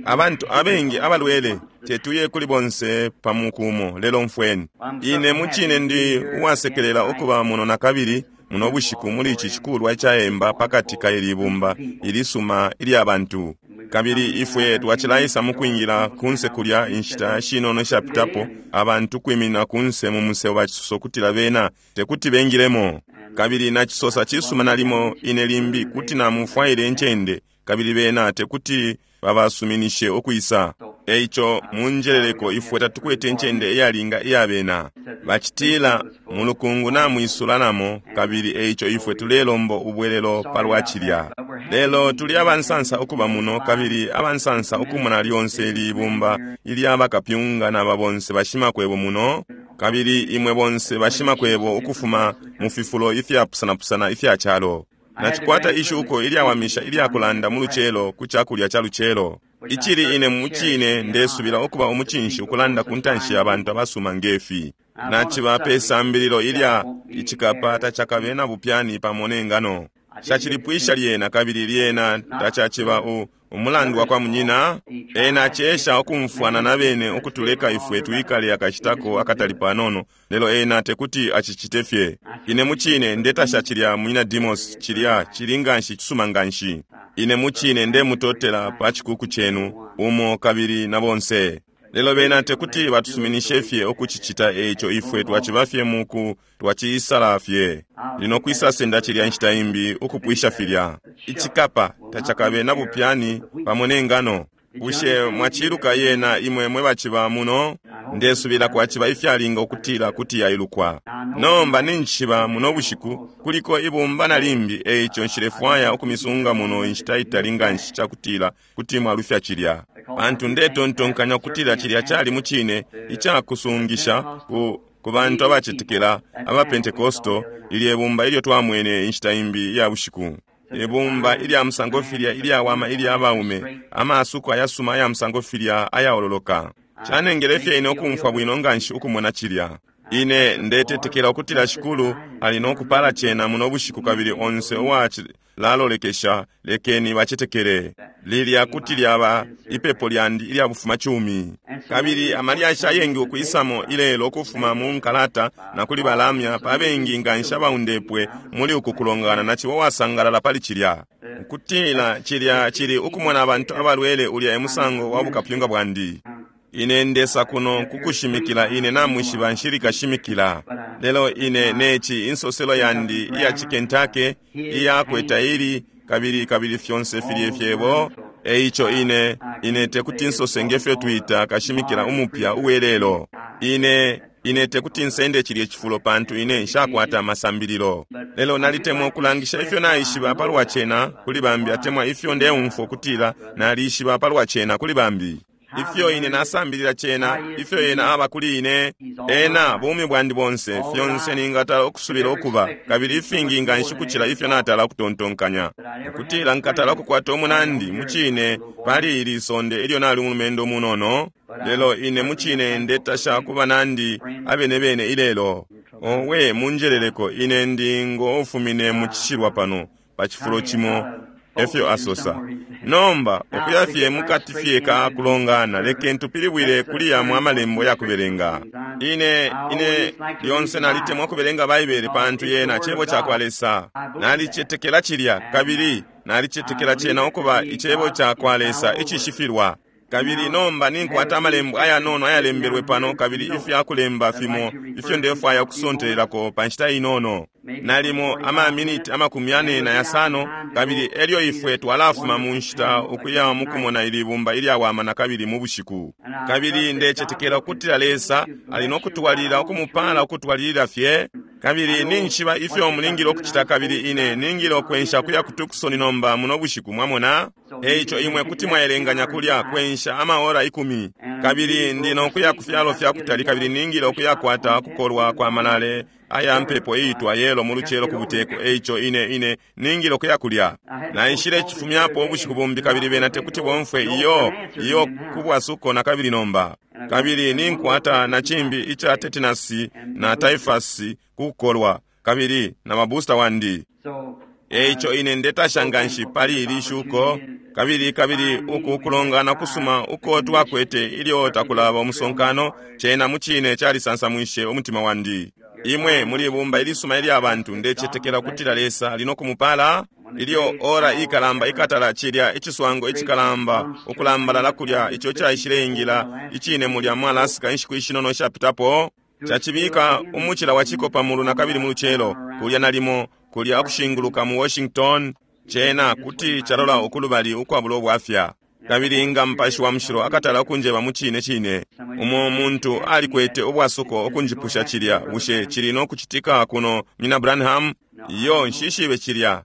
Abantu abengi abalwele tetuye kuli bonse pa muku umo, lelo mfweni. Ine mucine ndi uwasekelela ukuba muno nakabili muno bushiku muli ici cikulwa icayemba pakati ka ili bumba ilisuma ilya bantu. Kabili ifwe twacilaisa mukwingila kunse kulya inshita shinono ishapitapo, abantu kwiminina kunse mu musebo bacisosa ukutila bena tekuti bengilemo. Kabili nacisosa, Cisuma, nalimo ine limbi kuti namufwaile incende, kabili bena tekuti babasuminishe ukwisa. Eico munjeleleko, ifwe tatukwete incende iyalinga iya bena. Bacitila mulukungu namwisula namo, kabili eico ifwe tulelomba ubwelelo palwa cilya. Lelo tuli abansansa ukuba muno, kabili abansansa ukumona lyonse ili bumba ilya bakapyunga naba bonse bashimakwebo muno, kabili imwe bonse bashimakwebo ukufuma mu fifulo ifyapusanapusana ifya calo. Nacikwata ishuko ilyawamisha ilyakulanda mu lucelo ku cakulya ca lucelo, icili ine mucine ndesubila ukuba umucinshi ukulanda ku ntanshi ya bantu abasuma nge fi. Naciba pe sambililo ilya Icikapa Tacakabe na Bupyani Pamo ne Ngano. Nshacilipwisha lyena, kabili lyena tacaciba u, umulandu wakwa munyina. Ena acesha ukumfwana na bene ukutuleka ifwe twikale akashitako akatali panono, lelo ena tekuti acicite fye. Ine mucine ndetasha cilya, Munyina Demos, cilya cili nganshi cisuma nganshi. Ine mucine ndemutotela pa cikuku cenu, umo kabili na bonse. Lelo bena tekuti batusuminishe fye ukucicita, eico ifwe twaciba fye muku twaciisala fye. Ndi no kwisa senda cilya inshita imbi ukupwisha filya. Icikapa tacakabe na bupyani pamo ne ngano. Bushe mwaciiluka yena imwe mwe baciba muno? Ndesubila kwaciba ifyalinga ukutila kuti yailukwa. Nomba ninjishiba muno bushiku kuliko ibumba na limbi, eico nshilefwaya ukumisunga muno inshita itali nganshi cakutila kuti mwalufya cilya. Pantu ndetontonkanya ukutila cilya cali mucine icakusungisha ku, ku bantu abacetekela aba Pentecostal, lilye bumba ilyo twamwene inshita imbi iya bushiku. Ibumba ilya musango filya ilyawama ilya baume, amasuko ayasuma aya musango filya ayaololoka. Canengele fye ine ukumfwa bwino nganshi ukumona cilya. Ine ndetetekela ukutila Shikulu ali no kupala cena muno bushiku kabili onse uwacilalolekesha lekeni bacetekele. Lilya kuti lyaba ipepo lyandi ilya bufumacumi. Kabili amalyashi ayengi ukwisamo ilelo ukufuma mu nkalata na kuli balamya pa bengi nganshi abaundepwe muli uku kulongana naciba uwasangalala pali cilya. Ukutila cilya cili ukumona abantu abalwele ulya e musango wa bukapyunga bwandi. Ine ndesa kuno kukushimikila ine namwishiba nshili kashimikila. Lelo ine neci insoselo yandi iya ci Kentucky iyakwe taili kabili kabili fyonse filye fyebo. Eico ine, ine tekuti nsose ngefyo twita kashimikila umupya uwelelo. Ine, ine tekuti nsende cilye cifulo pantu ine nshakwata amasambililo. Lelo nalitemwa ukulangisha ifyo naishiba palwa cena kuli bambi atemwa ifyo ndeumfwa ukutila nalishiba palwa cena kuli bambi. Ifyo ine nasambilila cena, ifyo Ena aba kuli ine, Ena bumi bwandi bonse, fyonse ningatala ukusubila ukuba, kabili ifingi nganshi ukucila ifyo natala ukutontonkanya, ukutila nkatala ukukwata umunandi mucine pali ili sonde ilyo nali umulumendo umunono. Lelo ine mucine ndetasha ku banandi abene bene ilelo. Owe, munjeleleko, ine ndi ngo ufumine mu cishilwa pano pa cifulo cimo, efyo asosa. Nomba, ukuya fye mukati fye ka kulongana, lekeni tupilibwile kuli yamo Amalembo ya kubelenga. Ine, ine lyonse nalitemwa ukubelenga Baibele pantu yena Cebo cakwa Lesa. Nalicetekela cilya, kabili nalicetekela cena ukuba Icebo cakwa Lesa icishifilwa. Kabili nomba ninkwata Amalembo ayanono ayalembelwe pano kabili ifya kulemba fimo ifyo ndefwaya ukusontelelako pa nshita inono, nalimo ama miniti 45, kabili elyo ifwe twalafuma mu nshita ukuya mukumona ili bumba ilyawama nakabili mu bushiku. Kabili ndecetekela ukutila Lesa ali no kutwalilila ukumupala ukutwalilila fye. Kabili ninjishiba ifyo mulingile ukucita kabili ine ningile ukwensha ukuya ku Tucson nomba muno bushiku, mwamona. Eico imwe kuti mwaelenganya kulya kwensha ama ora 10. Kabili ndi no kuya ku fyalo fya kutali kabili ningile ukuyakwata ukukolwa kwa malale aya mpepo iitwa yelo mu lucelo ku buteko, eico ine, ine ningile ukuya kulya. Naishile cifumyapo ubushiku bumbi kabili bena tekuti bomfwe iyo, iyo kubwasuko nakabili nomba. Kabili ninkwata na cimbi ica tetanus na typhus ku kukolwa, kabili na ba booster wandi. Eico ine ndetasha nganshi pali ili shuko, kabili kabili uku kulongana kusuma uko twakwete ilyo takulaba umusonkano, cena mucine calisansamwishe umutima wandi. Imwe muli ibumba ilisuma ilya bantu, ndecetekela ukutila Lesa ali no kumupala. Ilyo ora ikalamba ikatala cilya iciswango icikalamba ukulambalala kulya ico caishileingila icine mulya mu Alaska inshiku ishinono ishapitapo, cacibika umucila wa ciko pa mulu nakabili mu lucelo, kulya nalimo kulya ukushinguluka mu Washington, cena kuti calola ukulubali ukwabula ubwafya. Kabili nga Mupashi wa Mushilo akatala ukunjeba mu cine cine, umo muntu alikwete ubwasuko ukunjipusha cilya, bushe cili no kucitika kuno, Munyina Branham? Iyo, nshishibe cilya.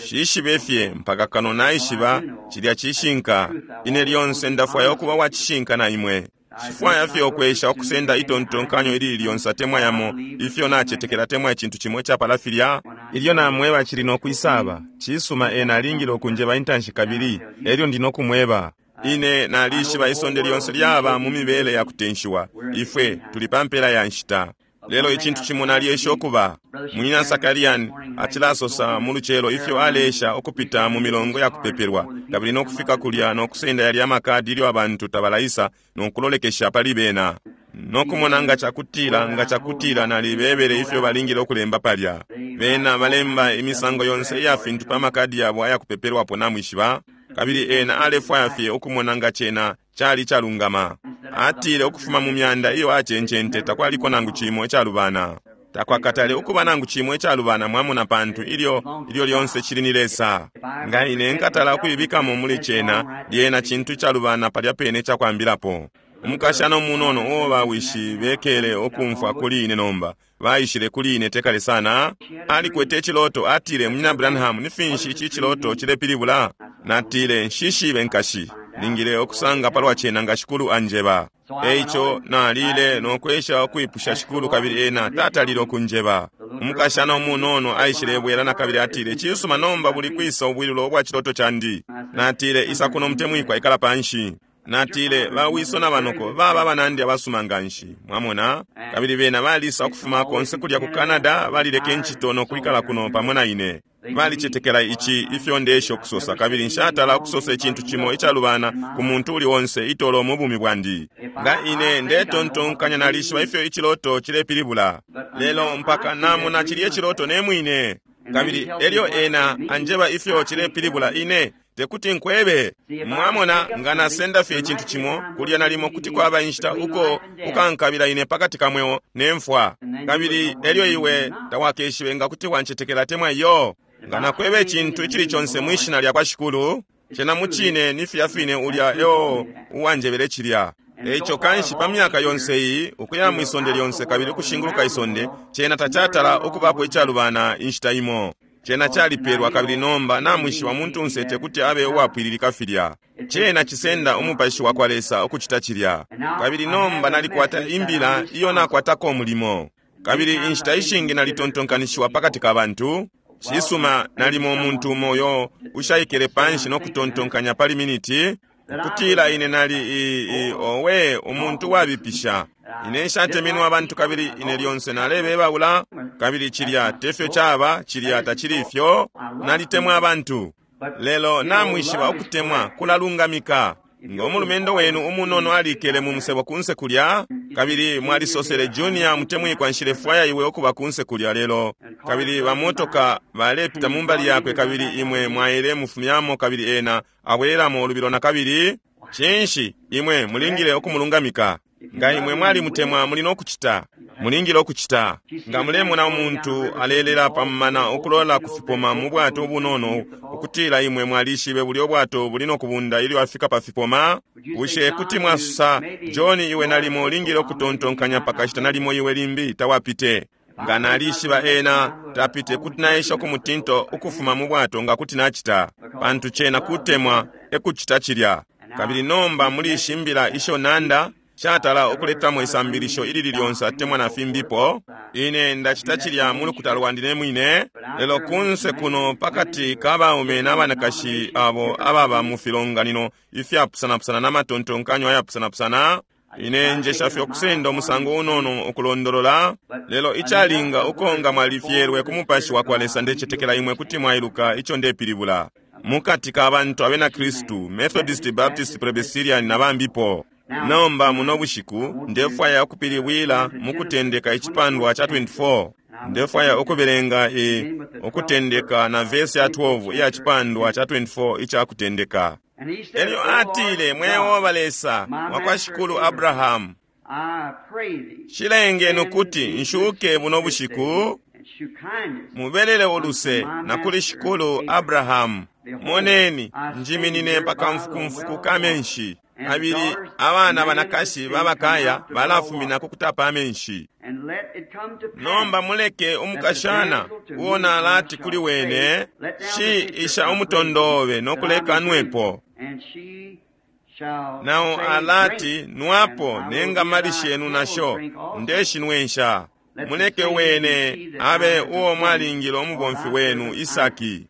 Nshishibe fye mpaka kano naishiba cilya cishinka. Ine lyonse ndafwaya ukuba wa cishinka na imwe. Nshifwaya fye ukwesha ukusenda itontonkanyo ilili lyonse atemwa yamo ifyo nacetekela atemwa icintu cimo icapala filya. Ilyo namweba cili no kwisaba, cisuma ena alingile ukunjeba intanshi kabili elyo ndi no kumweba. Ine nalishiba isonde lyonse lyaba mu mibele ya kutenshiwa. Ifwe tuli pa mpela ya nshita. Lelo icintu cimo nalyesha ukuba. Munyina Sakarian acilasosa mu lucelo ifyo aleesha ukupita mu milongo ya kupepelwa, kabili no kufika kulya no kusenda yalya makadi ilyo abantu tabalaisa no kulolekesha pali bena, no kumona nga cakutila, nga cakutila nalibebele ifyo balingile ukulemba palya. Bena balemba imisango yonse iya fintu pa makadi yabo aya kupepelwapo, namwishiba. Kabili ena alefwaya fye ukumona nga cena cali icalungama. Atile ukufuma mu myanda iyo acencente takwaliko nangu cimo icalubana. Takwakatale ukuba nangu cimo icalubana, mwamona, pantu ilyo, ilyo lyonse cili ni Lesa. Nga ine nkatala ukuibikamo muli cena, lyena cintu icalubana palya pene icakwambilapo. Umukashana umunono uo ba wishi bekele ukumfwa kuli ine nomba, baishile kuli ine tekale sana, alikwete iciloto. Atile, Munyina Branham, ni finshi ici ciloto cilepilibula? Natile, Nshishibe, nkashi. Ningile ukusanga palwa cena nga Shikulu anjeba. Eico nalile no kwesha ukwipusha Shikulu, kabili Ena tatalile ukunjeba. Umukashana umunono aishilebwela nakabili, atile, Cisuma, nomba buli kwisa ubwilulo ubwa ciloto candi? Natile, Isa kuno, mutemwikwa, ikala panshi. Natile, Ba wiso na banoko baba abanandi abasuma nganshi, mwamona, kabili bena balisa ukufuma konse kulya ku Canada, balileka incito no kwikala kuno pamo na ine. Balicetekela ici ifyo ndeesha ukusosa, kabili nshatala ukusosa icintu cimo icalubana ku muntu uli onse itolo mu bumi bwandi. Nga ine ndetontonkanya nalishiba ifyo iciloto cilepilibula, lelo mpaka namona cilye ciloto ne mwine, kabili elyo ena anjeba ifyo cilepilibula, ine tekuti nkwebe. Mwamona, nga nasenda fye icintu cimo kulya, nalimo kuti kwaba inshita uko ukankabila ine pakati ka mweo ne mfwa, kabili elyo iwe tawakeshibe nga kuti wancetekela atemwa iyo. Nga nakweba icintu icili conse mwi Shina lyakwa Shikulu, cena mucine ni filya fine ulya eo uwanjebele cilya. Eico kanshi pa myaka yonse iyi, ukuya mwi sonde lyonse kabili ukushinguluka isonde, cena tacatala ukubapo icalubana inshita imo. Cena calipelwa, kabili nomba namwishiba umuntunse tekuti abe uwapwililika filya. Cena cisenda Umupashi wakwa Lesa ukucita cilya. Kabili nomba nalikwata imbila iyo nakwatako umulimo. Kabili inshita ishingi nalitontonkanishiwa pakati ka bantu. Cisuma, nalimo umuntu umo uyo ushaikele panshi no kutontonkanya pali miniti, ukutila ine nali i, i, owe, umuntu wabipisha. Ine nshatemenwe abantu kabili ine lyonse nalebebaula, kabili cilya tefyo caba, cilya tacili ifyo. Nalitemwa abantu. Lelo namwishiba ukutemwa kulalungamika. Ngo mulumendo wenu umunono alikele mu musebo kunse kulya, kabili mwalisosele, Junior mutemwikwa, nshilefwaya iwe ukuba kunse kulya lelo, kabili bamotoka balepita mumbali yakwe, kabili imwe mwaile mufumyamo, kabili ena abwelelamo ulubilo nakabili, cinshi, imwe mulingile ukumulungamika. Nga imwe mwalimutemwa, muli no kucita. Mulingile ukucita. Nga mulemona umuntu alelela pa mumana ukulola ku fipoma mu bwato ubunono, ukutila imwe mwalishibe bulyo bwato buli no kubunda ilyo afika pa fipoma, bushe kuti mwasosa, John, iwe nalimo ulingile ukutontonkanya pakashita, nalimo iwe limbi tawapite. Nga nalishiba ena tapite, kuti naesha ukumutinta ukufuma mu bwato nga kuti nacita, pantu cena kutemwa ekucita cilya. Kabili nomba muli ishi mbila isho nanda, nshatala ukuletamo isambilisho ilili lyonse atemwa na fimbipo. Ine ndacita cilya mu lukuta lwandi ne mwine, lelo kunse kuno pakati ka baume na banakashi abo ababa mu filonganino ifyapusanapusana na matontonkanyo ayapusanapusana. Ine njesha fye ukusenda umusango unono ukulondolola, lelo icalinga uko nga mwalifyelwe ku Mupashi wakwa Lesa, ndecetekela imwe kuti mwailuka ico ndepilibula. Mukati ka bantu abena Kristu, Methodist, Baptist, Presbyterian na bambipo. Nomba muno bushiku ndefwaya ukupilibwila mu Kutendeka icipandwa ca 24. Ndefwaya ukubelenga i Ukutendeka na vesi ya 12 iya cipandwa ca 24 ica Kutendeka. Elyo atile, Mwe Yehoba Lesa wa kwa shikulu Abrahamu, shilengeni ukuti nshuke buno bushiku, mubelele uluse na kuli shikulu Abrahamu. Moneni, njiminine pa kamfukumfuku ka menshi. Kabili abana banakashi babakaya balafumina ku kutapa amenshi. Nomba muleke umukashana uo nalati kuli wene, Shi isha umutondo obe no kuleka nwepo. Nao alati, Nwapo ne ngamali shenu nasho ndeshinwensha. Muleke wene abe uo mwalingile umubomfi wenu Isaki.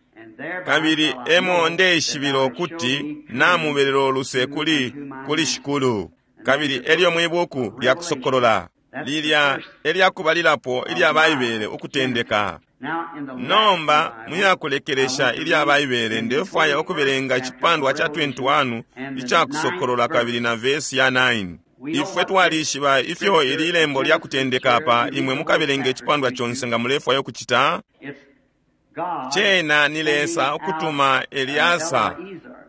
Kabili emo ndeishibila ukuti namubelelo uluse kuli kuli Shikulu. Kabili elyo mwi buku lya Kusokolola, lilya elya kubalilapo ilya Baibele, Ukutendeka. Nomba muyakulekelesha ilya Baibele, ndefwaya ukubelenga icipandwa ca 21 ica Kusokolola kabili na vesi ya 9. Ifwe twalishiba ifyo ili lembo lya Kutendeka apa. Imwe mukabelenga icipandwa conse nga mulefwaya ukucita. Cena ni Lesa ukutuma Eliasa,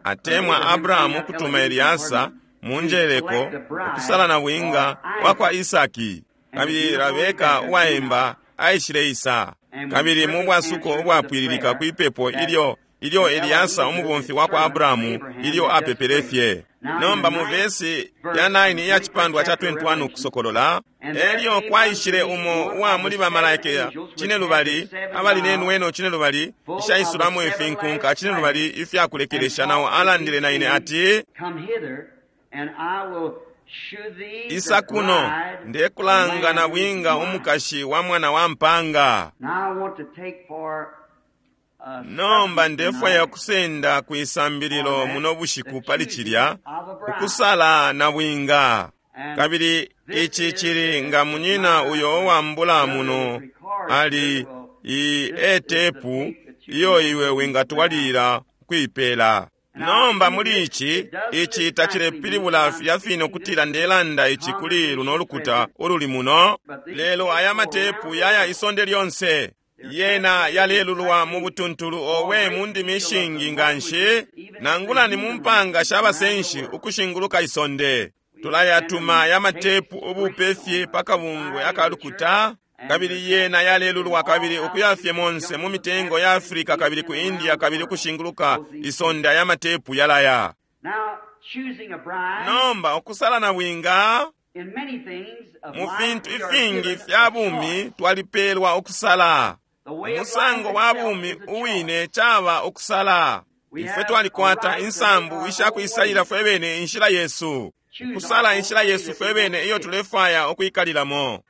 atemwa Abrahamu ukutuma Eliasa mu njeleko ukusala na bwinga wa kwa Isaki. Kabili Rabeka uwaemba aishile isa. Kabili mu bwasuko ubwapwililika kwi pepo ilyo ilyo Eliasa umubomfi wa kwa Abrahamu ilyo apepele fye. Nomba mu vesi ya 9 iya cipandwa ca 21 Ukusokolola, elyo kwaishile umo uwa muli bamalaika cinelubali abali ne nweno cinelubali ishaisulamo ifinkunka cinelubali ifya kulekelesha, nao alandile na ine ati, Isa kuno, ndekulanga na bwinga umukashi wa mwana wa mpanga. Nomba ndefwaya ukusenda kwi sambililo muno bushiku pali cilya, ukusala na bwinga. Kabili ici cili nga munyina uyo uwambula muno ali i etepu iyo iwe wingatwalilila ukuipela. Nomba muli ici, ici tacilepilibula filya fine ukutila ndelanda ici kuli luno lukuta ululi muno, lelo aya matepu yaya isonde lyonse. Yena yalelulwa mu butuntulu owe mu ndimi ishingi nganshi, nangula ni mu mpanga sha basenshi ukushinguluka isonde. Tulayatuma aya matepu ubupe fye pa kabungwe aka lukuta, kabili yena yalelulwa kabili ukuya fye monse mu mitengo ya Afrika kabili ku India kabili ukushinguluka isonde aya matepu yalaya. Nomba ukusala na bwinga, mu fintu ifingi fya bumi twalipeelwa ukusala. Umusango wa bumi uwine caba ukusala. Ifwe twalikwata insambu isha kuisalila fwe bene inshila yesu, ukusala inshila yesu fwe bene iyo tulefwaya ukwikalilamo.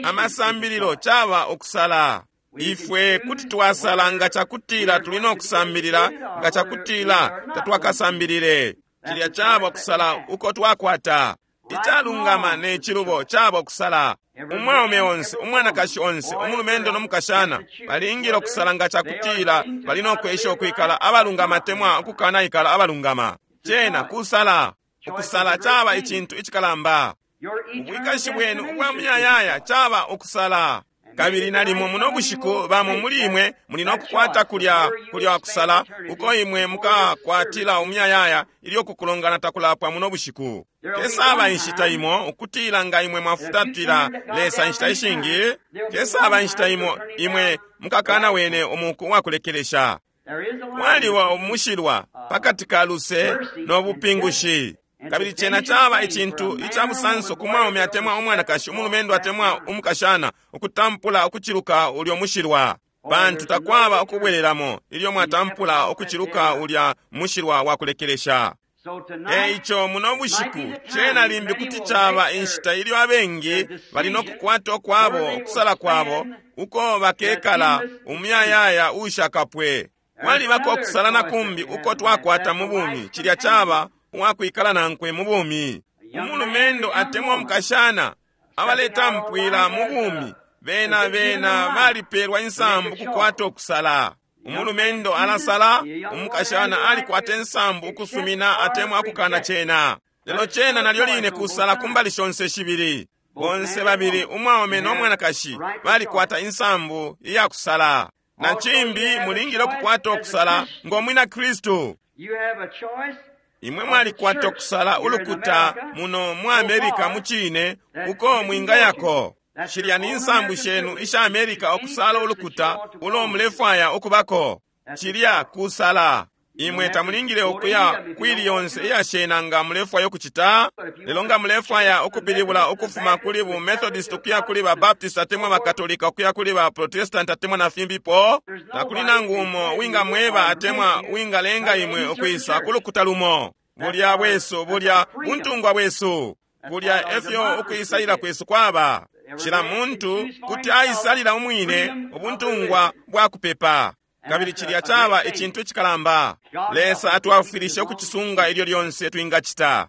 Amasambililo caba ukusala. Ifwe kuti twasala nga cakutila tuli no kusambilila, nga cakutila tatwakasambilile. Cilya caba ukusala uko twakwata. Icalungama ne cilubo caba ukusala. Umwaume onse, umwanakashi onse, umulumendo no mukashana balingile ukusala nga cakutila bali no kwesha ukwikala abalungama atemwa ukukanaikala abalungama. Cena kusala. Ukusala caba icintu icikalamba. Ubwikashi bwenu ubwa muyayaya caba ukusala. Kabili nalimo muno bushiku bamo muli imwe muli no kukwata kulya kulya kusala uko imwe mukakwatila umuyayaya ilyo kukulongana takulapwa muno bushiku. Kesaba inshita imo ukutila nga imwe mwafutatila Lesa inshita ishingi, kesaba inshita imo imwe mukakana wene umuku wakulekelesha. Kwaliba umushilwa pakati ka luse no bupingushi. Kabili cena caba icintu ica busanso ku mwaume atemwa umwanakashi, umulumendo atemwa umukashana, ukutampula ukuciluka ulyo mushilwa, pantu takwaba ukubwelelamo ilyo mwatampula ukuciluka ulya mushilwa wa kulekelesha. E ico muno bushiku cena limbi kuti caba inshita ilyo abengi bali no kukwata ukwabo ukusala kwabo uko bakekala umuyayaya ushakapwe. Kwalibako ukusala na kumbi uko twakwata mu bumi, cilya caba uwakwikala nankwe mu bumi. Umulumendo atemwa umukashana abaletampwila mu bumi, bena bena balipelwa insambu kukwata ukusala. Umulumendo alasala, umukashana alikwata insambu ukusumina atemwa akukana cena. Lelo cena nalyo line kusala kumbali shonse shibili. Bonse babili umwaume no mwanakashi balikwata insambu iya kusala. Na cimbi mulingile ukukwata ukusala ngo mwina Kristu. Imwe mwalikwata ukusala ulukuta muno mu Amerika mu cine uko mwingayako. Shilya ni nsambu shenu isha Amerika ukusala ulukuta ulo mulefwaya ukubako. Cilya kusala. Imwe tamulingile ukuya kwili yonse iyashena nga mulefwaya ukucita, lelo nga mulefwaya ukupilibula ukufuma kuli bu Methodist ukuya kuli ba Baptist atemwa ba Katolika ukuya kuli ba Protestant atemwa na fimbipo, takuli nangu umo wingamweba atemwa wingalenga imwe ukwisa ku lukuta lumo. Bulya bwesu, bulya buntungwa bwesu, bulya efyo ukwisalila kwesu kwaba. Cila muntu kuti aisalila umwine ubuntungwa bwa kupepa. Kabili cilya caba icintu icikalamba. Lesa atwafwilishe ukucisunga ilyo lyonse twingacita.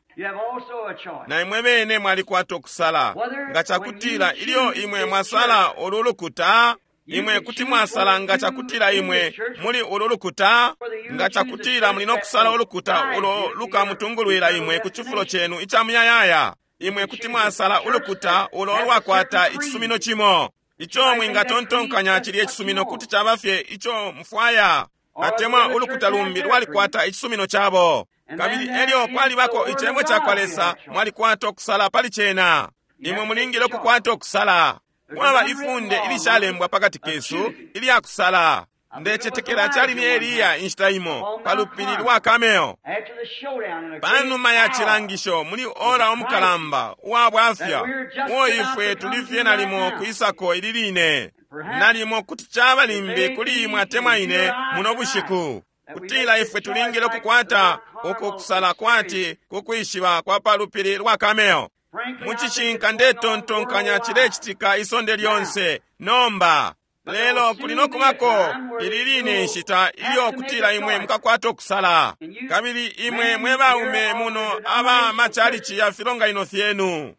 Na imwe bene mwalikwata ukusala. Nga cakutila ilyo imwe mwasala ulu lukuta, imwe kuti mwasala nga cakutila imwe muli ulu lukuta, nga cakutila muli no kusala ulukuta ulo lukamutungulwila imwe ku cifulo cenu ica muyayaya. Imwe kuti mwasala ulukuta ulo lwakwata icisumino cimo. Ico mwingatontonkanya cilye cisumino kuti caba fye ico mufwaya, atemwa ulukuta lumbi lwalikwata icisumino cabo. Kabili elyo kwalibako icebo ca kwa Lesa, mwalikwata ukusala pali cena. Imwe mulingile ukukwata ukusala. Kwaba ifunde ilishalembwa pakati kesu ilya kusala. Ndecetekela cali ni Eliya inshita imo pa lupili lwa Kameo. Panuma ya cilangisho muli ora umukalamba uwa bwafya, uo ifwe tuli fye nalimo kwisako ili line. Nalimo kuti caba limbi kuli imwe atemwa ine muno bushiku. Kutila ifwe tulingile ukukwata uku kusala kwati kukwishiba kwa pa lupili lwa Kameo. Mu cishinka ndetontonkanya cilecitika isonde lyonse nomba. Lelo kuli no kubako ili line nshita ilyo kutila imwe mukakwata ukusala. Kabili imwe mwe baume muno aba machalichi ya filonganino fyenu,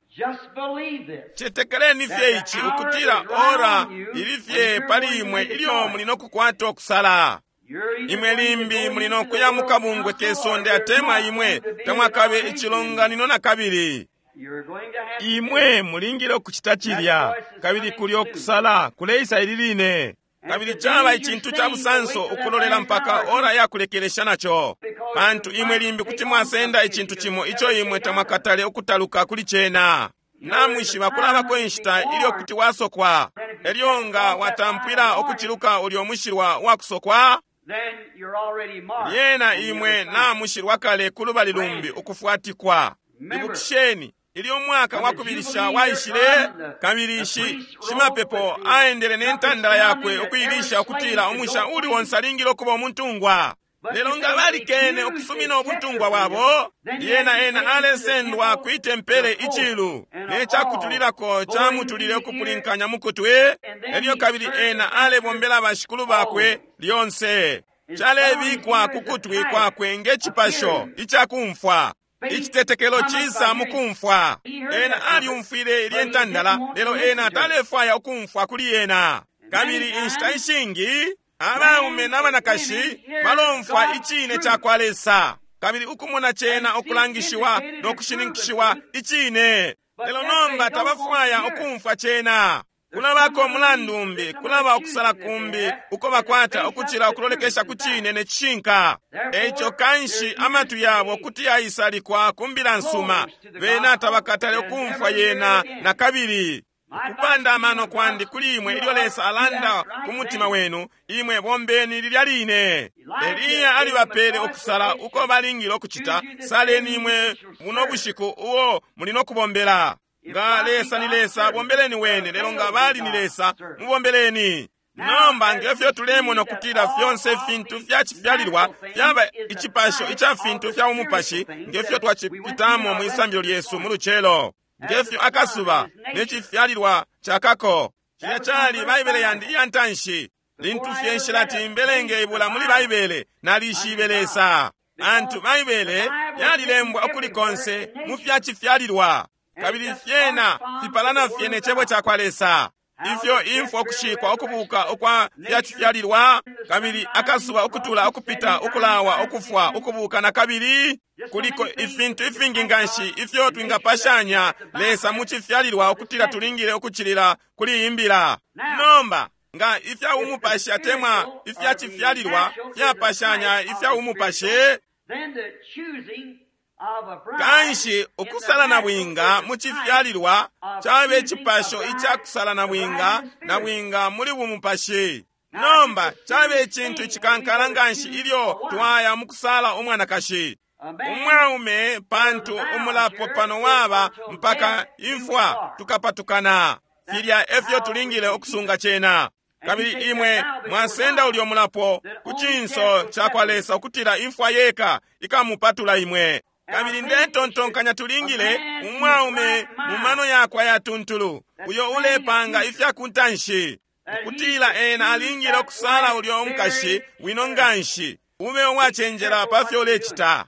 cetekeleni fye ici ukutila ora ili fye pali imwe ilyo muli no kukwata ukusala. Imwe limbi muli no kuya mu kabungwe ke sonde atemwa imwe tamwakabe icilonganino na kabili. Imwe mulingile ukucita cilya, kabili kulyo ukusala kuleisa ili line. Kabili caba icintu ca busanso ukulolela mpaka ora ya kulekelesha naco, pantu imwe limbi kuti mwasenda icintu cimo ico imwe tamwakatale ukutaluka kuli cena. Namwishiba kulabako inshita ilyo kuti wasokwa, elyo nga watampwila ukuciluka ulyo mushilwa wa kusokwa, lyena imwe namushilwa kale ku lubali lumbi ukufwatikwa. Ibukisheni ilyo umwaka wa kubilisha waishile, kabili shimapepo aendele ne ntandala yakwe ukuilisha ukutila umusha uli onse alingile ukuba umuntungwa. Lelo nga balikene ukusumina ubuntungwa bwabo, lyena ena alesendwa kwi tempele icilu ne cakutulilako camutulile ukupulinkanya mukutwi, elyo kabili ena alebombela bashikulu bakwe lyonse. Calebikwa ku kutwi kwakwe nge cipasho icakumfwa. Icitetekelo cisa mukumfwa. Ena alyumfwile ilye ntandala, lelo ena talefwaya ukumfwa kuli ena. Kabili inshita ishingi abaume n'abanakashi balomfwa icine ca kwa Lesa, kabili ukumona cena ukulangishiwa no kushininkishiwa icine, lelo nomba tabafwaya ukumfwa cena. Kulabako mulandu umbi, kulaba ukusala kumbi uko bakwata ukucila ukulolekesha ku cine ne cishinka. Eico kanshi amatwi yabo kuti yaisalikwa ku mbila nsuma, bena tabakatale ukumfwa yena na kabili. Kupanda amano kwandi kuli imwe ilyo Lesa alanda ku mutima wenu, imwe bombeni lilya line. Eliya alibapele ukusala uko balingile ukucita. Saleni imwe muno bushiku uo muli no kubombela. Nga Lesa ni Lesa, bombeleni wene, lelo nga bali ni Lesa, mubombeleni. Nomba ngefyo tulemona ukutila fyonse ifintu fyacifyalilwa fyaba icipasho ica fintu fya umupashi, ngefyo twacipitamo mwisambilo lyesu mu lucelo, ngefyo akasuba ne cifyalilwa cakako. Cilya cali Baibele yandi iya ntanshi. Lintu fye nshilati mbelenge ibula muli Baibele, nalishibe Lesa. Pantu Baibele yalilembwa ukuli konse mu fyacifyalilwa, kabili fyena fipalana fye ne Cebo cakwa Lesa. Ifyo imfwa, ukushikwa, ukubuka ukwa fyacifyalilwa, kabili akasuba ukutula, ukupita, ukulawa, ukufwa, ukubuka na kabili. Kuliko ifintu ifingi nganshi ifyo twingapashanya Lesa mu cifyalilwa ukutila tulingile ukucilila kuli iyi mbila. Nomba, nga ifya umupashi atemwa ifya cifyalilwa fyapashanya ifya umupashi, kanshi ukusala na bwinga mu cifyalilwa cabe icipasho ica kusala na bwinga na bwinga muli bumupashi. Nomba cabe icintu icikankala nganshi ilyo twaya mu kusala umwanakashi umwaume, pantu umulapo pano waba mpaka imfwa tukapatukana. Filya efyo tulingile ukusunga cena. Kabili imwe mwasenda ulyo mulapo ku cinso cakwa Lesa ukutila imfwa yeka ikamupatula imwe. Kabili ndetontonkanya tulingile umwaume mu mano yakwe ayatuntulu, uyo ulepanga ifya kuntanshi, ukutila ena alingile ukusala ulyo umukashi wino nganshi, ube uwacenjela pa fyo ulecita.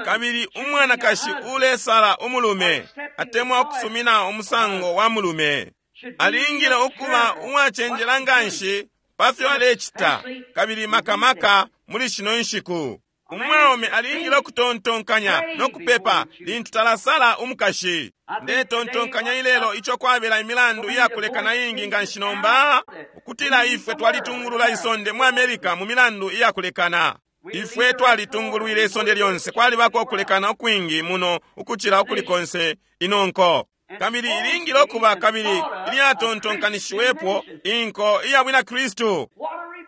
Kabili umwanakashi ulesala umulume, atemwa ukusumina umusango wa mulume, alingile ukuba uwacenjela nganshi pa fyo alecita, kabili makamaka muli shino nshiku. Umwaume alingile ukutontonkanya no kupepa lintu talasala umukashi. Ndetontonkanya ilelo ico kwabela imilandu iyakulekana ingi nganshi nomba, ukutila ifwe twalitungulula isonde mu America mu milandu iyakulekana. Ifwe twalitungulwile isonde lyonse, kwalibako ukulekana ukwingi muno ukucila ukuli konse ino nko. Kabili ilingile ukuba kabili ilyatontonkanishiwepo inko iya bwina Kristu.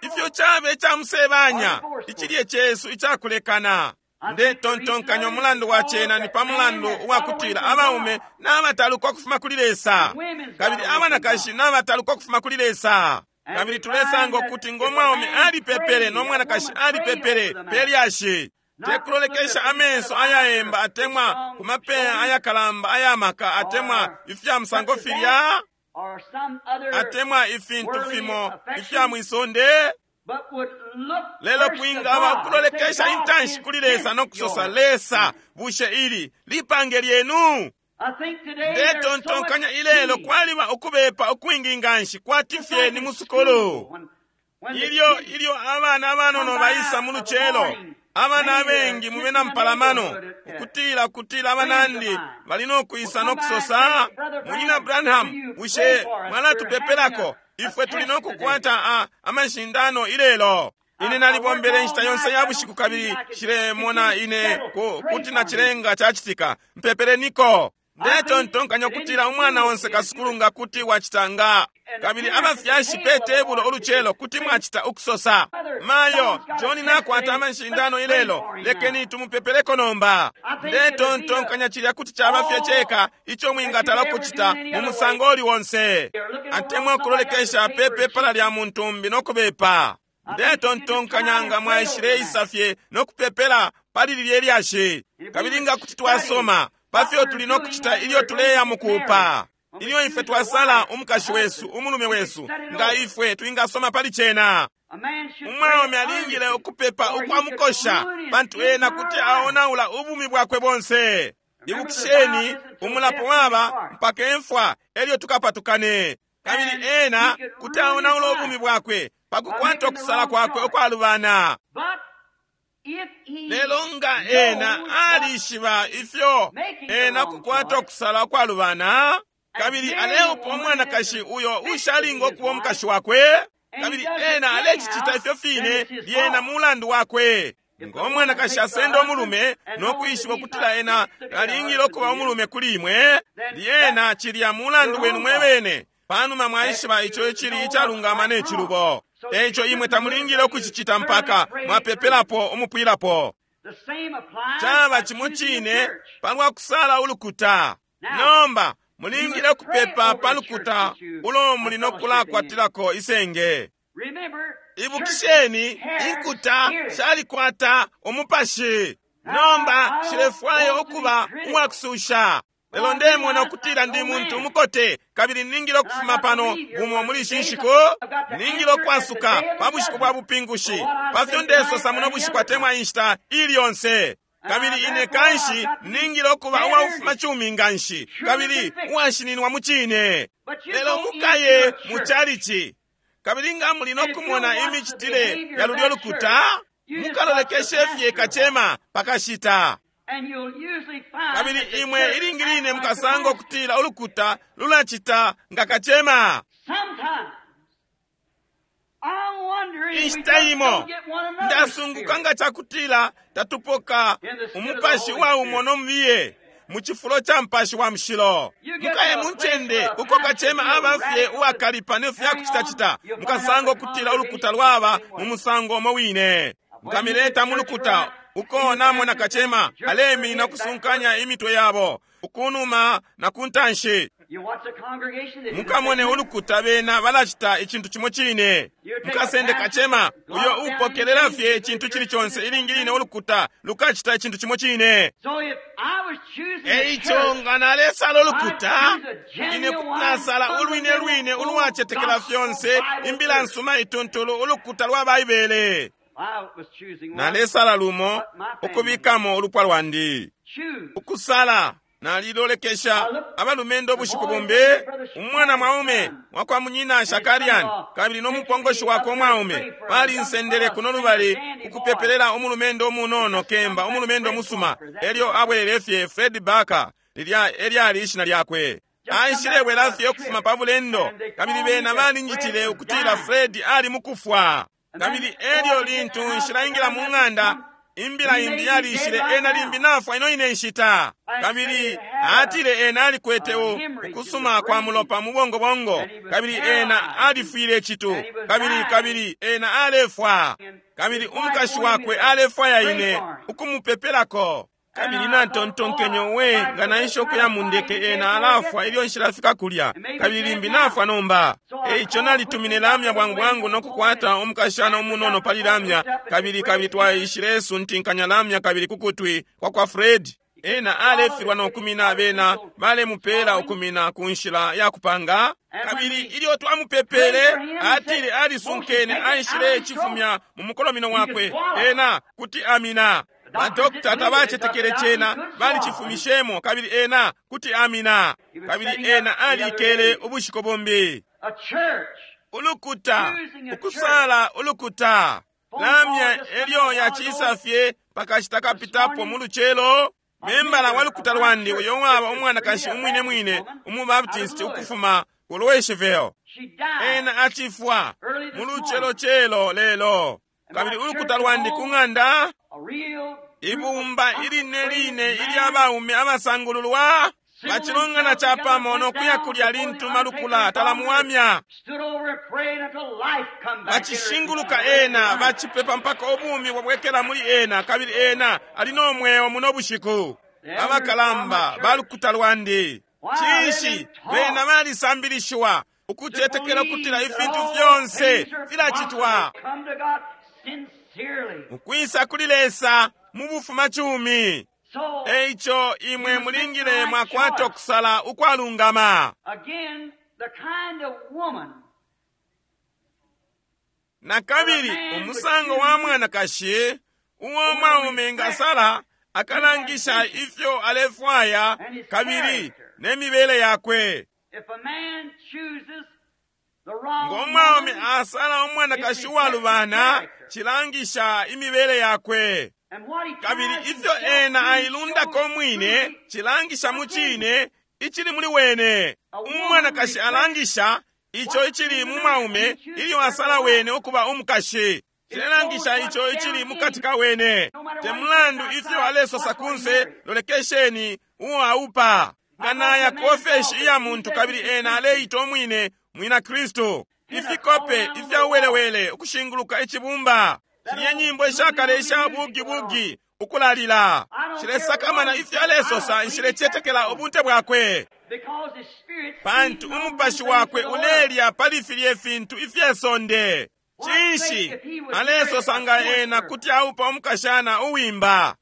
Ifyo cabe ica musebanya icilye cesu icakulekana. Ndetontonkanya umulandu wa cena ni pa mulandu uwakutila abaume nabataluka ukufuma kuli Lesa, kabili abanakashi nabataluka ukufuma kuli Lesa. Kabili tulesanga ukuti ngo mwaume alipepele no mwanakashi alipepele pe lyashi, tekulolekesha amenso ayaemba atemwa ku mapeya ayakalamba ayamaka atemwa ifya musango filya atemwa ifintu fimo ifya mwisonde, lelo kwingaba ukulolekesha intanshi kuli Lesa no kusosa, Lesa, bushe ili lipange lyenu? Ndetontonkanya ilelo kwaliba ukubepa ukwingi nganshi kwati fye ni musukulu. Ilyo ilyo abana abanono baisa mu lucelo, abana abengi mu bena mpalamano, ukutila kutila abanandi bali no kwisa no kusosa, Munyina Branham, bushe mwalatupepelako? Ifwe tuli no kukwata amashindano ilelo. Ine nalibombele inshita yonse ya bushiku kabili shilemona ine kuti nacilenga cacitika. Mpepeleniko. Ndetontonkanya ukutila umwana onse kasukulu nga kuti wacita nga, kabili abafyashi pe tebulo ulucelo kuti mwacita ukusosa, Mayo, John nakwata amashindano ilelo, lekeni tumupepeleko nomba. Ndetontonkanya cilya kuti caba fye ceka ico mwingatala kucita mu musango uli onse, atemwa ukulolekesha pe pepala lya muntu umbi no kubepa. Ndetontonkanya nga mwaishileisa fye no kupepela pali lilye lyashi, kabili nga kuti twasoma pa fyo tuli no kucita ilyo tuleya mukuupa, ilyo ifwe twasala umukashi wesu, umulume wesu, nga ifwe twingasoma pali cena. Umwaume alingile ukupepa ukwamukosha, pantu ena kuti aonaula ubumi bwakwe bonse. Ibukisheni, umulapo waba mpaka imfwa elyo tukapatukane. Kabili ena kuti aonaula ubumi bwakwe pakukwata ukusala kwakwe ukwalubana. Lelo nga ena alishiba ifyo ena kukwata ukusala ukwalubana, kabili aleupa umwanakashi uyo ushalinga ukuba umukashi wakwe, kabili ena alecicita ifyo fine, lyena mulandu wakwe. Ngo mwanakashi asenda umulume no kwishiba ukutila ena alingile ukuba umulume kuli imwe, lyena cilya mulandu wenu mwebene, panuma mwaishiba ico icili icalungama ne cilubo. Eico imwe tamulingile ukucicita mpaka mwapepelapo umupwilapo. Caba cimo cine palwa kusala ulukuta. Nomba mulingile ukupepa pa lukuta ulo muli no kulakwatilako isenge. Ibukisheni, inkuta shalikwata umupashi. Nomba shilefwaya ukuba uwakususha. Lelo ndemona ukutila ndi muntu umukote, kabili ningile ukufuma pano bumo muli ishi nshiku. Ningile ukwasuka pa bushiku bwa bupingushi pa fyo ndesosa muno bushiku atemwa inshita ili yonse. Kabili ine kanshi ningile ukuba uwaufuma cumi nganshi kabili uwashininwa mu cine. Lelo mukaye mu chalichi, kabili nga muli no kumona imicitile ya lulyo lukuta, mukalolekeshe fye kacema pakashita. Kabili imwe ilingi line mukasanga ukutila ulukuta lulacita nga kacema. Inshita imo ndasunguka nga cakutila tatupoka umupashi wa umo no mubiye mu cifulo ca mpashi wa mushilo. Mukaye mu ncende uko kacema aba fye uwakalipa ne fya kucitacita, mukasanga ukutila ulukuta lwaba mu musango umo wine. Mukamileta mu lukuta uko namona kacema aleminina kusunkanya imitwe yabo ukunuma na kuntanshi. Mukamone ulukuta bena balacita icintu cimo cine. Mukasende kacema uyo upokelela fye icintu cili conse, ilingi line ulukuta lukacita icintu cimo cine. Eico nga nalesala ulukuta, ine kuti nasala ulwine lwine ulwacetekela fyonse imbila nsuma ituntulu, ulukuta lwa Baibele. Nalesala lumo ukubikamo ulupwa lwandi. Ukusala nalilolekesha abalumendo ubushiku bumbi, umwana mwaume wakwa munyina Shakarian kabili no mupongoshi wakwe umwaume balinsendele kuno lubali ukupepelela umulumendo umunono kemba, umulumendo musuma. Elyo abwelele fye Fred Barker, lilya elyali ishina lyakwe. Aishilebwela fye ukufuma pa bulendo, kabili bena balinjitile ukutila Fred ali mukufwa. Kabili elyo lintu nshilaingila mu ng'anda, imbila imbi yalishile, ena limbi nafwa ino ine nshita. Kabili atile ena alikwete ukusuma kwa mulopa mu bongobongo, kabili ena alifwile citu, kabili kabili ena alefwa, kabili umukashi wakwe alefwaya ine ukumupepelako. Kabili natontonkenye, we nga naisha ukuya mu ndeke, ena alafwa ilyo nshilafika kulya, kabili limbi nafwa nomba. Eico nalitumine lamya bwangu bwangu no kukwata umukashana umunono pali lamya, kabili kabili twaishile suntinkanya lamya kabili kukutwi kwa kwa Fred. Ena alefilwa no kumina, bena balemupela ukumina ku nshila ya kupanga. Kabili ilyo twamupepele, atile alisunkene, aishile cifumya mu mukolomino wakwe, ena kuti amina. Badokta tabacetekele cena, balicifumishemo, kabili ena kuti amina. Kabili ena alikele ubushiku bumbi. Ulukuta, ukusala ulukuta lamya elyo yacisa fye pakashita kapitapo mu lucelo. Membala wa lukuta lwandi uyo waba umwanakashi umwine mwine umubaptisti ukufuma ku Louisville, ena acifwa mu lucelocelo lelo. Kabili ulukuta lwandi ku ng'anda, ibumba iline line ilya baume abasangululwa bacilongana capamo no kuya kulya lintu malukula talamuwamya. Bacishinguluka ena, bacipepa mpaka ubumi bwabwekela muli ena, kabili ena ali no mweo muno bushiku. Abakalamba balukuta lwandi, cinshi bena balisambilishiwa ukucetekela ukutila ifintu fyonse filacitwa ukwisa kuli Lesa mu bufumacumi. Eico imwe mulingile mwakwata ukusala ukwalungama. Na kabili umusango wa mwanakashi uo mwaume ngasala akalangisha ifyo alefwaya kabili ne mibele yakwe. Ngo mwaume asala umwanakashi uwalubana, cilangisha imibele yakwe. Kabili ifyo ena ailundako mwine cilangisha mu cine icili muli wene. Umwanakashi alangisha ico icili mu mwaume ilyo asala wene ukuba umukashi, cilelangisha ico icili mukati ka wene. Te mulandu ifyo alesosa kunse, lolekesheni uo aupa. Nga naya ku ofeshi iya muntu kabili ena aleita umwine mwina Kristu, ifikope ifya uwelewele ukushinguluka icibumba, shilye nyimbo ishakale isha bugi-bugi ukulalila, shilesakamana ifyo alesosa, nshilecetekela ubunte bwakwe, pantu umupashi wakwe ulelya pali filye fintu ifye sonde. Cinshi alesosa nga ena kuti aupa umukashana uwimba?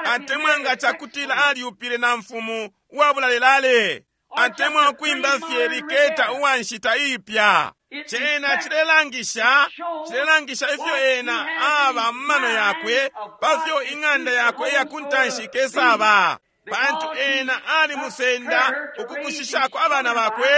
Atemwa nga cakutila alyupile na mfumu uwabulalelale, atemwa ukwimba fye liketa uwa nshita iipya. Cena cilelangisha, cilelangisha ifyo ena aba mu mano yakwe pafyo ing'anda yakwe iya kuntanshi ikesaba. Pantu ena alimusenda ukukushishako abana bakwe,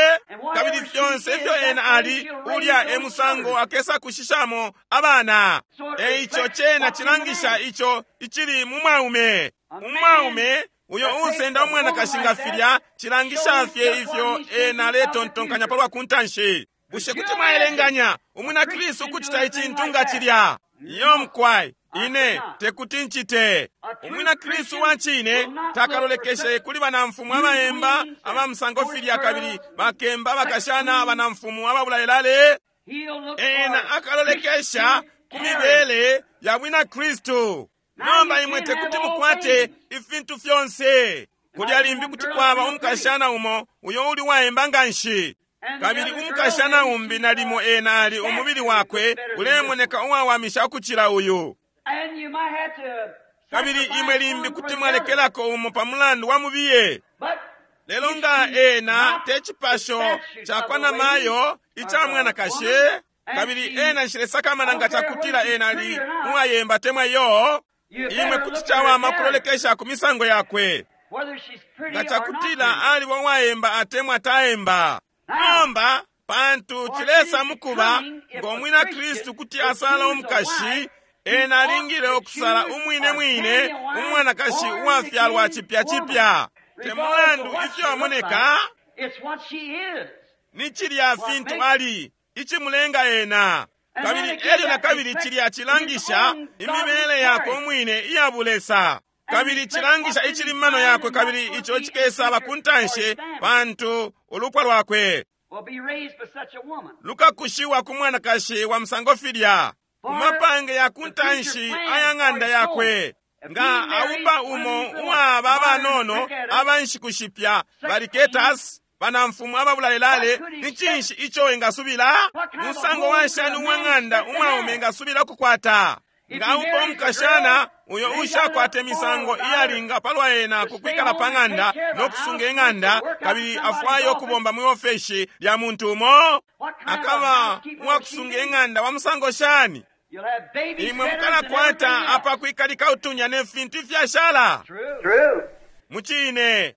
kabili fyonse ifyo ena ali, ulya e musango akesa kushishamo abana. E ico cena cilangisha ico icili mu mwaume. Umwaume uyo usenda umwanakashi nga filya, cilangisha fye ifyo ena aletontonkanya palwa kuntanshi. Bushe kuti mwaelenganya umwina Kristu ukucita icintu nga cilya? Iyo mukwai, ine tekuti ncite. Umwina Kristu wa cine takalolekeshe kuli banamfumu abaemba aba musango filya, kabili bakemba abakashana banamfumu ababulalelale. Ena akalolekesha ku mibele ya bwina Kristu. Nomba imwe tekuti mukwate ifintu fyonse. Kulya limbi kuti kwaba umukashana umo uyo uli waemba nganshi, kabili umukashana umbi nalimo ena ali umubili wakwe ulemoneka uwawamisha ukucila uyu. Kabili imwe limbi kuti mwalekelako umo pa mulandu wa mubiye. Lelo nga ena te cipasho cakwa namayo ica mwanakashi, kabili ena nshilesakamana nga cakutila ena ali uwayemba temwa iyo, imwe kuti cawama kulolekesha ku misango yakwe, nga cakutila aliba uwayemba atemwa taemba. Nomba pantu cilesa mukuba ngo mwina Kristu kuti asala umukashi, ena alingile ukusala umwine mwine umwanakashi uwafyalwa cipya cipya. Te mulandu ifyo amoneka, ni cilya fintu ali icimulenga ena. Kabili elyo na kabili cilya cilangisha imibele yakwe umwine iya bulesa, kabili cilangisha icili mu mano yakwe, kabili ico cikesaba ku ntanshi, pantu ulupwa lwakwe lukakushiwa ku mwanakashi wa musango filya, ku mapange ya ku ntanshi aya ng'anda yakwe. Nga aupa umo uwaba abanono aba nshiku shipya baliketas banamfumu ababulalelale, ni cinshi ico engasubila? Musango wa nshani uwa ng'anda umwaume engasubila kukwata? Nga aupa umukashana uyo ushakwata imisango iyalinga palwa ena kukwikala pa ng'anda no kusunga ing'anda, kabili afwaya ukubomba mwi ofeshi lya muntu umo, akaba uwakusunga ing'anda wa musango shani? Imwe mukalakwata apakwikalika utunya ne fintu ifyashala. Mucine.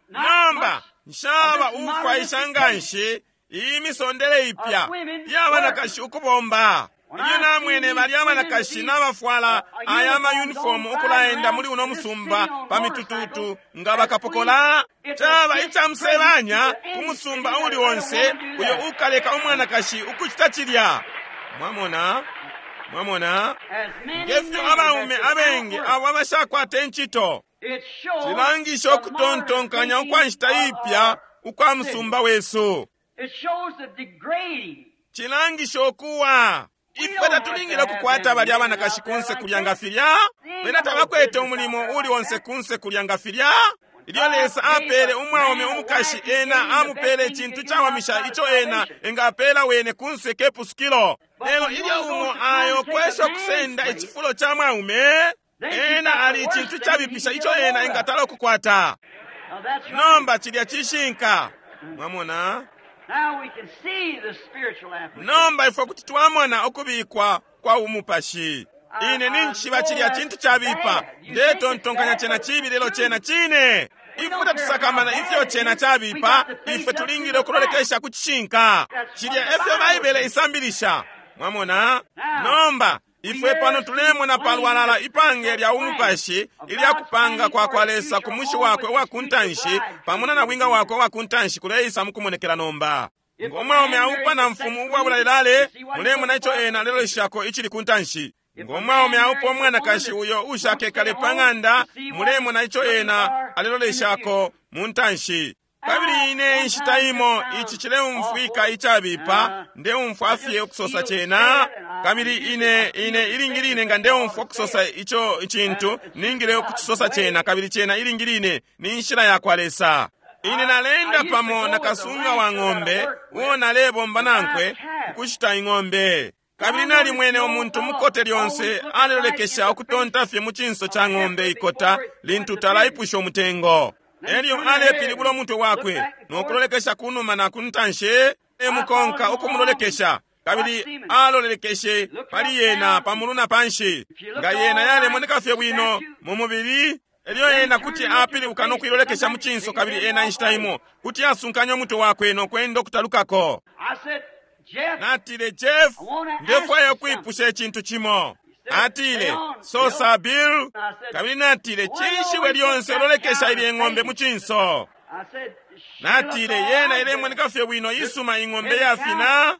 Nomba nshaba ufwaisha nganshi iyi misondele ipya iya banakashi ukubomba. Ilyo namwene balya abanakashi nabafwala aya amayunifomu ukulaenda muli uno musumba pa mitututu nga bakapokola, caba icamusebanya ku musumba uli onse uyo ukaleka umwanakashi ukucita cilya. Mwamona? Mwamona? Ngefyo abaume abengi abo abashakwata incito, cilangisha ukutontonkanya ukwa nshita ipya ukwa musumba wesu. Cilangisha ukuwa ifwe tatulingile ukukwata balya abanakashi kunse kulya nga filya. Bena tabakwete umulimo uli onse kunse kulya nga filya. Ilyo Lesa apele umwaume umukashi, ena amupele icintu cawamisha ico ena engapela wene kunse ke pusukilo. Lelo ilyo umo ayo kwesha kusenda icifulo ca mwaume, ena ali icintu cabipisha ico ena engatala ukukwata. Nomba cilya cishinka. Mwamona? Nomba ifwe kuti twamona ukubikwa kwa umupashi. Ine ninjishiba cilya cintu cabipa, ndetontonkanya cena cibi, lelo cena cine. Ifwe tatusakamana ifyo cena cabipa, ifwe tulingile ukulolekesha ku cishinka. Cilya efyo Baibele isambilisha. Mwamona? Nomba ifwe pano tulemona palwalala ipange lya umupashi ilya kupanga kwa kwa Lesa ku mushi wakwe uwa kuntanshi pamo na nabwinga wakwe uwa kuntanshi kuleisa mukumonekela nomba. Ngo mwaume aupa na mfumu uwabulalelale, mulemona ico ena aleloleshako icili kuntanshi. Ngo mwaume aupa umwanakashi uyo ushakekale pa ng'anda, mulemona ico ena aleloleshako mu ntanshi. Kabili ine inshita imo ici cileumfwika icabipa, ndeumfwa fye ukusosa cena. Kabili ine ine ilingi line nga ndeumfwa ukusosa ico icintu, ningile ukucisosa cena, kabili cena ilingi line ni nshila ya kwa Lesa. Ine nalenda pamo na kasunga wa ng'ombe uo nalebomba nankwe ukushita ing'ombe. Kabili nalimwene umuntu mukote lyonse alelolekesha ukutonta fye mu cinso ca ng'ombe ikota lintu talaipusha umutengo. Elyo alepilibula umutwe wakwe no kulolekesha kunuma na kuntanshi, emukonka ukumulolekesha. Kabili alolekeshe pali yena pamulu na panshi. Nga yena yalemoneka fye bwino mu mubili, elyo ena kuti apilibuka no kuilolekesha mu cinso, kabili ena inshita imo kuti asunkanya umutwe wakwe no kwenda ukutalukako. Natile, Jeff, ndefwaya ukwipusha icintu cimo. Atile, sosa Bill. Kabili natile, cinshi we lyonse ulolekesha ilye ng'ombe mu cinso? Natile, yena ilemoneka fye bwino, isuma ing'ombe yafina.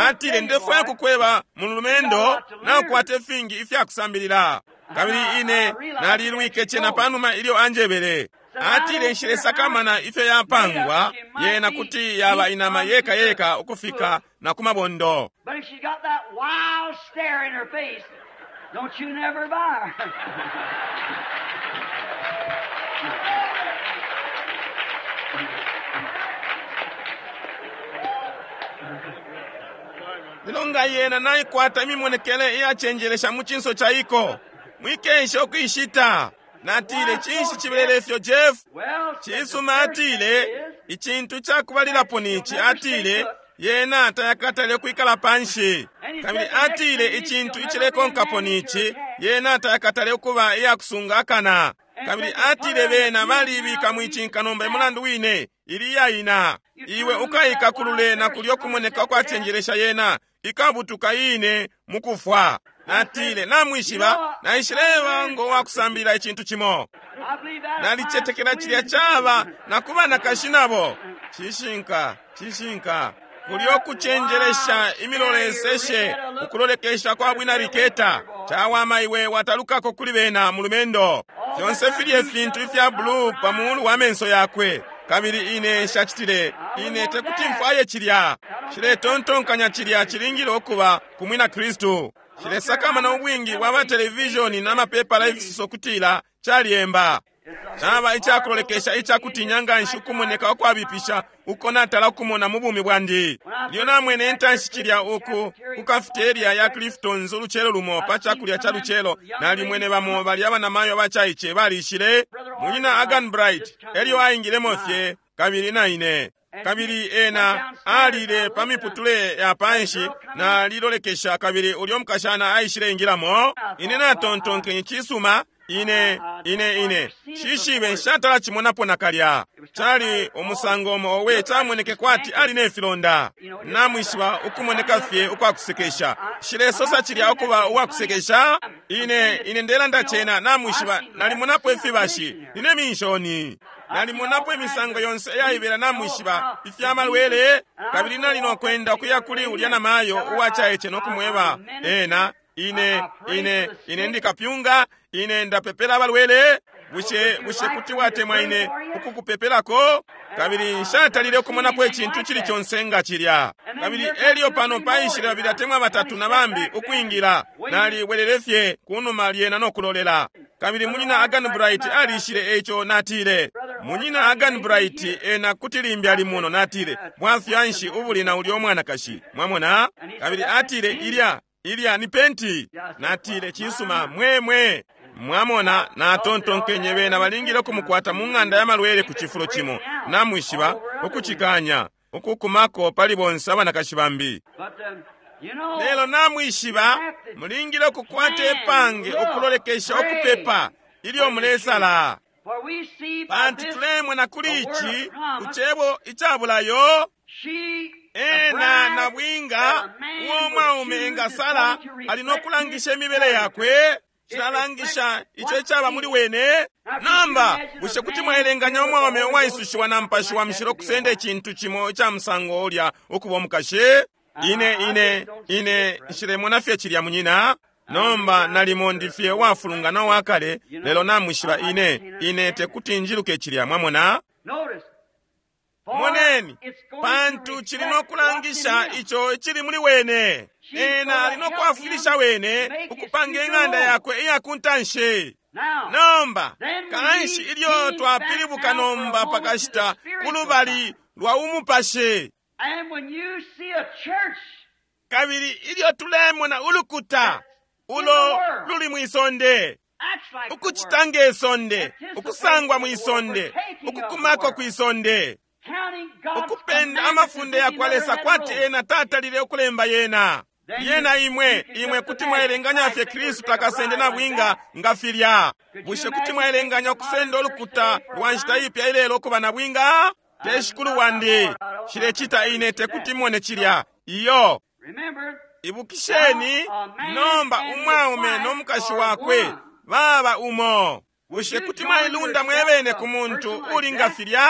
Atile, ndefwaya kukweba mulumendo, naukwata ifingi ifyakusambilila. Kabili ine nalilwike cena panuma ilyo anjebele. Atile, nshilesakamana ifyo yapangwa, yena kuti yaba inama yeka yeka ukufika na ku mabondo. But if she's got that wild stare in her face, don't you never buy her. Lelo nga yena naikwata imimonekele iyacenjelesha mu cinso ca iko, mwikesha ukuishita. Natile, cinshi cibelele ifyo, Jeff? Well, said the Cisuma, first atile, thing is, icintu cakubalilapo nici, atile, yena tayakatale kwikala panshi. Kabili atile, icintu icilekonkapo nici, yena tayakatale ukuba iyakusunga akana. Kabili atile, bena balibika mwicinka nomba emulandu wine ili iyaina. Iwe ukaikakulule na kulyo kumoneka ukwacenjelesha yena, ikabutuka ine mukufwa. Natile, namwishiba, naishileba ngo wakusambilila icintu cimo. I believe that Nalicetekela cilya caba na ku banakashi nabo. Cishinka, cishinka. Kulyo kucenjelesha imiloleseshe, ukulolekesha kwa bwina riketa. Cawama iwe watalukako kuli bena mulumendo. Fyonse filye fintu ifya blue pa mulu wa menso yakwe. Kabili ine nshacitile, ine tekuti mfwaye cilya. Nshiletontonkanya cilya cilingile ukuba ku mwina Kristu. Nshilesakamana ubwingi bwa ba televishoni na mapepala ifisoso kutila calyemba. Caba icakulolekesha icakutinya nganshi ukumoneka ukwabipisha uko natala ukumona mu bumi bwandi. Ilyo namwene intanshi cilya uku ku cafeteria ya Clifton's ulucelo lumo pa cakulya ca lucelo, nalimwene bamo balya abanamayo abacaice balishile. Munyina Agan Bright elyo aingilemo fye, kabili na ine. Kabili ena alile pa miputule ya panshi, nalilolekesha, kabili ulyo mukashana aishile ingilamo. Ine natontonkenye, cisuma, ine ine ine shishibe nshatala cimonapo nakalya. Cali umusango umo owe camoneke kwati ali ne filonda. Namwishiba ukumoneka fye ukwakusekesha. Nshilesosa cilya ukuba uwakusekesha. Ine ine ndelanda cena, namwishiba, nalimonapo ifibashi, nine minshoni. Nalimonapo imisango yonse iyaibela, namwishiba, ifyamalwele. Kabili nali nokwenda ukuya kuli ulya namayo uwacaice nokumweba ena, ine ine ine ndikapyunga, ine ndapepela abalwele. Bushe bushe kuti watemwa ine ukukupepelako? Kabili nshatalile ukumonapo icintu cili conse nga cilya. Kabili elyo pano paishile babili atemwa batatu na bambi ukwingila, nalibwelele fye kunuma lyena no kulolela. Kabili munyina Agan Bright alishile, eco natile, munyina Agan Bright ena kuti limbi ali muno. Natile, bwafya nshi ubuli na ulyo mwanakashi? Mwamona? Kabili atile, ilya ilya ni penti. Natile, cisuma, mwemwe. Mwamona, natontonkenye bena balingile ukumukwata mu ng'anda ya malwele ku cifulo cimo, namwishiba, ukucikanya, ukukumako pali bonse abanakashi bambi. But, you know, Lelo namwishiba, mulingile ukukwata ipange ukulolekesha ukupepa ilyo mulesala. for we see by Pantu this tulemona kuli ici ku cebo icabulayo, she, the ena bride, nabwinga that a man uo would mwaume choose engasala is going to ali no reflect kulangisha his imibele character. yakwe, cilalangisha ico icaba muli wene. Nomba bushe kuti mwaelenganya umwaume uwaisushiwa na mpashi wa mushilo kusenda icintu cimo ica musango ulya ukuba umukashi? Ine ine ine nshilemona fye cilya munyina. Nomba nalimo ndi fye uwafulungana uwakale, lelo namwishiba ine ine tekuti njiluke cilya, mwamona. Notice, for Moneni, it's going to pantu cili no reflect kulangisha what's in him. ico icili muli wene. Ena ali no kwafwilisha wene ukupanga ing'anda yakwe iya kuntanshi. Now, Nomba kanshi ilyo twapilibuka nomba pakashita ku lubali lwa umupashi, and when you see a church Kabili ilyo tulemona ulukuta ulo luli mwi sonde, ukucita nge sonde, ukusangwa mwi sonde, ukukumako kwi sonde, ukupenda amafunde ya kwa Lesa kwati ena tatalile ukulemba yena. Yena imwe, imwe kuti mwaelenganya fye Kristu takasende na bwinga nga filya. Bushe kuti mwaelenganya ukusenda ulukuta lwa nshita ipya ilelo ukuba na bwinga? Te shikulu wandi. Shilecita ine tekuti mone cilya. Iyo. Ibukisheni, nomba umwaume no mukashi wakwe baba umo. Bushe kuti mwailunda mwebene ku muntu uli nga filya?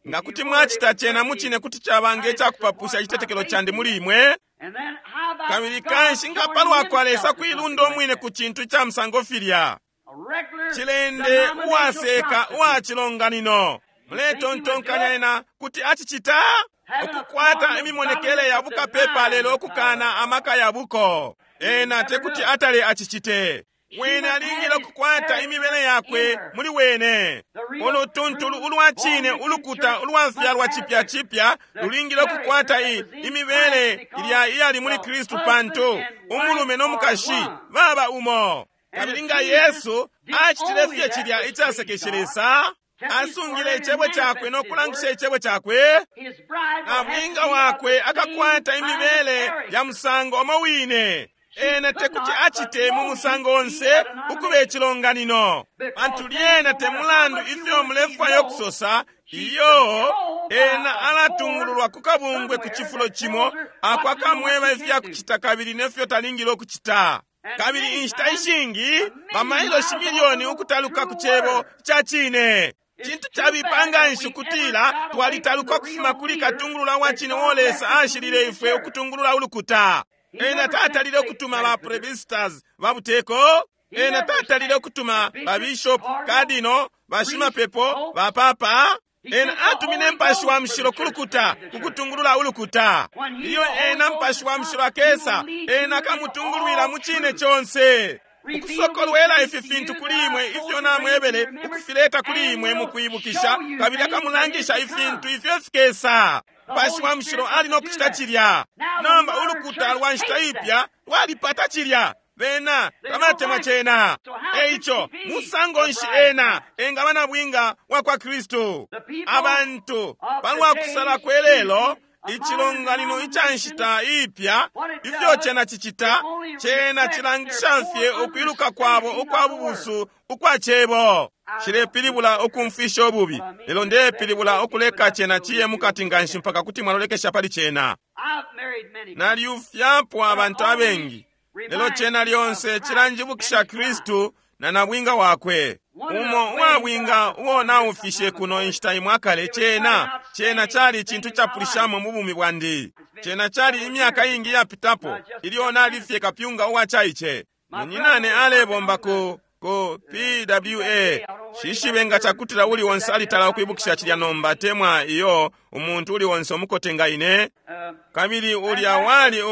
Nga kuti mwacita cena mucine kuti caba nge cakupapusha icitetekelo candi muli imwe. Kabili kanshi nga palwa kwa Lesa kuilunda umwine ku cintu ca musango filya. Cilende uwaseka uwa cilonganino. Muletontonkanya ena kuti acicita? Ukukwata imimonekele ya bukapepa lelo ukukana amaka ya buko. Ena tekuti atale acicite. Wene alingile ukukwata imibele yakwe muli wene. Ulutuntulu ulwa cine ulukuta ulwafyalwa cipya cipya lulingile ukukwata imibele ilya iyali muli Kristu, pantu umulume no mukashi baba umo. Kabili nga Yesu acitile fye cilya icasekeshe Lesa, asungile icebo cakwe no kulangisha icebo cakwe, na bwinga wakwe akakwata imibele ya musango omo wine. Ena tekuti acite mu musango onse ukuba icilonganino, pantu lyena te mulandu ifyo mulefwaya ukusosa. Iyo, ena alatungululwa ku kabungwe ku cifulo cimo ako akamweba ifya kucita kabili nefyo talingile ukucita. Kabili inshita ishingi bamailoshi milioni ukutaluka ku cebo ca cine. Cintu cabipa nganshi ukutila twalitaluka ukufuma kuli katungulula wa cine uo Lesa ashilile ifwe ukutungulula ulukuta. Ena tatalile ukutuma ba presbyters ba buteko. Ena tatalile ukutuma ba bishop, cardinal, bashimapepo, ba papa. Ena atumine Mupashi wa Mushilo ku lukuta kukutungulula ulukuta. Ilyo ena Mupashi wa Mushilo akesa, ena akamutungulwila mu cine conse. Ukusokolwela ifi fintu kuli imwe ifyo namwebele, ukufileta kuli imwe mu kwibukisha, kabili akamulangisha ifintu ifyo fikesa. Mupashi wa Mushilo ali no kucita cilya. Nomba ulukuta lwa nshita ipya lwalipata cilya. Bena tabatemwa cena. Eico musango nshi ena engaba na bwinga wa kwa Kristu? Abantu palwa kusala kwelelo, icilonganino ica nshita ipya, ifyo cena cicita, cena cilangisha fye ukwiluka kwabo ukwa bubusu ukwa cebo. Shilepilibula ukumfisha ububi, lelo ndepilibula ukuleka cena ciye mukati nganshi mpaka kuti mwalolekesha pali cena. Nalyufyapo abantu abengi, lelo cena lyonse cilanjibukisha Kristu na nabwinga wakwe. Umo uwabwinga uo naufishe kuno inshita imwe akale, cena cena cali icintu capulishamo mu bumi bwandi. Cena cali imyaka ingi yapitapo ilyo nalifye kapyunga uwa caice. Munyinane alebomba ku PWA. Shishibe nga cakutila uli onse alitala ukwibukisha cilya nomba temwa iyo umuntu uli onse umukote nga ine. Kabili ulya wali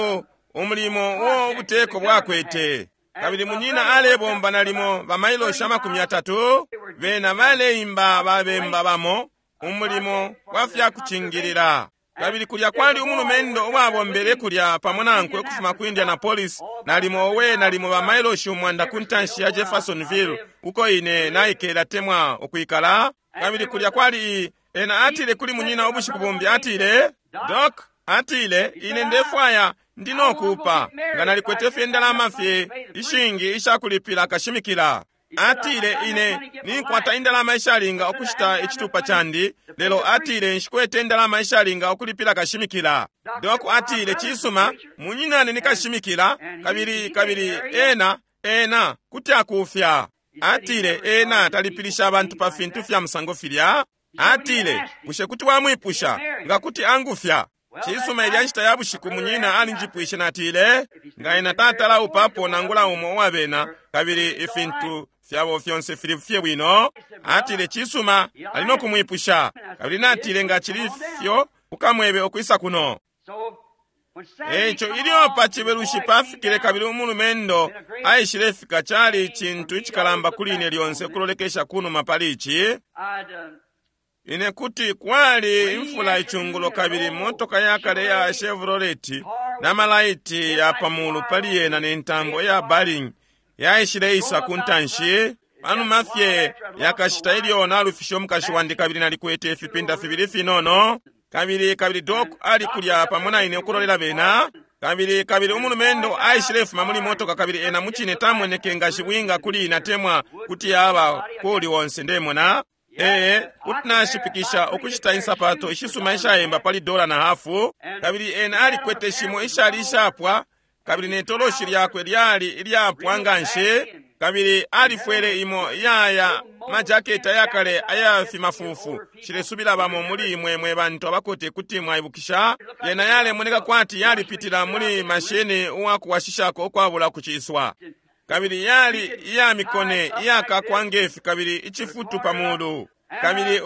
umulimo uo ubuteko bwakwete. Kabili munyina alebomba nalimo bamailoshi 30, bena baleimba babemba bamo umulimo wa fya kucingilila. Kabili kulya kwali umulumendo uwabombele kulya pamo nankwe ukufuma ku Indianapolis, nalimo owe nalimo bamailoshi 100 ku ntanshi ya Jeffersonville, uko ine naikela temwa ukwikala. Kabili kulya kwali ena atile kuli munyina ubushiku bumbi, atile, Doc, atile, ine ndefwaya ndi nokuupa nga nalikwete fye indalama fye ishingi ishakulipila kashimikila. Atile, ine ninkwata indalama ishalinga ukushita icitupa candi, lelo atile nshikwete indalama ishalinga ukulipila kashimikila. Doc atile, cisuma, munyinane ni kashimikila, kabili kabili ena ena kuti akufya. Atile ena talipilisha abantu pa fintu fya musango filya. Atile, bushe kuti wamwipusha nga kuti angufya? Cisuma, ilya nshita ya bushiku munyina alinjipwishe, natile, nga ena tatala upapo nangula umo uwabena, kabili ifintu fyabo fyonse fili fye bwino. Atile, cisuma, ali no kumwipusha. Kabili natile, nga cili fyo, ukamwebe ukwisa kuno. Eico ilyo pa cibelushi pafikile kabili umulumendo aishilefika, cali icintu icikalamba kuli ine lyonse kulolekesha kunuma pali ici. Ine kuti kwali imfula icungulo kabili motoka yakale ya Chevrolet na malaiti ya pamulu pali yena ne ntambo ya baling yaishileisa ku ntanshi. Panuma fye yakashita ilyo nalufishe umukashi wandi kabili nalikwete ifipinda fibili finono, kabili kabili Doc ali kulya pamo na ine ukulolela bena. Kabili kabili umulumendo aishilefuma muli motoka, kabili ena mucine tamoneke nga shibwinga kuli ine atemwa kuti yaba kuli onse ndemona. Ee, kuti nashipikisha ukushita insapato ishisuma ishayemba pali dola na hafu. Kabili ena alikwete shimo ishali ishapwa, kabili ne toloshi lyakwe lyali ilyapwa nganshi, kabili alifwele imo iyaya majaketi ayakale ayafimafufu. Nshilesubila bamo muli imwe mwe bantu abakote kuti mwaibukisha. Yena yalemoneka kwati yalipitila muli mashini uwakuwashishako ukwabula kuciswa, kabili yali iya mikone iyakakwa ngefi kabili icifutu pa mulu. Kabili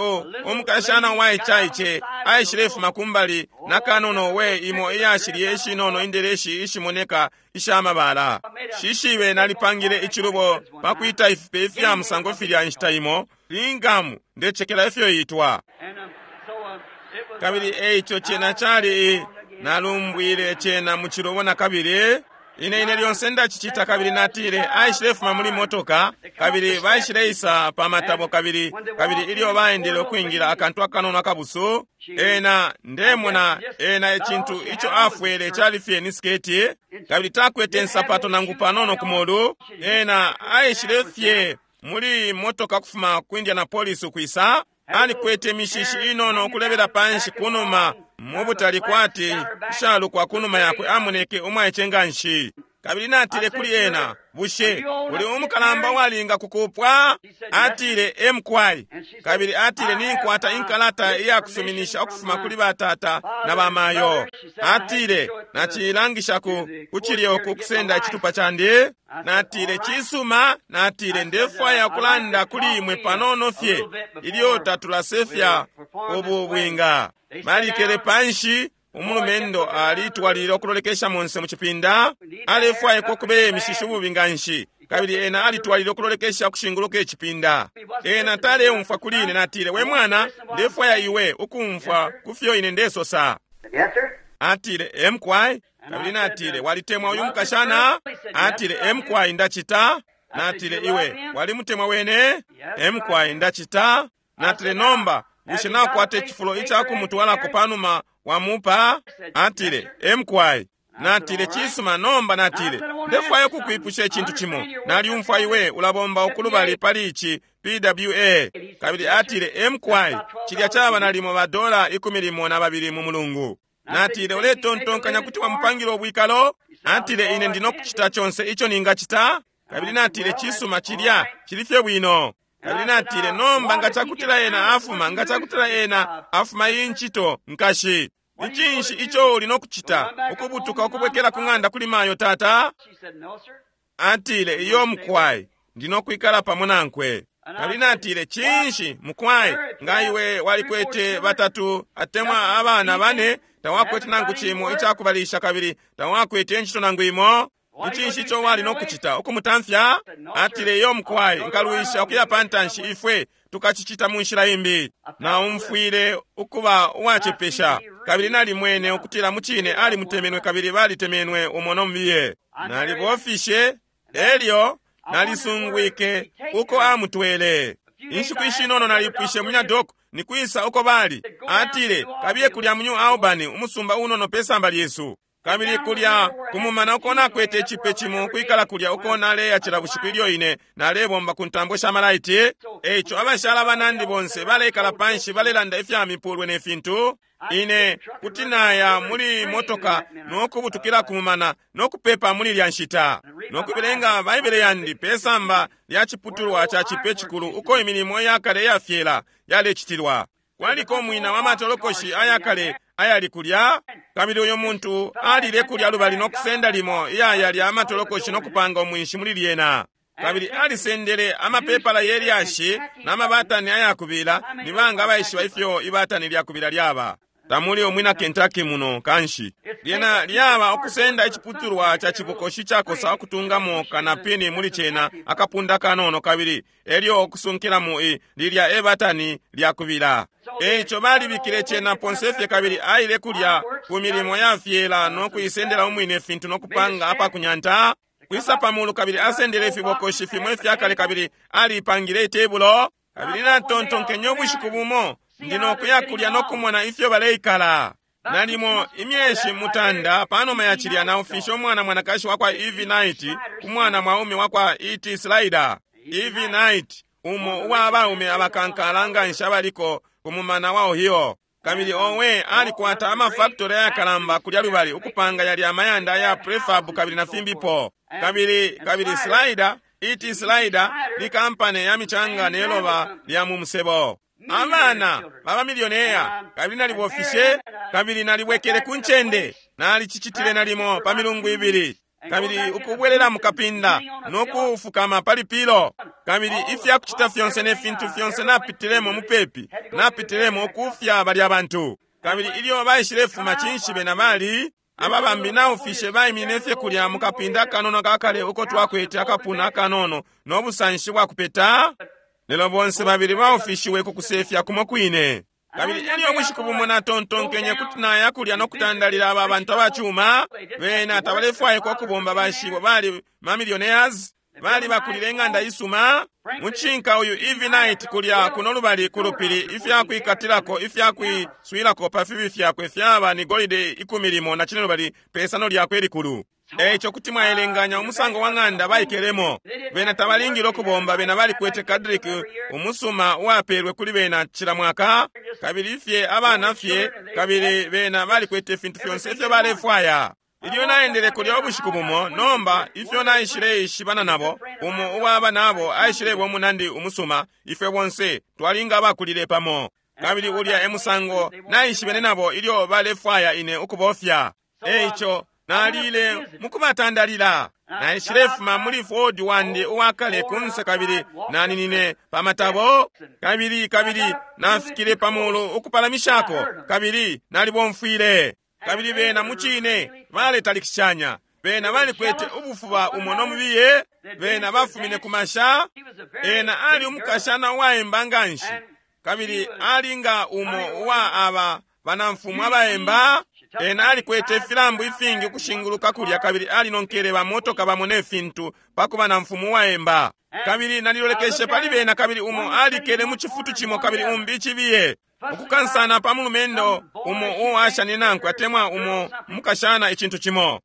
umukashana uwaicaice aishilefuma kumbali na kanono we imo iyashilye ishinono indeleshi ishimoneka ishamabala. Shishibe nalipangile icilubo pakwita ifipe ifya musango filya inshita imo lingamu, ndecekela ifyo itwa. Kabili eico cena cali, nalumbwile cena mu cilubo na kabili. Ine ine lyonse ndacicita. Kabili natile aishilefuma muli motoka, kabili baishileisa pa matabo, kabili kabili ilyo baendele ukwingila akantu akanono akabusu, ena ndemona ena icintu ico afwele cali fye ni siketi, kabili takwete nsapato nangu panono ku molu. Ena aishile fye muli motoka kufuma ku Indianapolis ukwisa, alikwete imishishi inono ukulebela panshi kunuma mubutali kwati ishalukwa kunuma yakwe, amoneke umwaice nganshi. Kabili natile kuli ena, bushe uli umukalamba uwalinga kukupwa? Atile, emkwai. Kabili atile, ninkwata inkalata iyakusuminisha ukufuma kuli batata na bamayo. Atile, nacilangisha ku kucilye uku kusenda icitupa candi. Natile, cisuma. Natile, ndefwaya kulanda kuli imwe panono fye ilyo tatulasefya ubu bwinga. Balikele panshi. Umulumendo alitwalilile ukulolekesha monse mu cipinda, alefwaikwa ukubeya imishishi ububi nganshi, kabili ena alitwalilile ukulolekesha ukushinguluka icipinda. Ena taleumfwa kuli ine. Natile, we mwana, ndefwaya iwe ukumfwa ku fyo ine ndesosa. Yes, sir. Atile, emkwai. Kabili natile, walitemwa uyu mukashana? Atile, emkwai, ndacita. Natile, iwe walimutemwa wene? Emkwai, ndacita. Natile, nomba bushe nakwata icifulo icakumutwalako panuma wamupa? Atile, emkwai. Natile, cisuma. Nomba natile, ndefwaya ukukwipusha icintu cimo. Naliumfwa iwe ulabomba ukulubali pali ici PWA. Kabili atile, emkwai, cilya caba nalimo ba dola 12 mu mulungu. Natile, uletontonkanya kuti wamupangila ubwikalo? Atile, ine ndino kucita conse ico ningacita. Kabili natile, cisuma, cilya cili fye bwino. Kabili natile, nomba nga cakutila ena afuma, nga cakutila ena afuma iyi ncito, nkashi, ni cinshi ico uli no kucita? Ukubutuka ukubwekela ku ng'anda kuli mayo tata? She said, no, sir. Atile, iyo mukwai, ndino kwikala pamo nankwe. Kabili natile, cinshi mukwai, nga iwe walikwete batatu atemwa abana bane, tawakwete nangu cimo icakubalisha kabili tawakwete ncito nangu imo, ni cinshi ico wali no kucita? Ukumutamfya? Atile, iyo mukwai, nkalwisha ukuya pantanshi, ifwe tukacicita mu nshila imbi. Naumfwile ukuba uwacepesha, kabili nalimwene ukutila mucine alimutemenwe kabili balitemenwe umo no mubiye. Nalibofishe, elyo nalisungwike uko amutwele. Inshiku ishinono nalipwishe munya Doc nikwisa uko bali. Atile, kabiye kulya mu New Albany, umusumba unono pe samba lyesu. Kabili kulya kumumana uko nakwete icipe cimo kwikala kulya uko naleya cila bushiku ilyo ine nalebomba ku ntambo sha malaiti. Eico abashala banandi bonse baleikala panshi balelanda ifya mipulwe ne fintu. Ine kuti naya muli motoka nokubutukila kumumana nokupepa muli lya nshita nokubelenga Baibele yandi pe samba lya ciputulwa ca cipe cikulu uko imilimo yakale iyafyela yalecitilwa. Kwaliko umwina wa matolokoshi ayakale ayali kulya, kabili uyu muntu alile kulya lubali nokusenda limo iyaya lya matolokoshi nokupanga umwinshi muli lyena. Kabili alisendele amapepala ye lyashi n'amabatani ayakubila. Ni banga abaishiba ifyo ibatani lyakubila lyaba? Tamuli umwina Kentucky muno kanshi. Lyena lyaba ukusenda iciputulwa ca cibokoshi cakosa ukutungamo kanapini muli cena akapunda kanono, kabili elyo ukusunkila mu lilya ebatani lyakubila. Eico balibikile cena ponsefye kabili aile kulya ku milimo ya fyela no kuisendela umwine ifintu no kupanga apakunyanta kwisa pamulu kabili asendele ifibokoshi fimo ifyakale kabili alipangile itebulo. Kabili natontonkenye ubushiku bumo ndi nokuya kulya no kumona ifyo baleikala. Nalimo imyeshi mutanda panuma ya cilya naufishe umwana mwanakashi wakwa Eve Knight ku mwana mwaume wakwa E.T. Slider. Eve Knight, umo uwa baume abakankala nganshi abaliko ku mumana wa Ohio. Kabili owe alikwata amafactory ayakalamba kulya lubali ukupanga yalya amayanda ya prefab kabili na fimbipo. Kabili Slider, E.T. Slider ni kampani ya michanga ne loba lya mu musebo. Abana baba milioneya, kabili nalibofishe kabili nalibwekele ku ncende, nalicicitile nalimo pa milungu ibili, kabili ukubwelela mukapinda no kufukama pali pilo, kabili ifyakucita fyonse ne fintu fyonse napitilemo mupepi, napitilemo ukufya balya bantu. Kabili ilyo baishilefuma cinshi bena bali aba bambi naufishe baiminine fye kulya mukapinda akanono kakale uko twakwete akapuna akanono no busanshi bwa kupeta. Lelo bonse babili baufishiwe ku kusefya kumo kwine. Kabili elyo ubushiku bumo natontonkenye kuti naya kulya no kutandalila aba bantu abacuma. Bena tabalefwaikwa ukubomba bashibo bali ma millionaires, bali bakulile ing'anda isuma. Mucinka uyu Eve Knight kulya kuno lubali ku lupili, ifyakwikatilako ifyakwiswilako pa fibi fyakwe fyaba ni golide 15 pesano lyakwe likulu. Eico kuti mwaelenganya umusango wa ng'anda baikelemo. Bena tabalingile ukubomba, bena balikwete kadrik umusuma uwapelwe kuli bena cila mwaka, kabili fye abana fye, kabili bena balikwete ifintu fyonse ifyo balefwaya. Ilyo naendele kulya ubushiku bumo, nomba ifyo naishile ishibana nabo, umo uwaba nabo aishileba umunandi umusuma, ifwe bonse twalinga abakulile pamo. Kabili ulya emusango naishibene nabo ilyo balefwaya ine ukubofya. Eico nalile mukubatandalila. Naishilefuma muli Ford wandi uwakale kunse kabili naninine pamatabo, kabili nafikile pamulu ukupalamishako, kabili nalibomfwile. Kabili bena mucine baletalikishanya, bena balikwete ubufuba umo no mubiye, bena bafumine ku masha. Ena ali umukashana uwaemba nganshi, kabili ali nga umo uwa aba banamfumu abaemba. Ena alikwete ifilambu ifingi ukushinguluka kulya, kabili alinonkele bamotoka bamo ne fintu pakuba na mfumu uwaemba. Kabili nalilolekeshe pali bena, kabili umo alikele mu cifutu cimo kabili umbi icibiye, ukukansana pa mulumendo umo uwashani nankwe atemwa umo mukashana icintu cimo.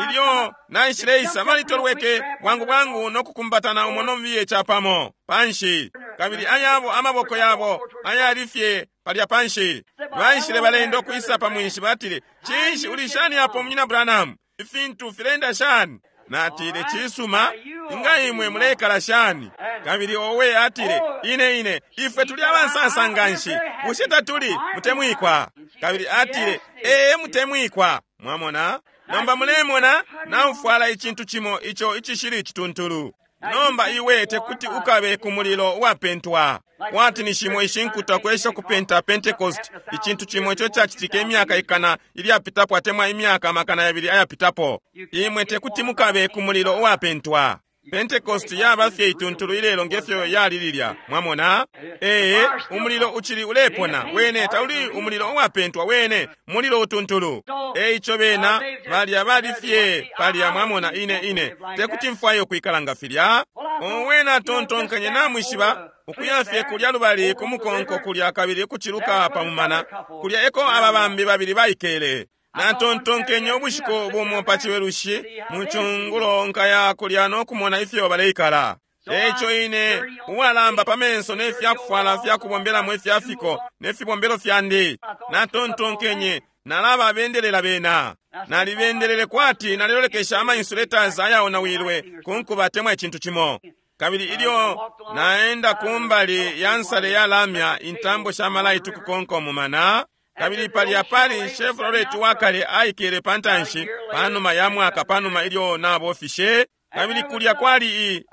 Ilyo naishileisa balitolweke bwangu bwangu no kukumbatana umo no mubiye capamo panshi, kabili ayabo amaboko yabo ayali fye palya panshi. Baishile balenda ukwisa pa mwinshi, batile, cinshi uli shani apo munyina Branham? Ifintu filenda shani? Natile, cisuma, inga imwe mulekala shani? Kabili owe atile, ine ifwe tuli abansansa nganshi, bushe tatuli mutemwikwa? Kabili atile, ee mutemwikwa. Mwamona? Nomba mulemona naufwala icintu cimo ico icishili icituntulu. Nomba iwe tekuti ukabe ku mulilo uwapentwa. Kwati ni shimo ishinkuta kwesha kupenta Pentecost, icintu cimo ico cacitike imyaka ikana ilyapitapo atemwa imyaka 200 ayapitapo. Imwe tekuti mukabe ku mulilo uwapentwa. Pentecost yaba fye ituntulu ilelo ngefyo yali lilya. Mwamona? Ee, umulilo uchili ulepona. Wene tauli umulilo uwapentwa, wene mulilo utuntulu. Eico bena balya bali fye palya. Mwamona, ine tekuti mfwaye ukwikala nga filya. Owena atontonkanye namwishiba ukuya fye kulya lubali ku mukonko kulya kabili kuciluka pa mumana kulya eko aba bambi babili baikele. Natontonkenye ubushiku bumo pa chiwelushi mu chungulo nkaya kulya no kumona ifyo baleikala. Eico ine uwalamba pa menso ne fyakufwala fyakubombelamo ifyafiko ne fibombelo fyandi. Natontonkenye nalaba bendelela bena. Nalibendelele kwati nalilolekesha ama insulators ayaonawilwe ku nkuba atemwa icintu cimo. Kabili ilyo naenda kumbali ya nsale ya lamya intambo sha malaiti kukonka umumana, kabili palya pali Chevrolet wakale aikele pantanshi panuma ya mwaka panuma ilyo nabofishe. Kabili kulya kwali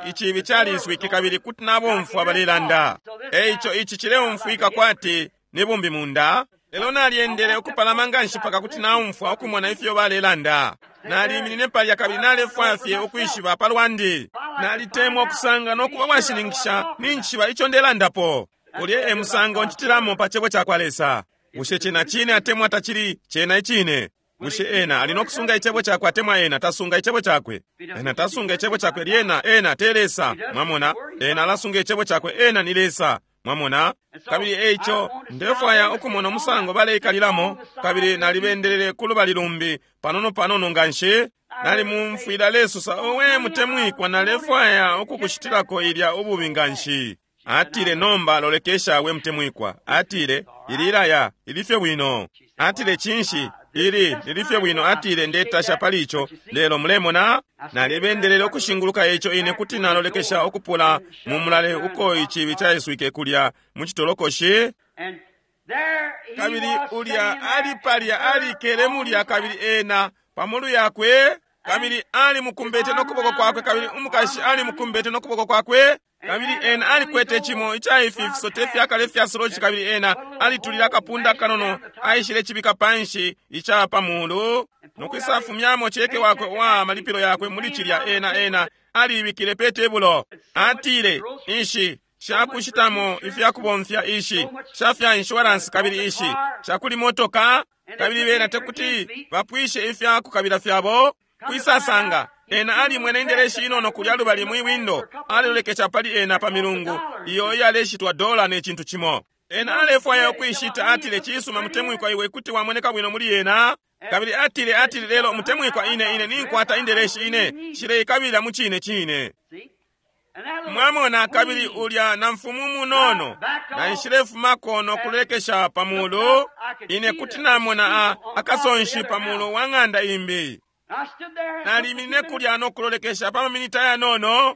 icibi caliswike kabili kuti nabomfwa balelanda. Eico ici cileumfwika kwati ni bumbi munda. Lelo nalyendele ukupalama nganshi paka kuti naumfwa ukumona ifyo balelanda. Naliminine palya kabili nalefwaya fye ukwishiba palwandi. Nalitemwa ukusanga no kuba washininkisha ninjishiba ico ndelandapo. Ulya e musango ncitilamo pa Cebo cakwa Lesa. Bushe cena cine atemwa tacili cena icine? Bushe ena ali no kusunga Icebo cakwe atemwa ena tasunga Icebo cakwe? Ena tasunga Icebo cakwe, lyena ena te Lesa. Mwamona? Ena alasunga Icebo cakwe, ena ni Lesa. Mwamona? Kabili eico ndefwaya ukumona umusango baleikalilamo, kabili nalibendelele ku lubali lumbi panono panono nganshi. Nalimumfwila alesosa, Owe mutemwikwa, nalefwaya ukukushitilako ilya ububi nganshi. Atile, Nomba lolekesha, we mutemwikwa. Atile, Ili ilaya lili fye bwino. Atile, Cinshi, ili lili fye bwino. Atile, Ndetasha pali ico. Lelo mulemona, nalibendelele ukushinguluka ico ine kuti nalolekesha ukupula mu mulale uko icibi caiswike kulya mu citolokoshi. Kabili ulya ali palya alikele mulya, kabili ena pamulu yakwe, kabili alimukumbete no kuboko kwakwe, kabili umukashi alimukumbete no kuboko kwakwe. Kabili ena alikwete cimo ica ifi fisote fyakale fya soloci, kabili ena alitulile akapunda kanono, aishile cibika panshi ica pa mulu, no kwisafumyamo ceke wakwe uwa malipilo yakwe muli cilya. Ena, ena aliibikile pe tebulo. Atile, Ishi shakushitamo ifyakubomfya, ishi sha fya insurance, kabili ishi shakuli motoka, kabili bena tekuti bapwishe ifya kukabila fyabo. Kwisasanga ena alimwene indeleshi inono kulya lubali mwi windo, alilolekesha pali ena pa milungu iyo iyaleshitwa dola ne cintu cimo. Ena alefwaya ukuishita. Atile, Cisuma, mutemwikwa, iwe kuti wamoneka bwino muli yena. Kabili atile, atile, Lelo mutemwikwa, ine, ine ninkwata indeleshi, ine nshileikabila mu cine cine. Mwamona, kabili ulya na mfumu munono naishilefumako no kulolekesha pa mulu, ine kuti namona a, akasonshi pa mulu wa ng'anda imbi. Naliminine kulya no kulolekesha pa maminiti ayanono.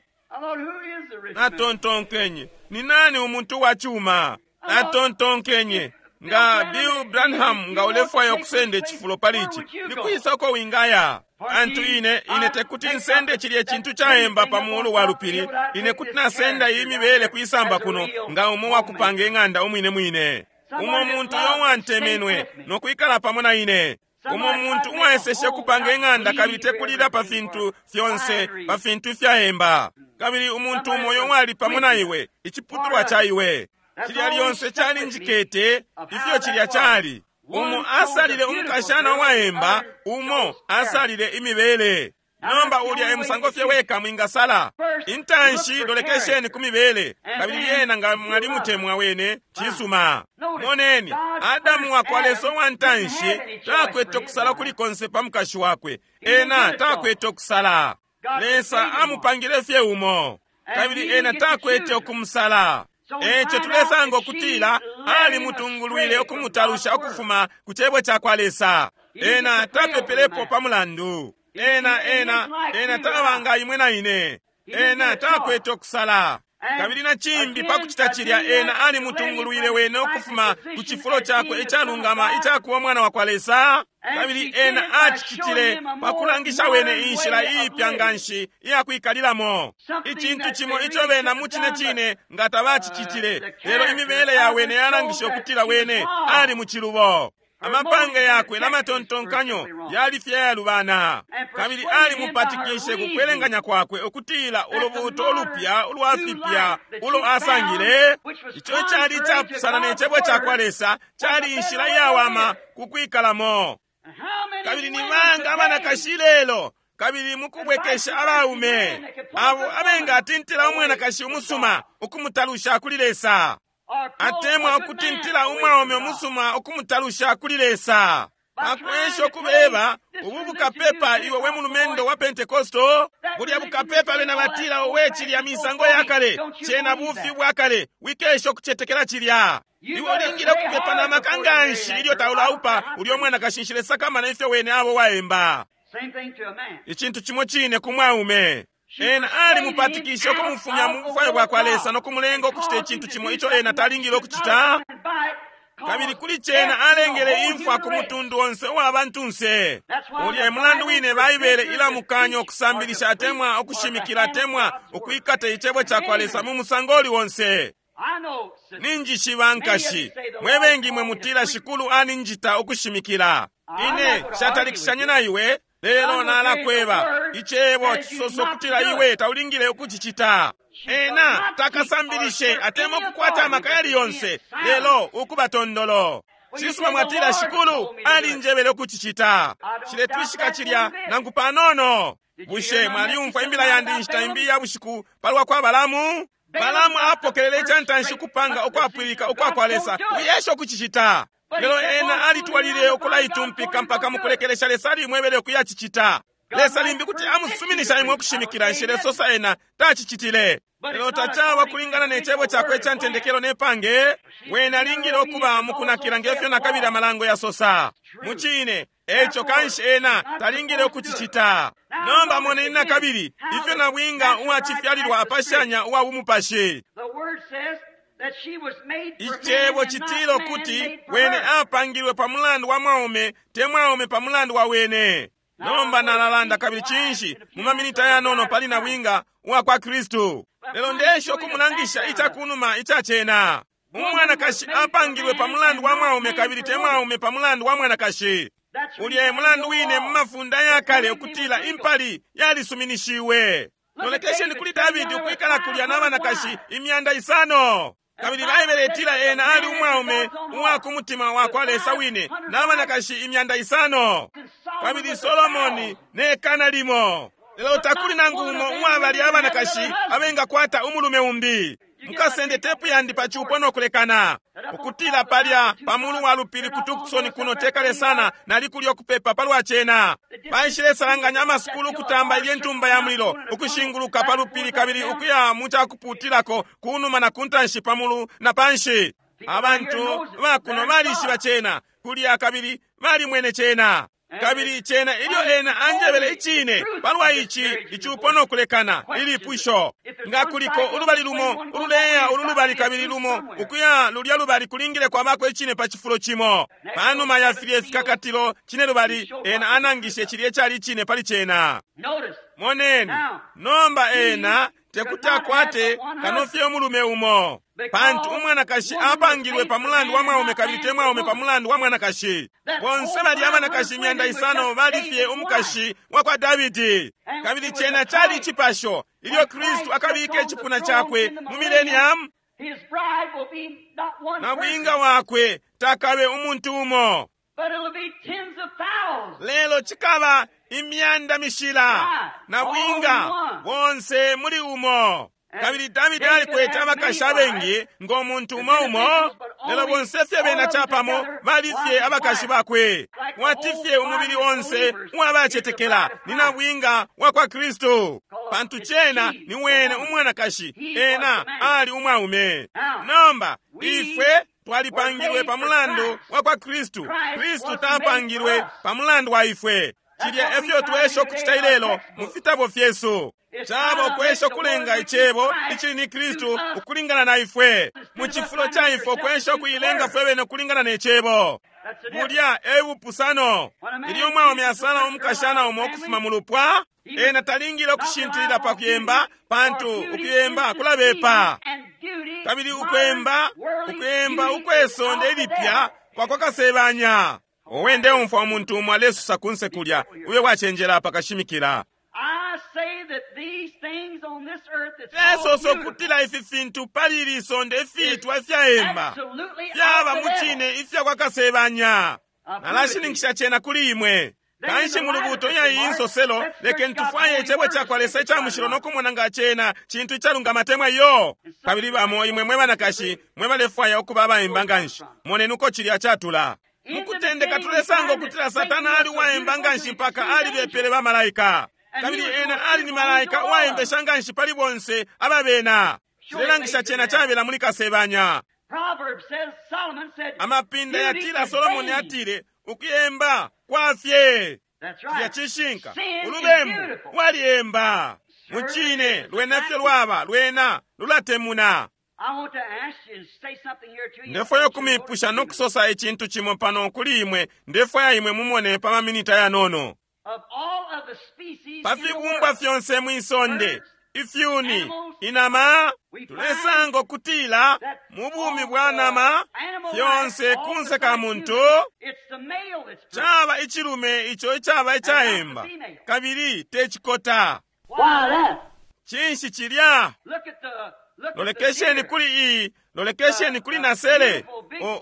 Natontonkenye, Ni nani umuntu wa cuma? Natontonkenye, Nga Bill Branham, nga ulefwaya ukusenda icifulo pali ici, ni kwisa uko wingaya? Pantu ine, ine tekuti nsende cilye cintu caemba pa mulu wa lupili. Ine kuti nasenda iyi mibele kwisamba kuno, nga umo wakupanga ing'anda umwine mwine. Umo muntu uyo uwantemenwe no kwikala pamo na ine. Umo muntu uwaeseshe kupanga ing'anda kabili tekulila pa fintu fyonse, pa fintu ifyaemba. Kabili umuntu umo uyo wali pamo na iwe, iciputulwa ca iwe. Cilya lyonse calinjikete ifyo cilya cali. Umo asalile umukashana uwaemba, umo asalile imibele. Nomba ulya e musango fye weka mwingasala. Intanshi lolekesheni ku mibele, kabili lyena nga mwalimutemwa wene, cisuma. Moneni, Adamu wakwa Lesa uwa ntanshi takwete ukusala kuli konse pa mukashi wakwe. Ena takwete ukusala. Lesa amupangile fye umo, kabili ena takwete ukumusala. Eco tulesanga ukutila alimutungulwile ukumutalusha ukufuma ku Cebo cakwa Lesa. Ena tapepelepo pa mulandu. Ena, ena, ena taba nga imwe na ine. Ena takwete ukusala. Kabili na cimbi pa kucita cilya, ena alimutungulwile wene ukufuma ku cifulo cakwe icalungama icakuba umwana wakwa Lesa. Kabili ena acicitile pa kulangisha wene inshila iipya nganshi iya kwikalilamo. Icintu cimo ico bena mu cine cine nga tabacicitile, lelo imibele ya wene yalangishe ukutila wene ali mu cilubo. Amapange yakwe na matontonkanyo yali fye ayalubana. Kabili alimupatikishe ku kwelenganya kwakwe ukutila ulubuuto ulupya ulwa fipya ulo asangile, ico icali icapusana ne Cebo cakwa Lesa, cali inshila iyawama ku kwikalamo. Kabili ni banga abanakashi ilelo, kabili mukubwekesha abaume, abo abengatintila umwanakashi umusuma ukumutalusha kuli Lesa, atemwa ukutintila umwaume umusuma ukumutalusha kuli Lesa, pakwesha ukubeba ubu bukapepa, iwe we mulumendo wa Pentekosto, bulya bukapepa bena batila, owe, cilya misango ya kale, cena bufi bwa kale, wikesha ukucetekela cilya. Iwe ulingile ukupepa na maka nganshi ilyo taulaupa ulyo mwanakashi. Nshilesakamana ifyo wene abo waemba. Icintu cimo cine ku mwaume. Ena alimupatikishe ukumufumya mu bufwayo bwakwa Lesa no kumulenga ukucita icintu cimo ico ena talingile ukucita. Kabili kuli cena alengele imfwa ku mutundu onse uwa bantunse. Ulya e mulandu wine Baibele ilamukanya ukusambilisha atemwa ukushimikila atemwa ukwikata Icebo cakwa Lesa mu musango uli onse. Ninjishiba nkashi, mwe bengi mwe mutila, Shikulu aninjita ukushimikila. Ine nshatalikishanye na iwe, lelo nalakweba, Icebo cisoso kutila iwe taulingile ukucicita. Ena takasambilishe atemwa ukukwata amaka yali yonse, lelo ukuba tondolo. Cisuma mwatila, Shikulu alinjebele ukucicita. Nshiletwishika cilya nangu panono. Bushe mwalyumfwa imbila yandi inshita imbi iya bushiku palwa kwa Balaamu? Balaamu apokelele icantanshi ukupanga ukwapwilika ukwa kwa Lesa, wiyesha ukucicita. Lelo ena alitwalilile ukulaitumpika mpaka mukulekelesha Lesa alimwebele ukuyacicita. Lesa limbi kuti amusuminisha imwe ukushimikila, nshilesosa ena tacicitile. Lelo tacaba kulingana ne cebo cakwe ica ntendekelo ne pange. Wene alingile ukuba mukunakila ngefyo nakabili amalango yasosa. Mucine, eco kanshi ena talingile ukucicita. Nomba moneni nakabili ifyo nabwinga uwa cifyalilwa apashanya uwa bumupashi. Icebo citila ukuti wene apangilwe pa mulandu wa mwaume, te mwaume pa mulandu wa wene. Nomba nalalanda kabili cinshi mu maminiti ayanono pali nabwinga uwa kwa Kristu. Lelo ndesha ukumulangisha ica kunuma ica cena. Umwanakashi apangilwe pa mulandu wa mwaume kabili te mwaume pa mulandu wa mwanakashi. Ulya e mulandu wine mu mafunda aya kale ukutila impali yalisuminishiwe. Lolekesheni kuli Davidi ukwikala kulya na banakashi 500. Kabili Baibele itila ena ali umwaume uwa ku mutima wa kwa Lesa wine na banakashi 500. Kabili Solomoni ne kana limo. Lelo takuli nangu umo uwa balya abanakashi abengakwata umulume umbi. Mukasende tepu yandi pa cupo no kulekana. Ukutila palya pa mulu wa lupili ku Tucson kuno tekale sana nali kulya ukupepa palwa cena. Baishilesalanganya amasukulu ukutamba ilye ntumba ya mulilo ukushinguluka pa lupili kabili ukuya mu cakupuutilako kunuma na kuntanshi pa mulu na panshi. Abantu bakuno balishiba cena kulya kabili balimwene cena. Kabili cena ilyo ena anjebele icine palwa ici icupo no kulekana ilipusho. Nga kuliko ulubali lumo ululeya ulu lubali kabili lumo ukuya lulya lubali kulingile kwabako icine pa cifulo cimo. Panuma ya filye fikakatilo cine lubali ena anangishe cilye cali icine pali cena. Moneni, nomba ena tekuti akwate kano fye umulume umo. Pantu umwanakashi apangilwe pa mulandu wa mwaume kabili te mwaume pa mulandu wa mwanakashi. Bonse balya abanakashi 500 bali fye umukashi wa kwa Davidi. Kabili cena cali icipasho ilyo Kristu akabika icipuna cakwe mu millennium. Nabwinga wakwe takabe umuntu umo. Lelo cikaba imyanda mishila nabwinga bonse muli umo. Kabili Davidi alikwete abakashi abengi ngo muntu umo umo, lelo bonse fye bena capamo bali fye abakashi bakwe. Wati fye umubili onse uwabacetekela ni nabwinga wa kwa Kristu, pantu cena ni wene umwanakashi, ena ali umwaume. Nomba ifwe twalipangilwe pa mulandu wa kwa Kristu. Kristu tapangilwe pa mulandu wa ifwe. Cilya efyo twesha ukucita ilelo mu fitabo fyesu. Caba ukwesha ukulenga icebo icili ni Kristu ukulingana na ifwe. Mu cifulo ca ifwe ukwesha ukuilenga fwe bene ukulingana ne cebo. Bulya e bupusano. Ilyo umwaume asala umukashana umo ukufuma mu lupwa, ena talingile ukushintilila pa kuyemba, pantu ukuyemba kulabepa. Kabili ukwemba, ukuyemba ukwesonde ilipya kwa kasebanya. Owe ndeumfwa umuntu umo alesusa kunse kulya, ube wacenjela pakashimikila. Lesosa ukutila ifi fintu pali ili sonde ifiitwa ifyaemba fyaba mu cine ifya kwa kasebanya. Nalashininkisha cena kuli imwe. Kanshi mu lubuuto iya iyi nsoselo, lekeni tufwaye icebo ca kwa Lesa ica mushilo no kumona nga cena cintu icalungama temwa iyo. Kabili bamo imwe mwe banakashi mwe balefwaya ukuba abaemba nganshi, moneni uko cilya catula. Mukutendeka tulesanga ukutila Satana ali uwaemba nganshi mpaka alibepele bamalaika. Kabili ena ali ni malaika uwaembesha nganshi pali bonse ababena. Cilelangisha cena cabela muli kasebanya. Amapinda yatila Solomoni atile ukuyemba kwa fye. Cilya cishinka. Ulubembu lwaliemba. Mucine lwena fye lwaba lwena lulatemuna. Ndefwaya ukumipusha no kusosa icintu cimo pano kuli imwe. Ndefwaya imwe mumone pa maminita yanono. Pa fibumbwa fyonse mwisonde, ifyuni, inama, tulesanga ukutila mu bumi bwa nama fyonse kunse ka muntu caba icilume ico icaba icaemba kabili te cikota. Cinshi cilya? Lolekesheni kuli iyi, lolekesheni kuli nasele,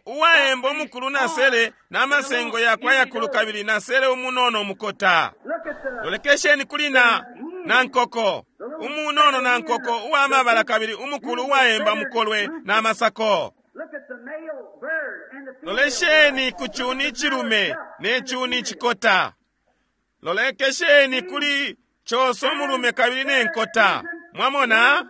uwaemba umukulu nasele na masengo yakwe ayakulu kabili nasele umunono umukota. Lolekesheni kuli na nankoko, umunono nankoko uwa mabala kabili umukulu uwaemba mukolwe na masako. Lolesheni ku cuni icilume ne cuni icikota. Lolekesheni kuli coso mulume kabili ne nkota. Mwamona?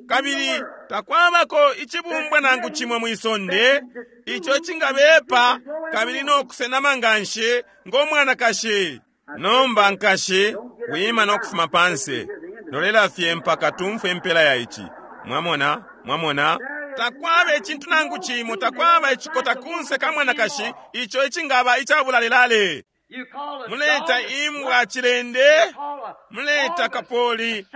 Kabili takwabako icibumbwa nangu cimo mwisonde ico cingabepa kabili no kusenama nganshi ngo mwanakashi. Nomba nkashi, wima no kufuma panse. Lolela fye mpaka tumfwe impela ya ici. Mwamona? Mwamona? Takwaba icintu nangu cimo, takwaba icikota kunse ka mwanakashi ico icingaba icabulalelale. Muleta imbwa cilende, muleta kapoli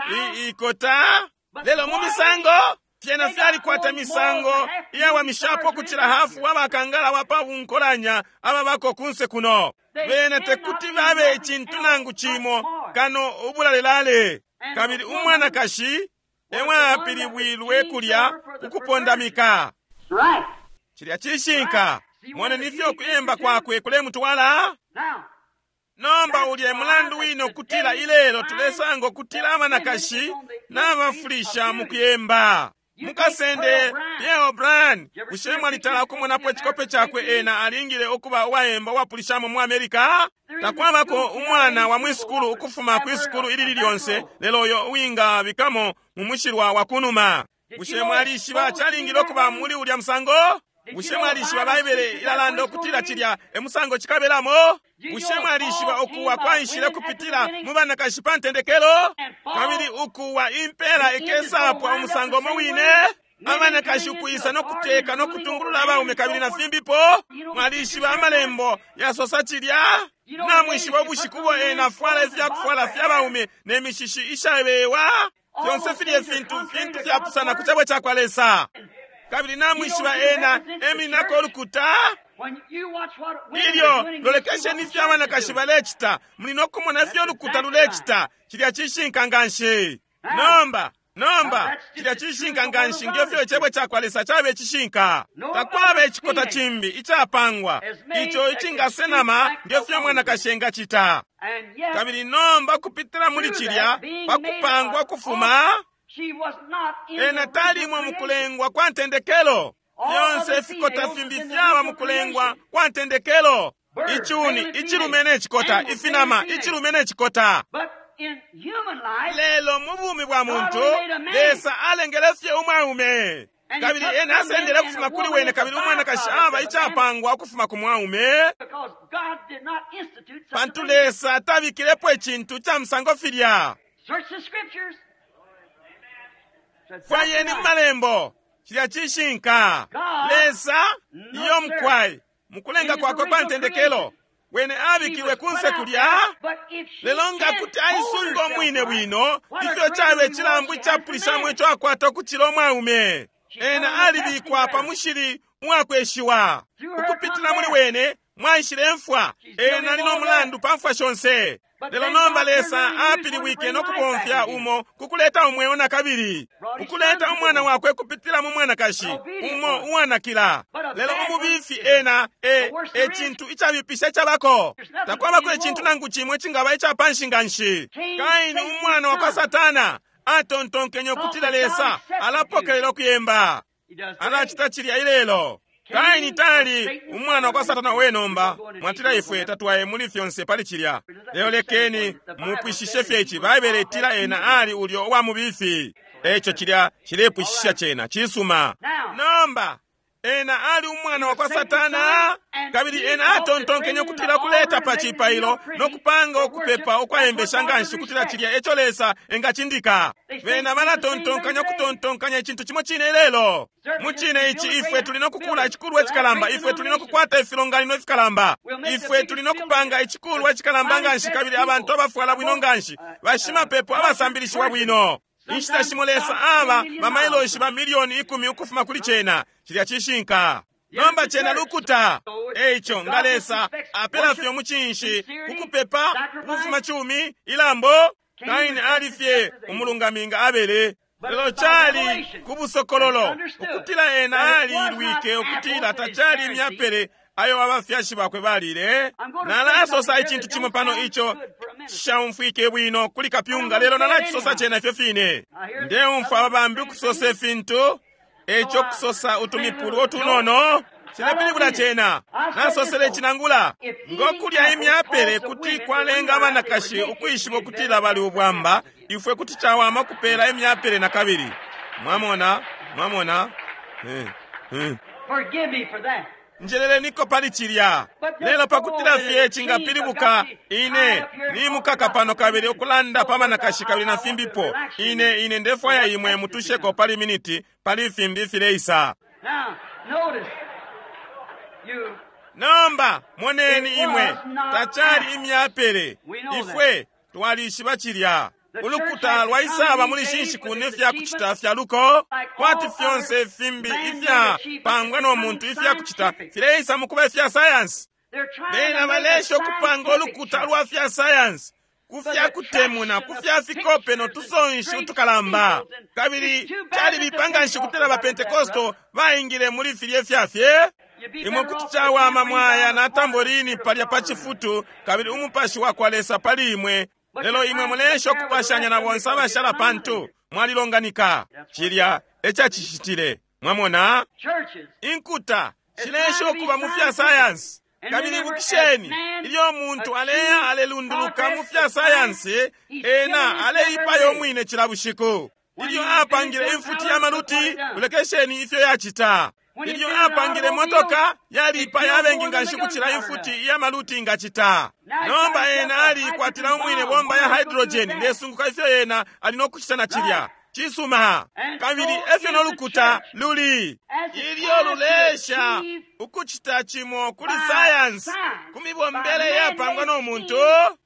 ikota, lelo mu misango fyena fyalikwata misango iyawamishapo kucila hafu wabakangala wapa bunkolanya ababako kunse kuno. Bena tekuti babe icintu nangu cimo kano ubulalelale. Kabili umwanakashi ewapilibwilwe kulya kukupondamika. Cilya cishinka. Moneni ifyo kuyemba kwakwe kulemutwala. Nomba ulye mulandu wino kutila ilelo tulesanga kutila abanakashi nabafulisha mu kuyemba. Mukasende Pierre O'Brien, bushe mwalitala ukumonapo icikope cakwe? Ena alingile ukuba uwayemba uwapulishamo mu Amerika. Takwabako umwana wa mwisukulu ukufuma kwisukulu ilili lyonse lelo uyo uwingabikamo mu mushilwa wa kunuma. Bushe mwalishiba calingile ukuba muli ulya musango? Bushe mwalishiba Baibele ilalanda ukutila cilya e musango cikabelamo? Bushe mwalishiba ukuwa kwaishile kupitila mu banakashi pa ntendekelo? Kabili ukuwa impela ikesapwa umusango umo wine? Abanakashi ukuisa no kuteka no kutungulula abaume kabili na fimbipo. Mwalishiba amalembo yasosa cilya? Namwishiba ubushiku ubo ena afwala ifyakufwala fya baume ne mishishi ishabewa? Fyonse filye fintu fintu fyapusana ku cebo cakwa Lesa. Kabili namwishiba ena emininako ulukuta. Ilyo lolekesheni ifyo abanakashi balecita, muli no kumona ifyo ulukuta lulecita. Cilya cishinka nganshi. Nomba, nomba, cilya cishinka nganshi nge fyo icebo cakwa Lesa cabe cishinka. Takwaba icikota cimbi icapangwa ico icingasenama nge fyo mwanakashi engacita. Kabili nomba kupitila muli cilya pakupangwa kufuma, ena talimwe mukulengwa kwa ntendekelo. Fyonse ifikota fimbi fyaba mukulengwa kwa ntendekelo. Icuni, icilume ne cikota, ifinama, icilume ne cikota. Lelo mu bumi bwa muntu, Lesa alengele fye umwaume. Kabili ena asendele ukufuma kuli wene, kabili umwanakashi aba icapangwa ukufuma ku mwaume. Pantu Lesa tabikilepo icintu ca musango filya. Fwayeni mu malembo. Cilya cishinka. Lesa iyo mukwai mukulenga kwakwe kwa ntendekelo wene abikilwe kunse kulya, lelo nga kuti aisunga umwine bwino ifyo cabe cilambu icapulishamo ico akwata ukucila umwaume. Ena alibikwa pa mushili uwakweshiwa. Ukupitila muli wene mwaishile mfwa. Ena ali no mulandu pa mfwa shonse. Lelo nomba Lesa apilibwike no kubomfya umo kukuleta umweo na kabili, ukuleta umwana wakwe kupitila mu mwanakashi umo uwanakila. Lelo umubifi ena e cintu icabipisha icabako. Takwabako icintu nangu cimo icingaba icapanshi nganshi. Kaini umwana wa kwa Satana atontonkenye ukutila Lesa alapokelela ukuyemba. Alacita cilya ilelo. Kaini tali umwana wa kwa Satana we nomba. Mwatila ifwe tatwaye muli fyonse pali cilya. Lelo lekeni mupwishishe fye ici. Baibele itila ena ali ulyo uwa mubifi. Eco cilya cilepwishisha cena cisuma. Nomba ena ali umwana wa kwa Satana, kabili ena atontonkenye ukutila kuleta pa cipailo no kupanga ukupepa ukwayembesha nganshi kutila cilya eco Lesa engacindika. Bena balatontonkanya ukutontonkanya icintu cimo cine ilelo. Mu cine ici ifwe tuli no kukula icikulwa icikalamba, ifwe tuli no kukwata ifilonganino ifikalamba, ifwe tuli no kupanga icikulwa icikalamba nganshi, kabili abantu abafwala bwino nganshi, bashimapepo abasambilishiwa bwino. Inshita shimo Lesa aba bamailoshi ba milioni 10 ukufuma kuli cena. Cilya cishinka. Nomba cena lukuta. Eico nga Lesa apela fye umucinshi kukupepa ukufuma cumi ilambo. Kaini ali fye umulungami nga Abele. Lelo cali ku busokololo ukutila ena alilwike ukutila tacali imyapele ayo abafyashi bakwe balile. Nalasosa icintu cimo pano ico cishaumfwike bwino kuli kapyunga, lelo nalacisosa cena ifyo fine. Ndeumfwa aba bambi ukusosa ifintu, eco kusosa utumipulu utunono cilepilibula cena. Nasosele icinangula ngokulya imyapele kuti kwalenga abanakashi ukwishiba ukutila bali ubwamba, ifwe kuti cawama kupela imyapele na kabili. Mwamona, mwamona. Forgive me for that. Njeleleniko pali cilya. Lelo pakutila fye cingapilibuka, ine nimukaka pano kabili ukulanda pa banakashi kabili na fimbipo. Ine ndefwaya imwe mutusheko pali miniti pali fimbi fileisa. Now, notice, you Nomba moneni imwe tacali imyapele. Ifwe twalishiba cilya. Ulukuta lwaisaba muli shinshiku nefya kucita fya luko, kwati fyonse fimbi ifya pangwa no muntu ifya kucita fileisa mukuba ifya sayansi. they're trying Bena to make a balesha ukupanga scientific ulukuta lwa fya sayansi kufya kutemuna, kufya fikope no tusonshi utukalamba. Kabili calibipa nganshi ukutila ba Pentekosto baingile muli filye fya fye. Imwe kuti cawama mwaya na tamborini palya pa cifutu, kabili umupashi wa kwa Lesa pali imwe. Lelo imwe mulesha ukupashanya na bonse abashala pantu mwalilonganika. Cilya ecacishitile. Mwamona? churches. Inkuta shilesha ukuba mu fya sayansi. Kabili ibukisheni, ilyo umuntu aleya alelunduluka mu fya sayansi, ena aleipaya umwine cila bushiku. Ilyo apangile imfuti ya maluti, lolekesheni ifyo yacita. Ilyo apangile motoka, yaliipaya abengi nganshi kucila imfuti ya maluti ingacita. Nomba ena aliikwatila umwine bomba ya hydrogen, ndesunguka ifyo ena ali no kucita na cilya. Cisuma. Kabili efyo no lukuta luli. Ilyo lulesha ukucita cimo kuli sayansi, ku mibombele yapangwa no muntu,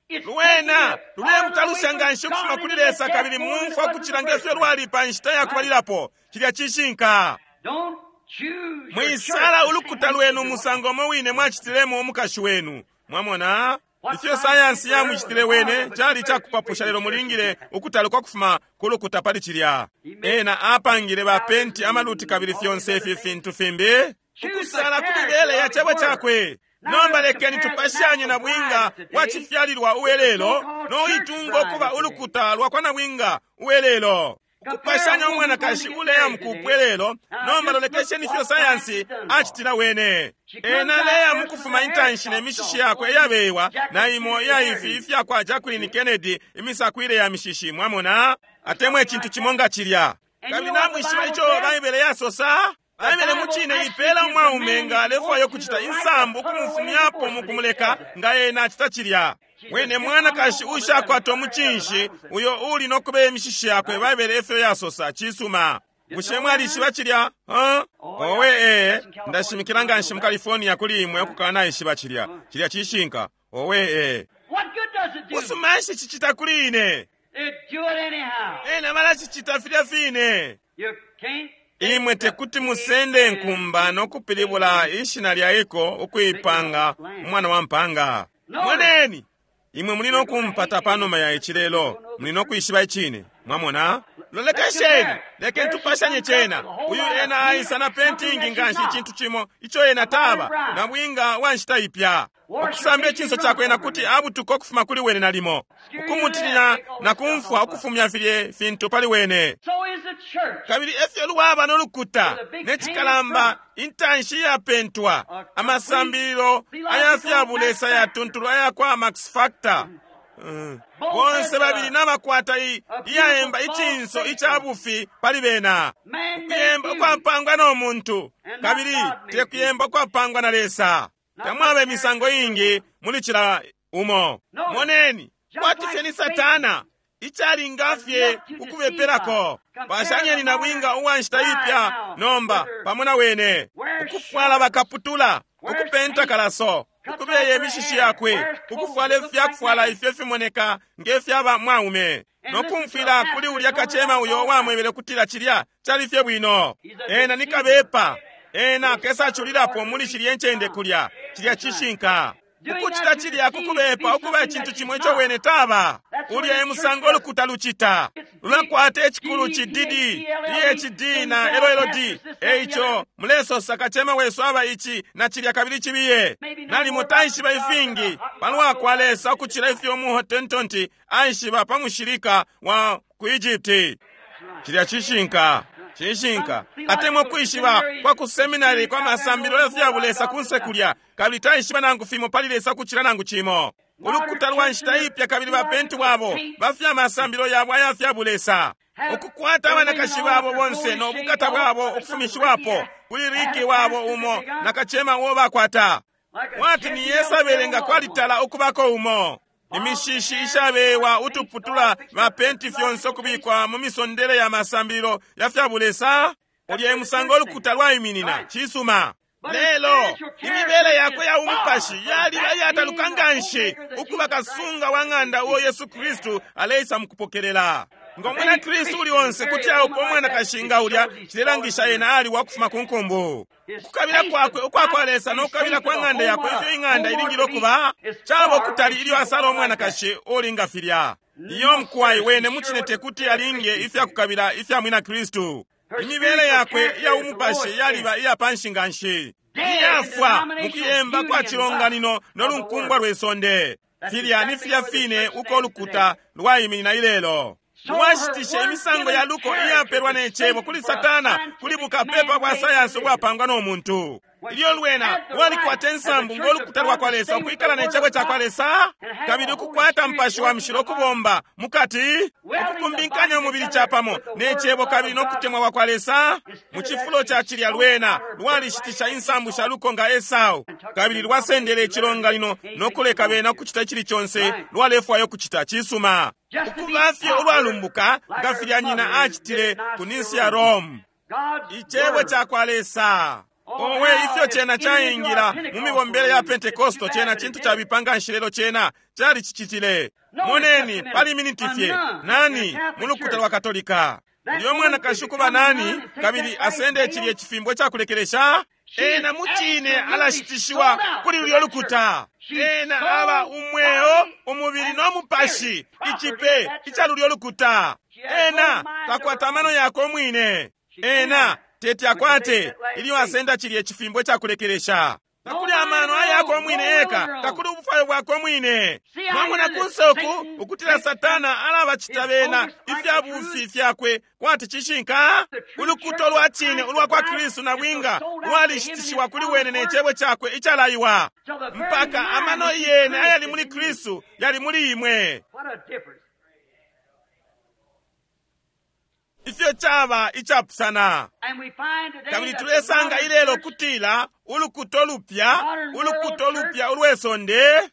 lwena lulemutalusha nganshi ukufuma kuli Lesa kabili mumfwa kucila ngefyo lwali pa nshita ya kubalilapo. Cilya cishinka. Don't choose your Mwisala church ulukuta lwenu umusango umo wine mwacitilemo umukashi wenu. Mwamona? Ifyo sayansi yamucitile wene cali cakupapusha, lelo mulingile ukutaluka kufuma ku lukuta pali cilya. Ena apangile bapenti amaluti kabili fyonse ifi fintu fimbi ukusala ku mibele ya cebo cakwe. Nomba lekeni tupashanye na bwinga wa cifyalilwa uwelelo noitunga ukuba ulukuta lwa kwa nabwinga uwelelo. Ukupashanya umwanakashi uleya mukupwelelo. Nomba lolekesheni ifyo sayansi acitila wene. Ena leya mukufuma intanshi ne mishishi yakwe iyabewa na imo iya ifi ifya kwa Jacqueline Kennedy, imisakwile ya mishishi. Mwamona? Atemwa icintu cimo nga cilya. Kabili namwishiba ico Baibele yasosa? Baibele mucine ipela umwaume nga alefwaya ukucita insambu ukumufumyapo mukumuleka nga ena acita cilya. Wene mwanakashi ushakwata umucinshi uyo uli no kubeya imishishi yakwe. Baibele efyo yasosa. Cisuma. Bushe mwalishiba cilya? Huh? Owe ee, ndashimikila nganshi mu California kuli imwe ukukanaishiba cilya. Cilya cishinka. Owe ee. What good does it do? Busuma nshi cicita kuli ine? It do it anyhow. Ena balacicita filya fine. You can't. Imwe tekuti musende nkumba no kupilibula ishina lya iko ukuipanga umwana wa mpanga. Moneni, imwe muli no kumpata panuma ya ici lelo, muli no kwishiba icine. Mwamona? Lolekesheni, lekeni tupashanye cena. Uyu ena aisa na pentingi nganshi icintu cimo ico ena taba na bwinga wa nshita ipya. Ukusamba icinso cakwe ena kuti abutuka ukufuma kuli wene nalimo, ukumutinya na kumfwa ukufumya filye fintu pali wene. So is the church. Kabili efyo lwaba no lukuta ne cikalamba intanshi yapentwa amasambililo aya fya bulesa yatuntulu aya kwa Max Factor. Bonse babili nabakwata iyaemba icinso ica bufi pali bena. Ukuyemba ukwapangwa no muntu kabili te kuyemba ukwapangwa na Lesa. Tamwaba imisango ingi muli cila umo. Moneni, kwati fye ni Satana icalinga fye ukubepelako. Pashanyeni na bwinga uwa nshita ipya nomba pamo na wene, ukufwala bakaputula, ukupenta kalaso, ukubeya imishishi yakwe, ukufwala ifyakufwala ifyo fimoneka nge fyaba mwaume, no kumfwila kuli ulya kacema uyo wamwebele kutila cilya cali fye bwino. Ena ni kabepa, ena kesaculilapo muli shilye ncende kulya. Cilya cishinka. Ukucita cilya kukubepa ukuba icintu cimo ico wene taba. Ulya e musango ulukuta lucita. Lulakwata icikulu ci DD, PhD na LLD. Eico mulesosa kacema wesu aba ici na cilya kabili cibiye. Nalimo taishiba ifingi palwa kwa Lesa ukucila ifyo umuhotentonti aishiba pa mushilika wa ku Egypt. Cilya cishinka. Cishinka. Atemwa kwishiba kwa ku seminary kwa masambililo ya fya bulesa kunse kulya, kabili taishiba nangu fimo pali Lesa kucila nangu cimo. Ulukuta lwa nshita ipya kabili bapenti bwabo bafya masambililo yabo aya fya bulesa. Ukukwata abanakashi babo bonse no bukata bwabo ukufumishiwapo kuli riki wabo umo na kacema uo bakwata. Wati ni Yesabele nga kwalitala ukubako umo. Imishishi ishabewa utuputula bapenti fyonse ukubikwa mu misondele ya masambililo ya fya bulesa. Ulya e musango ulukuta lwaiminina. Cisuma. Lelo imibele yakwe ya umupashi yaliba iyataluka nganshi ukuba kasunga wa ng'anda uo Yesu Kristu aleisa mukupokelela. Ngo mwina Kristu uli onse kuti aupa umwanakashi nga ulya, cilelangisha ena ali wakufuma ku nkumbu. Ukukabila kwakwe ukwa kwa Lesa no kukabila kwa ng'anda yakwe ifyo ing'anda ilingile ukuba, caba ukutali ilyo asala umwanakashi ulinga filya. Iyo mkwai wene mucine tekuti alinge ifya kukabila ifya mwina Kristu. Imibele yakwe iya umupashi yaliba iya panshi nganshi. Iyafwa mu kuyemba kwa cilonganino no lunkumbwa lwe sonde. Filya ni filya fine uko ulukuta lwaiminina ilelo. Lwashitishe imisango ya luko iyapelwa ne cebo kuli Satana kuli bukapepa bwa sayansi ubwapangwa no muntu. Ilyo lwena lwalikwata insambu ngo lukuta lwa kwa Lesa ukwikala ne cebo ca kwa Lesa, kabili ukukwata mpashi wa mushilo ukubomba mukati, ukukumbinkanya umubili capamo ne cebo kabili no kutemwa kwa kwa Lesa. Mu cifulo ca cilya lwena lwalishitisha insambu sha luko nga Esau, kabili lwasendele icilonganino no kuleka bena ukucita icili conse lwalefwaya ukucita. Cisuma. Ukuba fye ulwalumbuka nga filya nyina acitile ku ninsi ya Rome. Icebo ca kwa Lesa. Owe, ifyo cena caingila mu mibombele ya Pentekosto, cena cintu cabipa nganshi lelo cena calicicitile. Moneni pali miniti fye, nani mu lukuta lwa Katolika? Ulyo mwanakashi ukuba nani, kabili asende cilye cifimbo cakulekelesha? Ena mucine alashitishiwa kuli lulyo lukuta. Ena aba umweo, umubili no mupashi, icipe ica lulyo lukuta. Ena takwata amano yakwe umwine. Ena teti akwate ilyo asenda cilye cifimbo cakulekelesha. Takuli amano ayakwe umwine eka, takuli ubufwayo bwakwe umwine. Mwamona kunse uku ukutila Satana alabacita bena ifya bufi fyakwe kwati cishinka. Ulukuto lwa cine ulwa kwa Kristu na bwinga lwalishitishiwa kuli wene ne cebo cakwe icalaiwa, mpaka amano yene ayali muli Kristu yali muli imwe. Ifyo caba icapusana. Kabili tulesanga ilelo kutila ulukuto lupya, ulukuto lupya ulwesonde,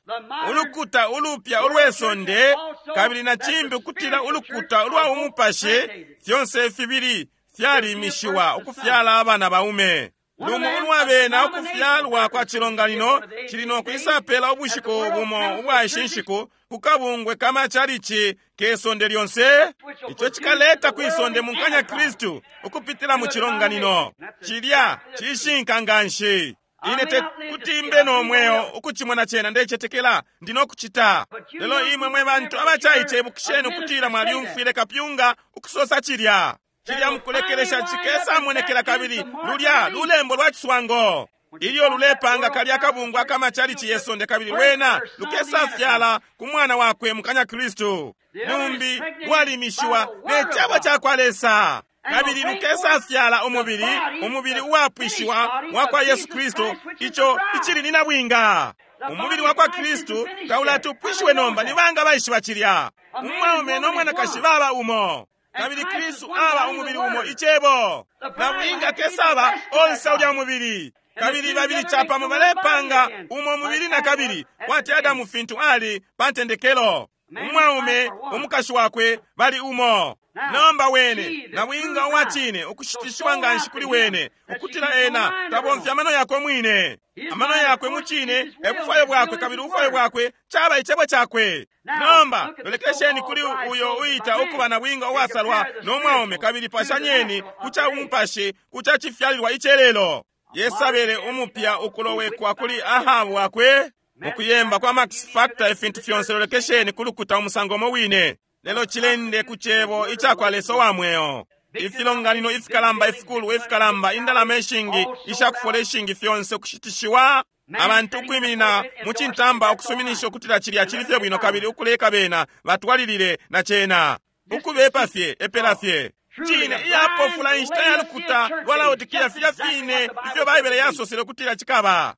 ulukuta ulupya ulwesonde, kabili na cimbi kutila ulukuta ulwa umupashi, fyonse fibili fyalimishiwa ukufyala abana baume. Lumo ulwabena ukufyalwa kwa cilonganino cili no kwisapela ubushiku bumo ubwa ishi nshiku ku kabungwe kamachalichi ke sonde lyonse. Ico cikaleta kwisonde munkanya Kristu ukupitila mu cilonganino. Cilya cishinka nganshi. Ine te kuti mbe no mweo ukucimona cena, ndecetekela ndi no kucita. Lelo imwe mwe bantu abacaice, ibukisheni ukutila mwalyumfwile kapyunga ukusosa cilya. Cilya mukulekelesha cikesamonekela kabili lulya lulembo lwa ciswango. Ilyo lulepanga kalya kabungwe akamachalichi yesonde, kabili lwena lukesafyala ku mwana wakwe mukanya Kristu. Lumbi lwalimishiwa ne cebo ca kwa Lesa, kabili lukesafyala umubili, umubili uwapwishiwa wa kwa Yesu Kristu, ico icili ni nabwinga. Umubili wa kwa Kristu taulatupwishiwe nomba. Ni banga baishiba cilya? Umwaume no mwanakashi baba umo, kabili Kristu aba umubili umo, icebo. Nabwinga kesaba onse ulya mubili, kabili babili capamo balepanga umo mubili na kabili, kwati Adamu fintu ali pa ntendekelo. Umwaume umukashi wakwe bali umo. Nomba wene nabwinga uwa cine ukushitishiwa nganshi kuli wene ukutila ena tabomfya amano yakwe mwine. Amano yakwe mu cine e bufwayo bwakwe, kabili ubufwayo bwakwe caba icebo cakwe. Nomba lolekesheni kuli uyo uita ukuba nabwinga uwasalwa no mwaume, kabili pashanyeni ku ca umupashi ku ca cifyalilwa icelelo. Yesabele umupya ukulowekwa kuli Ahabu wakwe. Mukuyemba kwa Max Factor ifintu fyonse lolekesheni kulukuta umusango umo wine. Lelo cilende ku cebo icakwa Lesa wa mweo. Ifilonganino ifikalamba ifikulu ifikalamba indalama ishingi ishakufola ishingi fyonse ukushitishiwa. Abantu ukwiminina mu cintamba ukusuminisha ukutila cilya cili fye bwino kabili ukuleka bena batwalilile na cena. Ukubepa fye epela fye. Cine iyapofula inshita ya lukuta lwa Laodikia filya fine ifyo Baibele yasosele ukutila cikaba.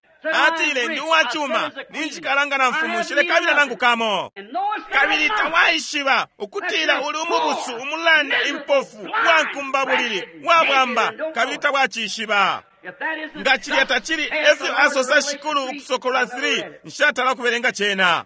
Atile ndi uwacuma ninjikalanga na mfumu nshilekabila nangu kamo. Kabili tawaishiba ukutila uli umubusu umulanda impofu uwankumbabulili uwabwamba kabili tawacishiba. Nga cilya tacili efyo asosa Shikulu Ukusokolola 3 nshatala kubelenga cena.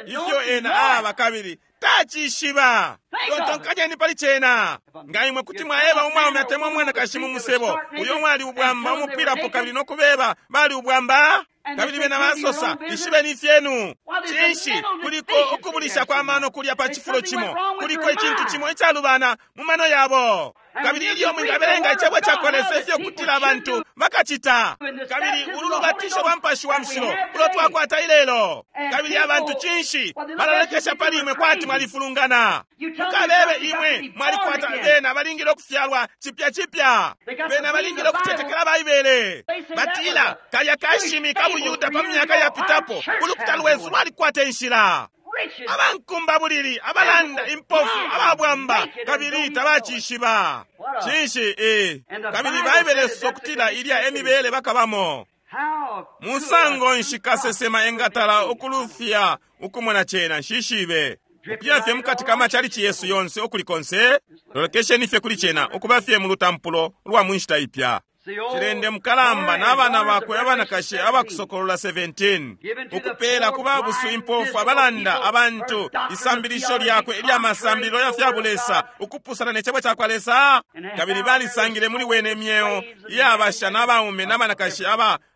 Ifyo ena aba kabili tacishiba. Tontonkanyeni pali cena. Nga imwe kuti mwaeba umwaume atemwa umwanakashi mu musebo uyo mwali ubwamba umupwilapo kabili nokubeba bali ubwamba kabili bena basosa ishibeni ifyenu. Cinshi kuliko ukubulisha kwa mano kulya pa cifulo cimo, kuliko icintu cimo icalubana mu mano yabo. Kabili ilyo mwingabelenga icebo cakwa Lesa ifyo kutila abantu bakacita. Kabili ulu lubatisho lwa Mupashi wa Mushilo ulo twakwata ilelo. Kabili abantu cinshi balalekesha pali imwe kwati mwalifulungana. Mukabebe imwe mwalikwata bena balingile ukufyalwa cipya cipya. Bena balingile ukucetekela Baibele. Batila kalya kashimi ka buYuda pa myaka yapitapo ulukuta lwesu lwalikwata inshila. Abankumbabulili, abalanda, impofu, ababwamba kabili tabacishiba. Cinshi kabili Baibele sokutila ilya emibele bakabamo. Musango nshi kasesema engatala ukulufya ukumona cena nshishibe. Ukuya fye mukati ka machalichi yesu yonse ukuli konse, lolekesheni fye kuli cena ukuba fye mu lutampulo lwa mu nshita ipya. Cilende mukalamba n'abana bakwe abanakashi abakusokolola 17 ukupeela ku babusu impofu abalanda abantu isambilisho lyakwe ilya masambililo ya fya bulesa ukupusana ne cebo cakwa Lesa. Kabili balisangile muli wene imyeo iyabasha n'abaume n'abanakashi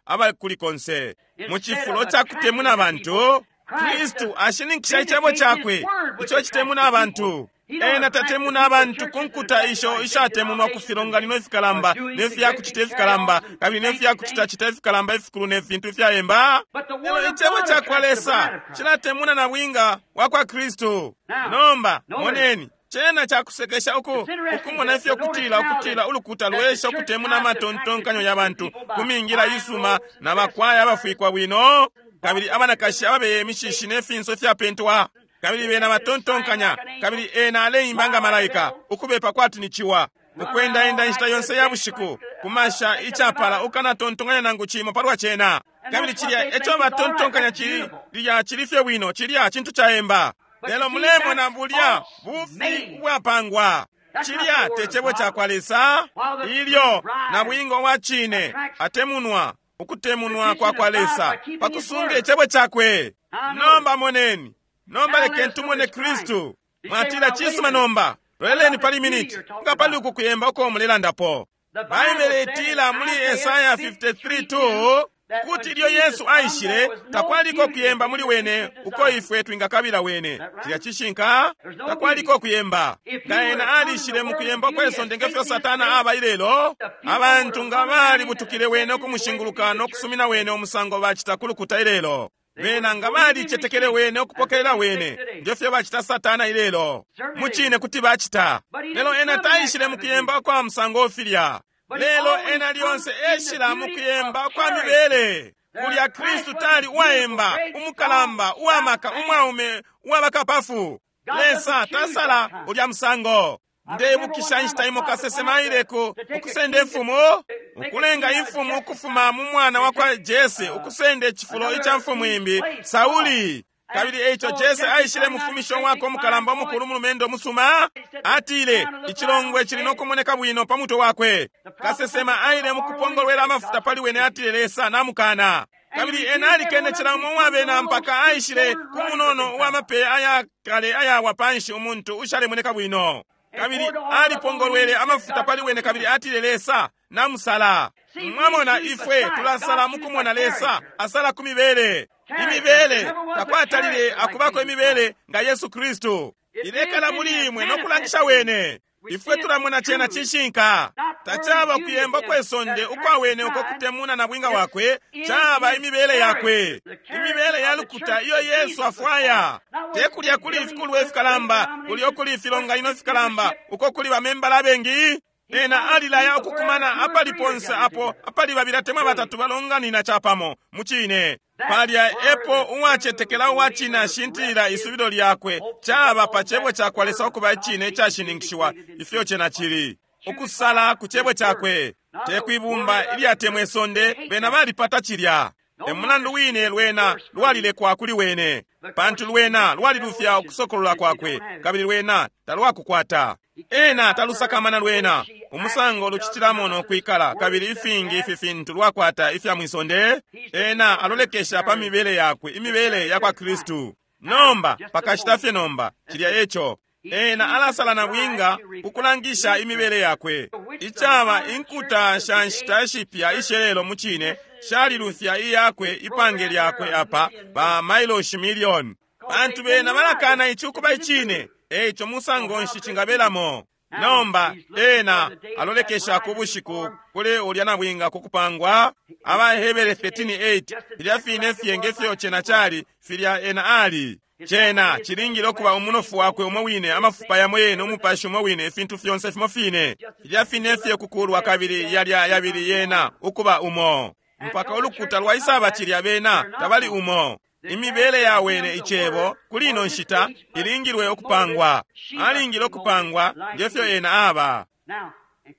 abakuli konse. Mu cifulo ca kutemuna abantu, Kristu ashininkisha icebo cakwe ico citemuna abantu. Ena tatemuna abantu ku nkuta isho ishatemunwa ku filonganino ifikalamba ne fya kucita ifikalamba kabili ne fya kucitacita ifikalamba ifikulu ne fintu ifyayemba. Lelo icebo cakwa Lesa cilatemuna na bwinga wa kwa Kristu. Nomba moneni cena cakusekesha ukumona ifyo kutila ukutila ulukuta lwesha ukutemuna amatontonkanyo ya bantu ku mingila isuma na bakwaya abafwikwa bwino kabili abanakashi ababeye imishishi ne finso ifyapentwa. Kabili bena batontonkanya kabili ena aleimba nga malaika ukubepa kwati ni ciwa ukwendaenda inshita yonse ya bushiku kumasha icapala ukanatontonkanya nangu cimo palwa cena. Kabili cilya eco batontonkanya cili lya cili fye bwino cilya cintu caemba. Lelo mulemona bulya bufi ubwapangwa. Cilya te cebo cakwa Lesa. Ilyo na bwingo wa cine atemunwa ukutemunwa kwa kwa Lesa pakusunga icebo cakwe. Nomba moneni. Nomba lekeni tumone Kristu. Mwatila cisuma nomba. Loleleni pali miniti. Nga pali uku kuyemba uko mulelandapo. Baibele itila muli Esaya 53:2 kuti ilyo Yesu aishile takwaliko kuyemba muli wene uko ifwe twingakabila wene. Cilya cishinka takwaliko kuyemba. Nga ena alishile mu kuyemba kwesonde ngefyo Satana aba ilelo, abantu nga balibutukile wene ukumushinguluka no kusumina wene umusango bacita ku lukuta ilelo. Bena nga balicetekele wene ukupokelela wene ngefyo bacita Satana ilelo. Mucine kuti bacita. Lelo ena taishile mu kuyemba kwa musango filya. Lelo ena lyonse eshila mu kuyemba kwa mibele. Kulya Kristu tali uwaemba, umukalamba, uwamaka, umwaume, uwabakapafu. Lesa tasala ulya musango. Ndebukisha inshita imo kasesema aileko ukusenda imfumu, ukulenga imfumu ukufuma mu mwana wa kwa Jese, ukusenda icifulo ica mfumu imbi, Sauli. Kabili eico Jese aishile mufumisho wako umukalamba umukulu mulumendo musuma. Atile icilongwe cili nokumoneka bwino pa mutwe wakwe. Kasesema aile mukupongolwela amafuta pali wene atile Lesa namukana. Kabili ena alikene cila umo uwabena mpaka aishile ku munono uwamapeya aya kale ayawa panshi umuntu ushalemoneka bwino. Kabili alipongolwele amafuta pali wene kabili atile Lesa namusala. Mwamona ifwe tulasala mukumona Lesa asala ku mibele. Imibele takwatalile akubako imibele nga Yesu Kristu. Ilekala muli imwe nokulangisha wene. Ifwe tulamona cena cishinka. Tacaba kuyemba kwe sonde ukwa wene uko kutemuna na bwinga wakwe, caba imibele yakwe, imibele ya lukuta iyo Yesu afwaya. Te kulya kuli ifikulwa ifikalamba, kulya ukuli ifilonganino ifikalamba, uko kuli bamembala abengi. Ena alilaya ukukumana apali ponse apo apali babili atemwa batatu balonganina capamo mucine. Palya epo uwacetekela uwacine ashintilila isubilo lyakwe, caba pa cebo cakwa Lesa ukuba icine icashininkishiwa ifyo cena cili. Ukusala ku cebo cakwe, te kwibumba ilyatemwa isonde, bena balipata cilya. E mulandu wine lwena lwalilekwa kuli wene, pantu lwena lwalilufya ukusokolola kwakwe, kabili lwena talwakukwata. Ena talusakamana lwena umusango lucitilamo no kwikala, kabili ifingi ifi fintu lwakwata ifya mwisonde. Ena alolekesha pa mibele yakwe, imibele ya kwa Kristu. Nomba pakashita fye nomba, cilya eco. Ena alasala na bwinga ukulangisha imibele yakwe. Icaba inkuta sha nshita shipya ishelelo mucine shalilufya iyakwe ipange lyakwe apa ba mailoshi milioni, pantu bena balakana ici ukuba icine. Eico musango nshi cingabelamo? Nomba ena alolekesha ku bushiku kuli ulya nabwinga kukupangwa. AbaHebere 13:8, filya fine fye ngefyo cena cali, filya ena ali. Cena cilingile ukuba umunofu wakwe umo wine, amafupa yamo yene, umupashi umo wine, ifintu fyonse fimo fine, filya fine fye kukulwa kabili yalya yabili yena ukuba umo, mpaka ulukuta lwaisaba cilya bena tabali umo. Imibele ya wene icebo kuli ino nshita ilingilwe ukupangwa, alingile ukupangwa ngefyo ena aba.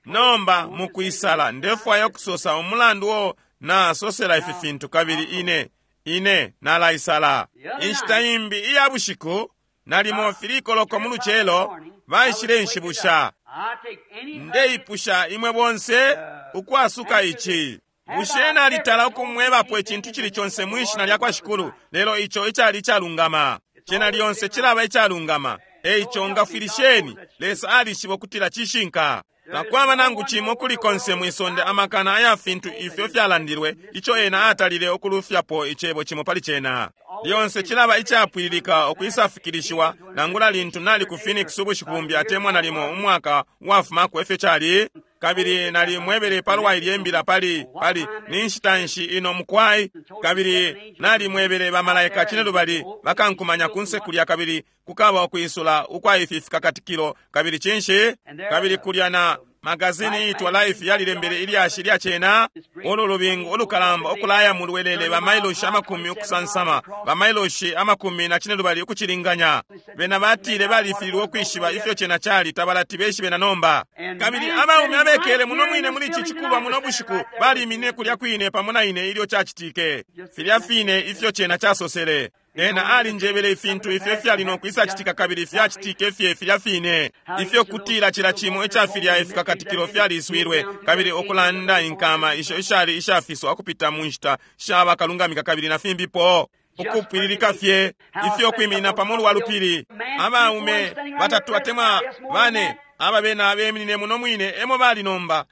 Nomba mukwisala ndefwaya ukusosa umulandu wo nasosela ifi fintu, kabili ine nalaisala. Inshita imbi iya bushiku nalimo filikoloko mu lucelo baishile nshibusha. Ndeipusha imwe bonse ukwasuka ici. Bushe nalitala ukumwebapo icintu cili conse mwishina lya kwa Shikulu, lelo ico icali icalungama? Cena lyonse cilaba icalungama. Eico ngafwilisheni, Lesa alishiba ukutila cishinka. Takwaba nangu cimo kuli konse mwisonde amakana aya fintu ifyo fyalandilwe, ico ena atalile ukulufyapo icebo cimo pali cena. Lyonse cilaba icapwililika ukwisafikilishiwa, nangula lintu nali ku Phoenix ubushiku bumbi atemwa nalimo umwaka wafumako efyo cali. Kabili nalimwebele palwa ilye mbila pali ni nshita nshi ino mukwai, kabili nalimwebele bamalaika cinelubali bakankumanya kunse kulya, kabili kukaba ukwisula ukwa ifi fikakatikilo. Kabili cinshi? Kabili kulya na magazini iitwa Life yalilembele ilyashi lya cena, ulu lubingu ulukalamba ukulaya mulwelele bamailoshi amakumi ukusansama, bamailoshi amakumi na cinelubali ukucilinganya. Bena batile balifililwe ukwishiba ifyo cena cali, tabalati beshibe na nomba. Kabili abaume abekele muno mwine muli ici cikulwa muno bushiku baliminine kulya kwine pamo na ine ilyo cacitike, filya fine ifyo cena casosele. Ena alinjebele ifintu ifyo fyali no kwisacitika, kabili fyacitike fye filya fine ifyo kutila cila cimo ica filya ifikakatikilo fyaliswilwe, kabili ukulanda inkama isho ishali ishafiswa ukupita mu nshita shaba kalungamika kabili na fimbipo, ukupwililika fye ifyo kwiminina pa mulu wa lupili. Abaume batatu atemwa bane aba bena beminine muno mwine emo bali nomba,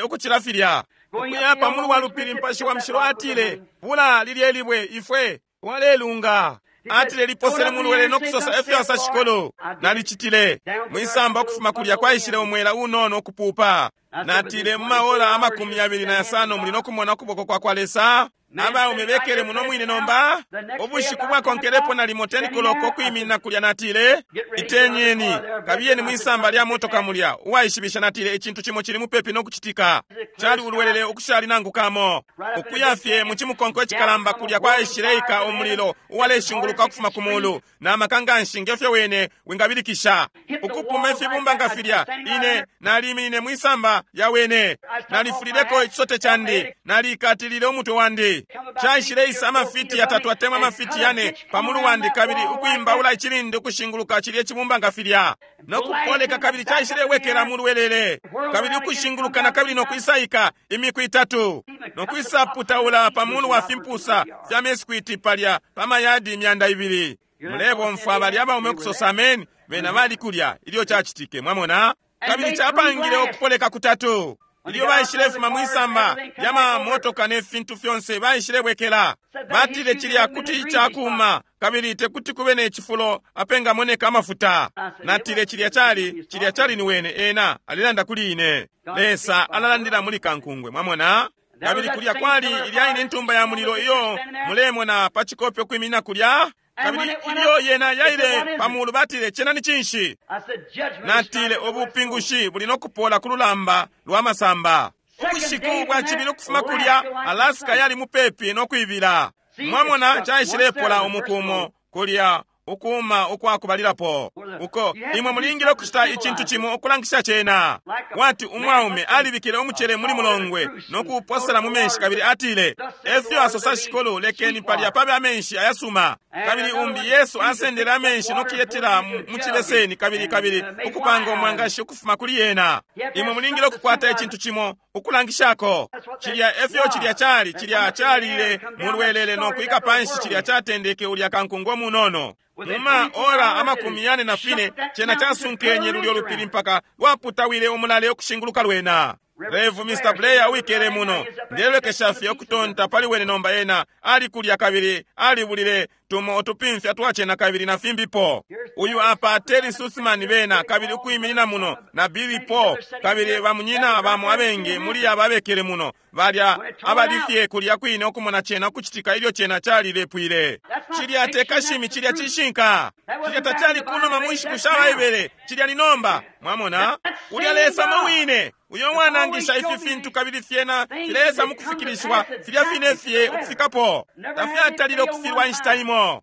ukucila filya ukuya pa mulu wa lupili. Mpashi wa Mushilo atile, bula lilye libwe ifwe walelunga. Atile liposele mulwele no kusosa efyo asa Shikulu. Nalicitile mwisamba ukufuma kulya kwaishile umwela unono ukupupa. Natile mu maola 25 muli no kumona ukuboko kwa kwa Lesa. Abaume bekele muno mwine nomba. Ubushiku bwakonkelepo nalimo 10 koloko ukwiminina kulya, natile itenyeni kabiyeni mwisamba lya motoka mulya. Uwaishibisha natile icintu cimo cili mupepi no kucitika. Cali ulwelele ukushali nangu kamo. Ukuya fye mu cimukonko icikalamba kulya kwaishileika umulilo uwaleshinguluka ukufuma ku mulu na makanganshi ngefyo wene wingabilikisha ukupuma ifibumba nga filya. Ine naliminine mwisamba ya wene, nalifulileko ichisote chandi, nalikatilile umutwe wandi. Caishileisa amafiti yatatu atemwa amafiti yane pamulu wandi, kabili ukwimbaula icilindi ukushinguluka cilye cibumba nga filya nokupoleka, kabili caishilewekela mulwelele, kabili ukushinguluka na kabili nokwisaika imiku itatu nokwisaputaula pamulu wa fimpusa fya meskwiti palya pamayadi 200. Mulebomfwa bali abaume ukusosa ameni, bena bali kulya ilyo cacitike, mwamona. Kabili capangile ukupoleka kutatu. Ilyo baishilefuma mwisamba lya mamotoka ne fintu fyonse, baishilebwekela. Batile cilya kuti icakuma, kabili tekuti kube ne cifulo apengamoneka amafuta. Natile cilya cali, cilya cali ni wene, ena alilanda kuli ine. Lesa alalandila muli kankungwe, mwamona? Kabili kulya kwali ilya ine ntumba ya mulilo iyo mulemona pa cikope ukwiminina kulya. Kabili ilyo yena yaile pa mulu, batile, "Cena ni cinshi?" Natile, "Ubupingushi buli no kupola ku lulamba lwa masamba." Ubushiku bwa cibili ukufuma kulya, Alaska yali mupepi no kwibila. Mwamona, caishilepola umukumo kulya ukuma ukwakubalilapo uko imwe mulingile ukucita icintu cimo ukulangisha cena. Wati umwaume alibikile umucele muli mulongwe no kuuposela mu menshi, kabili atile, "Efyo asosa Shikulu, lekeni palya pabe amenshi ayasuma." Kabili umbi, Yesu asendele amenshi no kuyetela mu cibeseni, kabili kabili ukupanga umwangashi ukufuma kuli yena. Imwe mulingile ukukwata icintu cimo ukulangishako cilya. Efyo cilya cali, cilya calile mulwelele no kwika panshi, cilya catendeke ulya kankungo munono. Muma ora 44 cena casunkenye lulyo lupili mpaka lwaputawile umulale ukushinguluka lwena. Rev Mr. Blair wikele muno, ndelolekesha fye ukutonta pali wene nomba. Ena ali kulya kabili alibulile tumo utupimfya twacena kabili na fimbipo. Uyu apa Terry Susman bena kabili ukwiminina muno na Billy Paul kabili bamunyina bamo abengi muli aba abekele muno, balya abalifye kulya kwine ukumona cena ukucitika ilyo cena calilepwile. Cilya te kashimi, cilya cishinka. Cilya tacali kunuma mu nshiku sha Baibele, cilya ni nomba. Mwamona, ulya Lesa mo wine uyo wanangisha ifi fintu, kabili fyena filesa mukufikilishiwa filya fine fye ukufikapo. Tafyatalile ukufilwa inshita imo.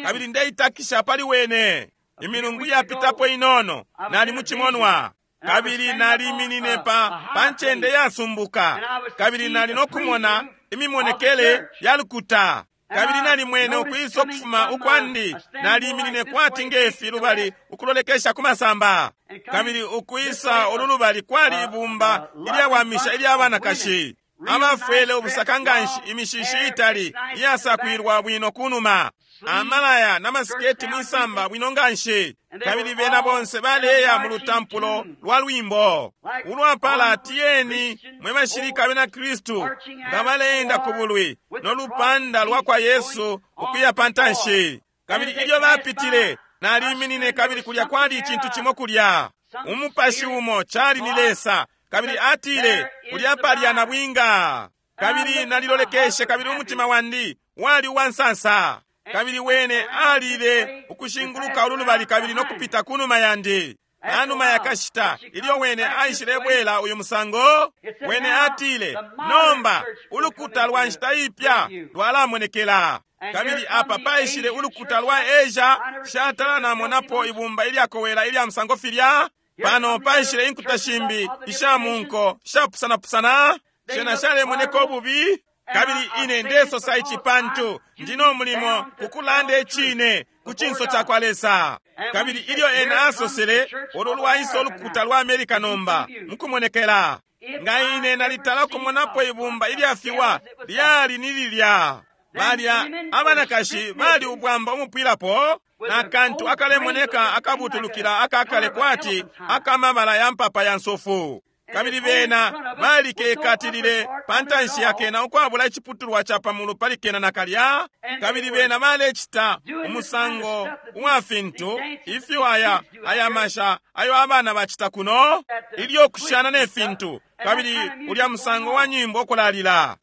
Kabili ndeitakisha pali wene. Imilungu yapitapo inono nali mucimonwa, kabili naliminine pa ncende yasumbuka, kabili nali no kumona imimonekele ya lukuta, kabili nalimwene ukwisa ukufuma ukwandi. Naliminine kwati ngefi lubali ukulolekesha ku masamba, kabili ukwisa ulu lubali kwali ibumba ilyawamisha ilya banakashi abafwele ubusaka nganshi, imishishi itali iyasakwilwa bwino kunuma, amalaya n'amasiketi mwisamba bwino nganshi, kabili bena bonse baleya mu lutampulo lwa lwimbo ulwapala "Tiyeni mwe bashilika bena Kristu", nga baleenda ku bulwi no lupanda lwa kwa Yesu ukuya pa ntanshi. Kabili ilyo bapitile, naliminine, kabili kulya kwali icintu cimo kulya, umupashi umo, cali ni Lesa, kabili atile, "Kulya palya nabwinga." Kabili nalilolekeshe, kabili umutima wandi wali uwansansa. Kabili wene alile ukushinguluka ulu lubali kabili no kupita kunuma yandi. Panuma yakashita, ilyo wene aishilebwela uyu musango, wene atile, "Nomba ulukuta lwa nshita ipya lwalamonekela." Kabili apa paishile ulukuta lwa Asia. Shatala namonapo ibumba ilyakowela ilya musango filya. Pano paishile inkuta shimbi isha munko shapusanapusana, shena shalemoneka ububi. Kabili ine ndesosa ici pantu ndino mulimo kukulanda icine ku cinso ca kwa Lesa. Kabili ilyo ena asosele, "Ulu lwaisa ulukuta lwa Amerika nomba mukumonekela," nga ine nalitala kumonapo ibumba ilyafiwa, lyali ni lilya. Balya abanakashi bali ubwamba umupwilapo, na kantu akalemoneka akabutulukila akakale kwati akamabala ya mpapa ya nsofu, kabili bena balikekatilile pa ntanshi yakena ukwabula iciputulwa ca pamulu pali kena nakalya, kabili bena balecita umusango uwa fintu ifyo aya masha ayo abana bacita kuno ilyo kushana ne fintu, kabili ulya musango wa nyimbo ukulalila.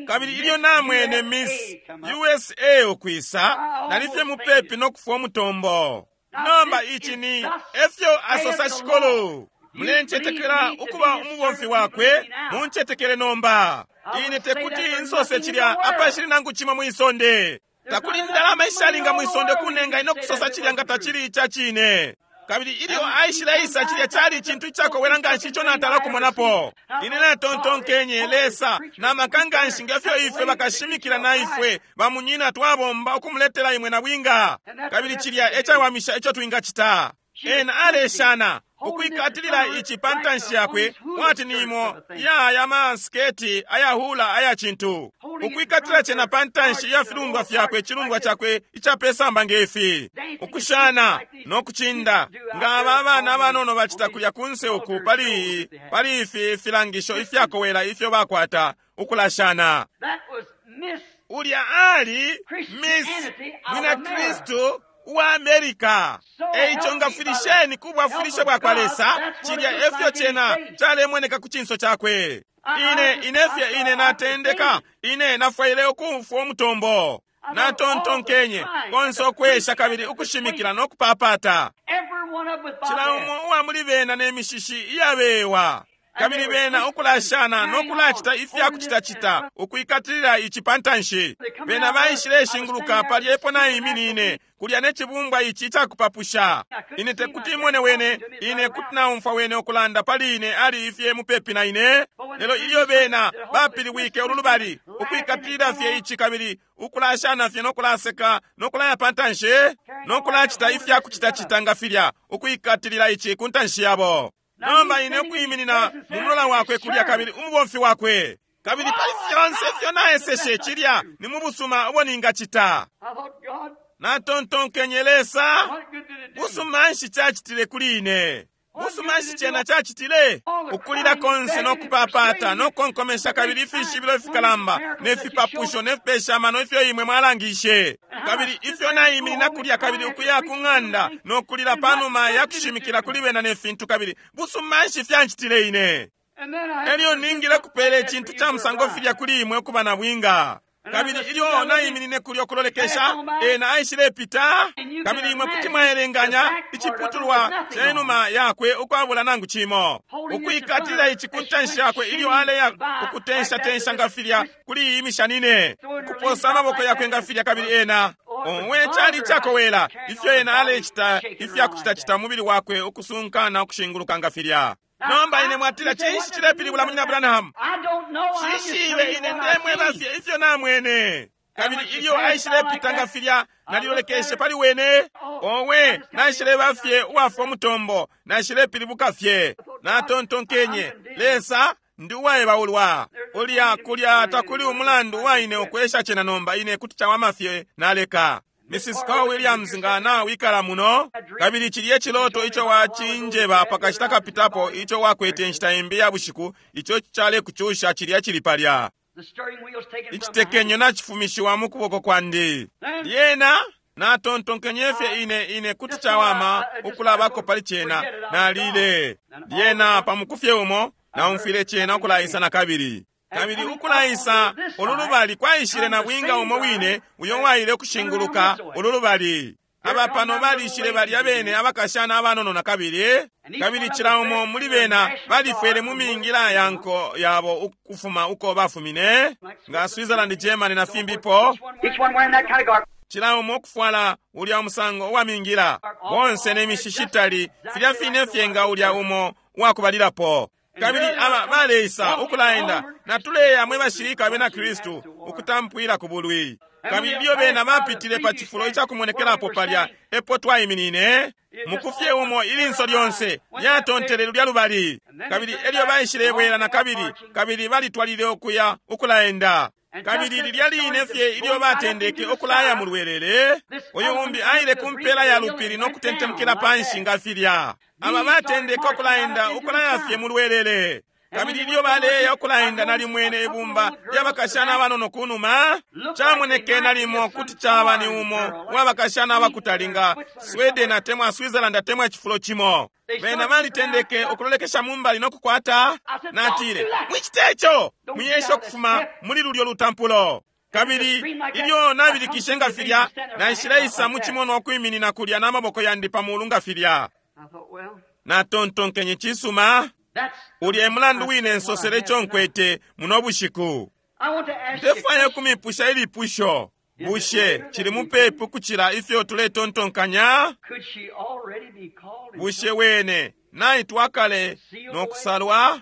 Kabili ilyo namwene Miss USA ukwisa, nalifye mupepi no kufwa umutombo. Nomba ici ni efyo asosa Shikulu. Mulencetekela ukuba umubomfi wakwe? Muncetekele nomba. Ine tekuti insose cilya apashili nangu cimo mwisonde. Takuli ndalama ishalinga mwisonde kunenga ino kusosa cilya nga tacili ica cine. Kabili ilyo aishileisa, cilya cali icintu icakowela nganshi ico natala kumonapo. Ine natontonkenye, "Lesa na maka nganshi ngefyo ifwe bakashimikila na ifwe bamunyina twabomba ukumuletela imwe na bwinga." Kabili cilya ecawamisha ico twingacita. Ena aleshana ukwikatilila ici pa ntanshi yakwe kwati ni imo ya aya masiketi ayahula aya cintu, ukwikatila cena pa ntanshi ya filundwa fyakwe, icilundwa cakwe icapesamba ngefi, ukushana no kucinda nga aba abana abanono bacita kulya kunse uku pali pali ifi filangisho ifyakowela ifyo bakwata ukulashana. That was Miss Ulya ali Miss Mwina Kristu uwa America. Eico ngafwilisheni ku bwafwilisho bwa kwa Lesa, cilya efyo cena calemoneka ku cinso cakwe. Ine inefye ine natendeka, ine nafwaile ukumfwa umutombo. Natontonkenye konse ukwesha kabili ukushimikila no kupapata. every one of them with bob Cila hair. umo uwa muli bena ne mishishi iyabewa. Kabili bena ukulashana no kulacita ifya kucitacita ukwikatilila ici pa ntanshi. Bena baishileshinguluka palya epo naiminine kulya ne cibumbwa ici icakupapusha. Ine tekuti imone wene, ine kuti naumfwa wene ukulanda pali ine ali ifye mupepi na ine. Lelo ilyo bena bapilibwike ulu lubali ukwikatilila fye ici kabili ukulashana fye no kulaseka no kulaya pa ntanshi no kulacita ifya kucitacita nga filya ukwikatilila ici ku ntanshi yabo. Nomba ine ukwiminina mu mulola wakwe kulya kabili umubomfi wakwe kabili pali fyonse ifyo naeseshe cilya ni mu busuma ubo ningacita. I thought, God, Natontonkenye Lesa, what good did it do? busuma nshi cacitile kuli ine? Busuma nshi cena cacitile? Ukulila konse no kupapata no kukonkomesha kabili ifishibilo fikalamba ne fipapusho ne fipesha amano ifyo imwe mwalangishe kabili ifyo naiminina kulya kabili ukuya ku ng'anda no kulila panuma ya kushimikila kuli bena ne fintu kabili busuma nshi fyancitile ine? And then I had Elyo to ningile kupela icintu ca musango filya kuli imwe ukuba na bwinga. Kabili ilyo naiminine kulya ukulolekesha, ena aishilepita, kabili imwe kuti mwaelenganya iciputulwa ca inuma yakwe ukwabula nangu cimo. Ukwikatilila ici ku ntanshi yakwe ilyo aleya ukutenshatensha nga filya kuli iyi mishanine, ukuposa amaboko yakwe nga filya kabili ena owe cali icakowela ifyo ena alecita ifya kucitacita umubili wakwe ukusunkana ukushinguluka nga filya. Nomba ine mwatila cinshi cilepilibula munyina Branham? I don't know. I'm just Shishibe telling you ine what I ndemweba see. fye ifyo namwene. Kabili ilyo aishilepita nga filya nalilolekeshe pali wene. Owe naishileba fye uwafwa umutombo, naishilepilibuka fye. Natontonkenye, Lesa ndi uwaebaulwa. Ulya kulya takuli umulandu waine ukwesha cena nomba ine kuti cawama fye naleka. Mrs. Carl Williams nga nawikala muno kabili cilye ciloto ico wacinjeba pakashita kapitapo ico wakwete inshita imbi ya bushiku ico calekucusha cilya cili palya. The steering wheel's taken from my hand. Icitekenyo nacifumishiwa mu kuboko kwandi. Lyena natontonkenye fye ine ine kuti cawama ukulabako pali cena nalile. Lyena pamukufye umo naumfwile cena ukulaisa na kabili. Kabili ukulaisa ulu lubali kwaishile na bwinga umo wine uyo waile ukushinguluka ulu lubali. Aba pano balishile balya bene abakashana abanono na kabili, kabili cila umo muli bena balifwele mu mingila ya nko yabo ukufuma uko bafumine, nga Switzerland, Germany na fimbipo, Each one wearing that kind of garb. cila umo ukufwala ulya musango uwa mingila, bonse ne mishishitali filya fine fye nga ulya umo uwakubalilapo. Kabili aba baleisa ukulaenda natuleya mwe bashilika abena Kristu ukutampwila ku bulwi. Kabili ilyo bena bapitile pa cifulo icakumonekelapo palya epo twaiminine, mukufye umo ilinso lyonse lyatontele lulya lubali. Kabili elyo baishilebwela na kabili, kabili balitwalile ukuya ukulaenda. Kabili lilya line fye ilyo batendeke ukulaya mu lwelele, uyu umbi aile ku mpela ya lupili no kutentemukila panshi nga filya. Aba batendeke ukulaenda ukulaya fye mu lwelele. Kabili ilyo baleya ukulaenda nalimwene ibumba lyabakashana abanono ku numa, camoneke nalimo kuti caba ni umo uwabakashana abakutali nga Sweden atemwa Switzerland atemwa icifulo cimo. Bena balitendeke ukulolekesha mu mbali no kukwata. Natile, mwicite ico, mwiyesha ukufuma muli lulyo lutampulo. Kabili ilyo nabilikishe nga filya, naishileisa mu cimonwa ukwiminina kulya n'amaboko yandi pa mulu nga filya. I thought, well, Natontonkenye cisuma. that's. Ulya e mulandu wine nsosele ico nkwete muno bushiku. I want to ask you. a Ndefwaya question. ukumipusha ilipusho. Bushe cili mupepi ukucila ifyo tuletontonkanya? Could she already be called? and Bushe wene naitwa kale no kusalwa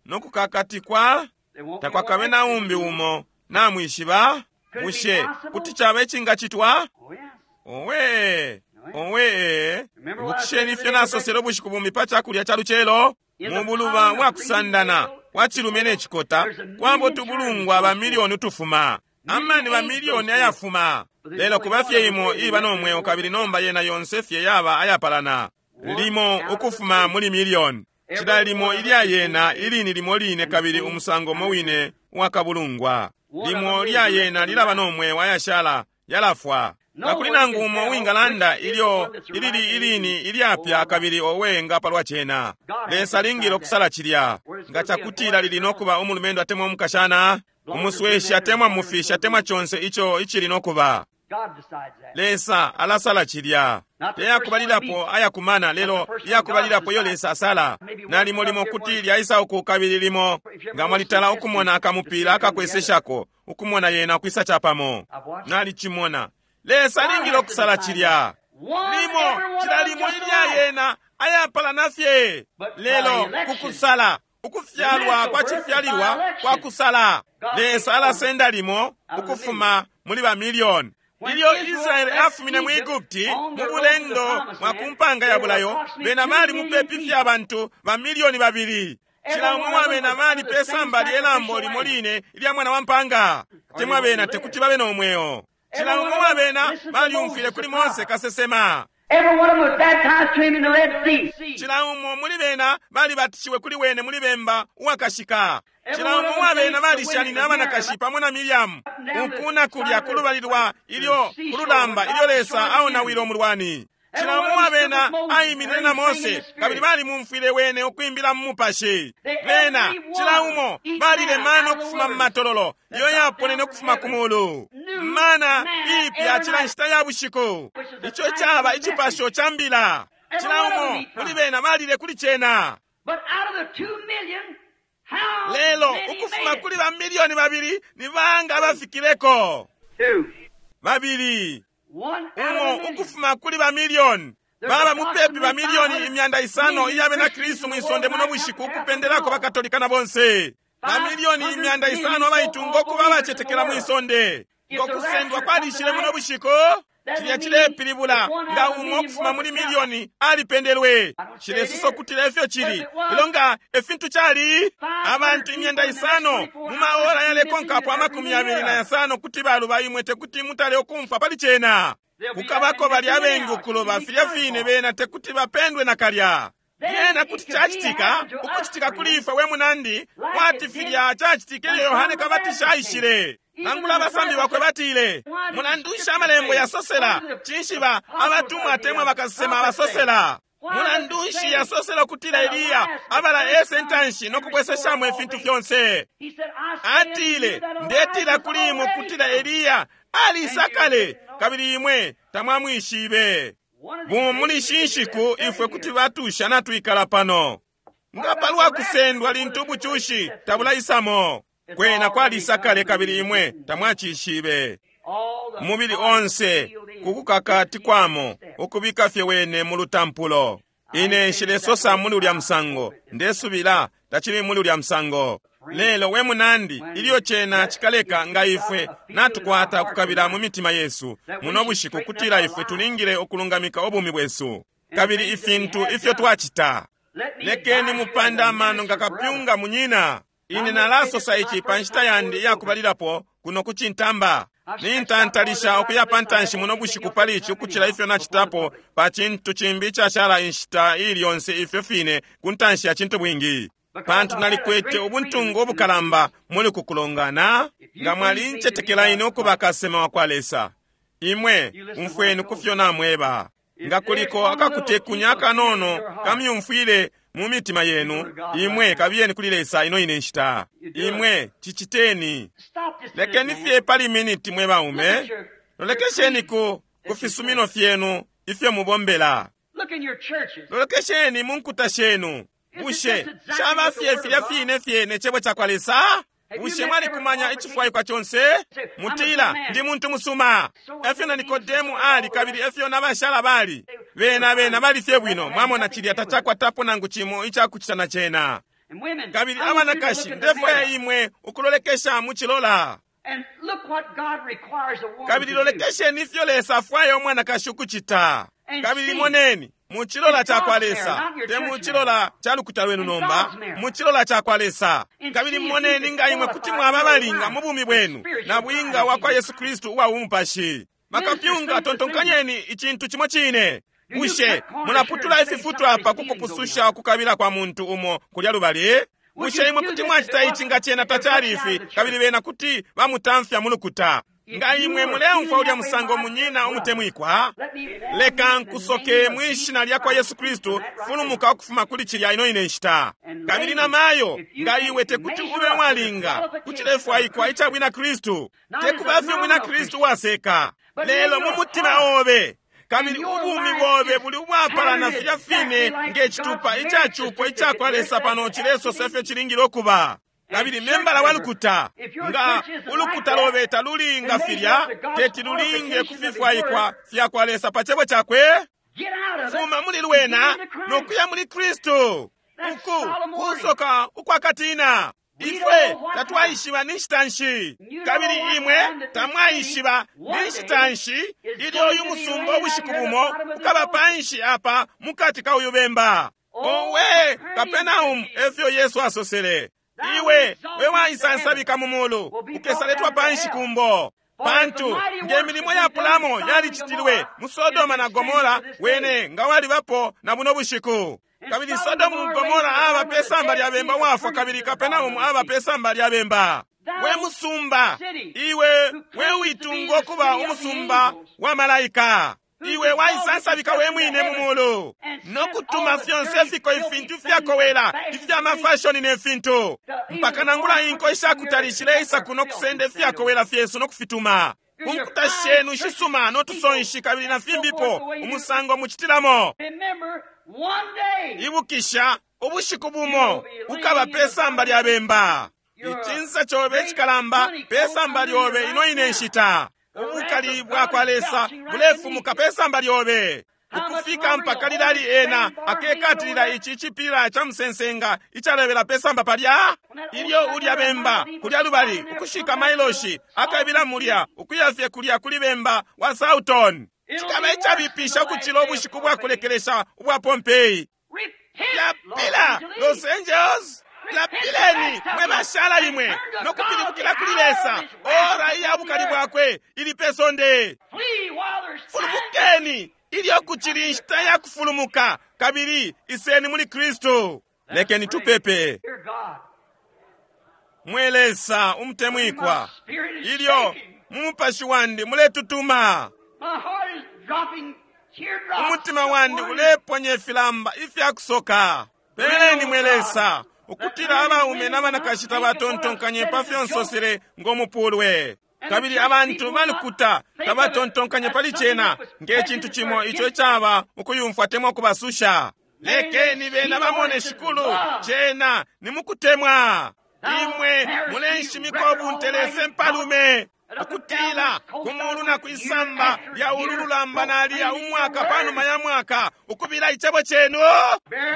no kukakatikwa? There won't be Takwakabe one na umbi umo namwishiba? Bushe kuti caba icingacitwa? Oh, yes. Owe! Owe, ibukisheni ifyo nasosele ubushiku bumbi pa cakulya ca lucelo? Mu buluba bwakusandana kwa cilume ne cikota, kwabo utubulungwa ba milioni utufuma, amani ba milioni ayafuma. Lelo kuba fye imo iba no mweo, kabili nomba yena yonse fye yaba ayapalana. Limo ukufuma muli milioni. Cila limo ilya yena ilini limo line kabili umusango umo wine uwakabulungwa. Limo lya yena lilaba no mweo, ayashala yalafwa. Takuli nangu umo uwingalanda ilyo ilili ilini ilyapya kabili owe nga palwa cena. Lesa alingile ukusala cilya. Nga cakutila lili nokuba umulumendo atemwa umukashana, umusweshi atemwa mufishi atemwa conse ico icili nokuba. God decides that. Lesa alasala cilya. Teyakubalilapo ayakumana, lelo iyakubalilapo iyo Lesa asala. Nalimo limo kuti lyaisa uku kabili limo nga mwalitala ukumona akamupila akakweseshako, ukumona yena ukwisa capamo. Nalicimona. Lesa alingile ukusala cilya. Limo cila limo ilya yena ayapalana fye, lelo kukusala ukufyalwa kwa cifyalilwa kwa kusala. Lesa alasenda limo ukufuma muli ba milioni. Ilyo Israeli afumine mu Egupti mu bulendo mwa ku mpanga ya bulayo, bena bali mupepi fye abantu ba milioni 2. Cila umo wa bena bali pe samba lye lambo limo line ilya mwana wa mpanga. Temwa bena tekuti babe no mweo. Cila umo wa bena balyumfwile kuli Mose kasesema. Every one of them was baptized to him in the Red Sea. Cila umo muli bena balibatishiwe kuli wene muli bemba uwakashika. Cila umo wa bena balishanine abanakashi pamo na Miriamu uku na kulya kulubali lwa ilyo kululamba ilyo Lesa aonawile umulwani. Cila umo wa bena aiminine na Mose kabili balimumfwile wene ukwimbila mu mupashi. Bena cila umo balile mana ukufuma mu matololo iyo yaponene ukufuma ku mulu. Mana iipya cila nshita ya bushiku. Ico caba icipasho ca mbila. Cila umo muli bena balile kuli cena. But out of the 2 million, how Lelo many ukufuma made it? kuli ba milioni 2 ni banga abafikileko? Two. 2. One out of a Umo million. ukufuma kuli ba milioni baba mupepi ba milioni 500 iya bena Kristu mwisonde muno bushiku ukupendelako bakatolika na bonse. Ba milioni 500 abaitunga ukuba abacetekela mwisonde. Ngo kusendwa kwalishile muno bushiku, cilya cilepilibula nga umo ukufuma muli milioni alipendelwe. Cilesosa ukutila ifyo cili, lelo nga efintu cali abantu 500 mu maora yalekonkapo 25 kuti baluba imwe tekuti mutale ukumfwa pali cena. Kukabako bali abengi ukuloba filya fine bena tekuti bapendwe nakalya. Lyena kuti cacitika ukucitika kuli ifwe we munandi kwati filya cacitike ilyo Yohane Kabatisha aishile. Nangula abasambi bakwe batile, mulandu nshi amalembo yasosela cinshi ba abatumwa atemwa bakasesema abasosela? Mulandu nshi yasosela ukutila Eliya abala ese ntanshi no kubweseshamo ifintu fyonse? He said, I say unto you Atile, that ndetila Elijah kuli imwe is ukutila already Eliya alisakale kabili imwe tamwamwishibe. One of these Bumo muli days ishi nshiku we will ifwe kuti batusha natwikala pano. Nga palwa kusendwa lintu ubucushi tabulaisamo. Kwena kwalisakale kabili imwe tamwacishibe. All the Umubili onse kukukakatikwamo ukubika fye wene mu lutampulo. Ine nshilesosa muli ulya musango, ndesubila tacili muli ulya musango. Lelo we munandi, ilyo cena cikaleka nga ifwe natukwata ukukabila mu mitima yesu muno bushiku kutila ifwe tulingile ukulungamika ubumi bwesu kabili ifintu ifyo twacita. Let me Lekeni advise you mupande as a amano nga minister brother. kapyunga munyina. Ine nalasosa ici pa nshita yandi iyakubalilapo kuno ku cintamba. Nintantalisha ukuya pa ntanshi muno bushiku pali ici ukucila ifyo nacitapo pa cintu cimbi icashala inshita iili yonse ifyo fine ku ntanshi ya cintu bwingi. Pantu nalikwete ubuntungu ubukalamba muli kukulongana, nga mwalincetekela ine ukuba kasema wa kwa Lesa. Imwe umfweni ku fyo namweba. Nga kuliko akakutekunya akanono kamyumfwile mu mitima yenu, imwe kabiyeni kuli Lesa ino ine nshita. Imwe ciciteni. Stop this minute, Lekeni man. fye pali miniti mwe baume. Lolekesheni ku fisumino fyenu ifyo mubombela. Look in your churches. Lolekesheni mu nkuta shenu. Bushe caba fye filya fine fye ne cebo ca kwa Lesa? Bushe mwalikumanya icifwaikwa conse? Mutila, ndi muntu musuma. Efyo na Nikodemu ali kabili efyo na bashala bali. Bena bena bali fye bwino, mwamona cilya tacakwatapo nangu cimo icakucita na cena. And women, Kabili I want you to abanakashi, look in the ndefwaya mirror. imwe ukulolekesha mu cilola. And look what God requires a woman Kabili to do. lolekesheni ifyo Lesa afwaya umwanakashi ukucita. Kabili moneni mu cilola ca kwa Lesa, te mu cilola ca lukuta lwenu nomba, mu cilola ca kwa Lesa. Kabili moneni nga imwe kuti mwaba abalinga mu bumi bwenu na bwinga wa kwa Yesu Kristu uwa umupashi. Bakapyunga, tontonkanyeni icintu cimo cine. Bushe mulaputula ififutwa apa kukupususha ukukabila kwa muntu umo kulya lubali? Bushe imwe kuti mwacita ici nga cena tacali ifi, kabili bena kuti bamutamfya mu lukuta? Nga imwe muleumfwa ulya musango, munyina umutemwikwa, Let me warn leka you in the nkusoke name of mwi Jesus shina lya kwa Christ Yesu Kristu, from that right fulumuka ukufuma kuli cilya ino ine nshita. Kabili na mayo, nga iwe tekuti ube mwalinga kucilefwaikwa ica bwina Kristu, tekuba fye umwina Kristu waseka, lelo mu mutima obe kabili ubumi bobe buli ubwapalana filya fine nge citupa icacupo ica kwa Lesa pano cilesosa ifyo cilingile ukuba. Kabili membala wa lukuta, nga ulukuta lobe talulinga filya, teti lulinge kufifwaikwa fya kwa Lesa pa cebo cakwe. Get out of it. Fuma muli lwena no kuya muli Kristu. Uku kusoka ukwakatina. Ifwe tatwaishiba ni nshita nshi, kabili imwe tamwaishiba ni nshita nshi ilyo uyu musumba ubushiku bumo ukaba panshi apa mukati ka uyu bemba. Owe Kapenaum, efyo Yesu asosele, iwe we waisansabika mu mulu ukesaletwa panshi kumbo. Pantu nge milimo ya pulamo yalicitilwe mu Sodoma na Gomora, wene nga walibapo na buno bushiku. Kabili Sodomu Gomora aba pe samba lya bemba wafwa, kabili Kapenaumu aba pe samba lya bemba. We musumba, iwe we uitunga ukuba umusumba wa malaika, iwe waisansabika we mwine mu mulu no kutuma fyonse fiko ifintu fyakowela ifya mafashoni ne fintu, mpaka nangula inko ishakutali shileisa kuno kusenda ifyakowela fyesu no kufituma kunkuta shenu shisuma no tusonshi kabili na fimbipo umusango mucitilamo. Remember, one day Ibukisha ubushiku bumo ukaba pe samba lya bemba. Icinsa cobe icikalamba pe samba lyobe ino ine nshita. Ubukali bwa kwa Lesa bulefumuka pe samba lyobe ukufika mpaka lilali ena akekatilila ici cipila ca musensenga icalebela pe samba palya. Ilyo ulya bemba kulya lubali ukushika mailoshi akabila mulya ukuya fye kulya kuli bemba wa Sauton. Cikaba icabipisha ukucila ubushiku bwa kulekelesha ubwa Pompeii. repent, Lapila Los Los Angeles, lapileni mwe bashala imwe no kupilibukila kuli Lesa. Ora iya bukali bwakwe ili pe sonde. Flee while there's time. Fulumukeni ilyo kucili inshita ya kufulumuka, kabili iseni muli Kristu. Lekeni tupepe. Dear God, Mwe Lesa umutemwikwa, my spirit is ilyo shaking. mu mupashi wandi muletutuma, My heart is dropping teardrops. umutima wandi uleponya ifilamba ifya kusoka. Peleni mwe Lesa ukutila abaume n'abanakashi tabatontonkanye pa fyo nsosele ngo mupulwe, kabili abantu balukuta tabatontonkanye pali cena nge cintu cimo ico icaba ukuyumfwa temwa kubasusha. Lekeni bena bamone Shikulu, cena ni mukutemwa. Imwe mulenshimika ubunte Lesa mpalume ukutila ku mulu na kwisamba lya ulu lulamba naliya umwaka panuma ya mwaka ukubila icebo cenu.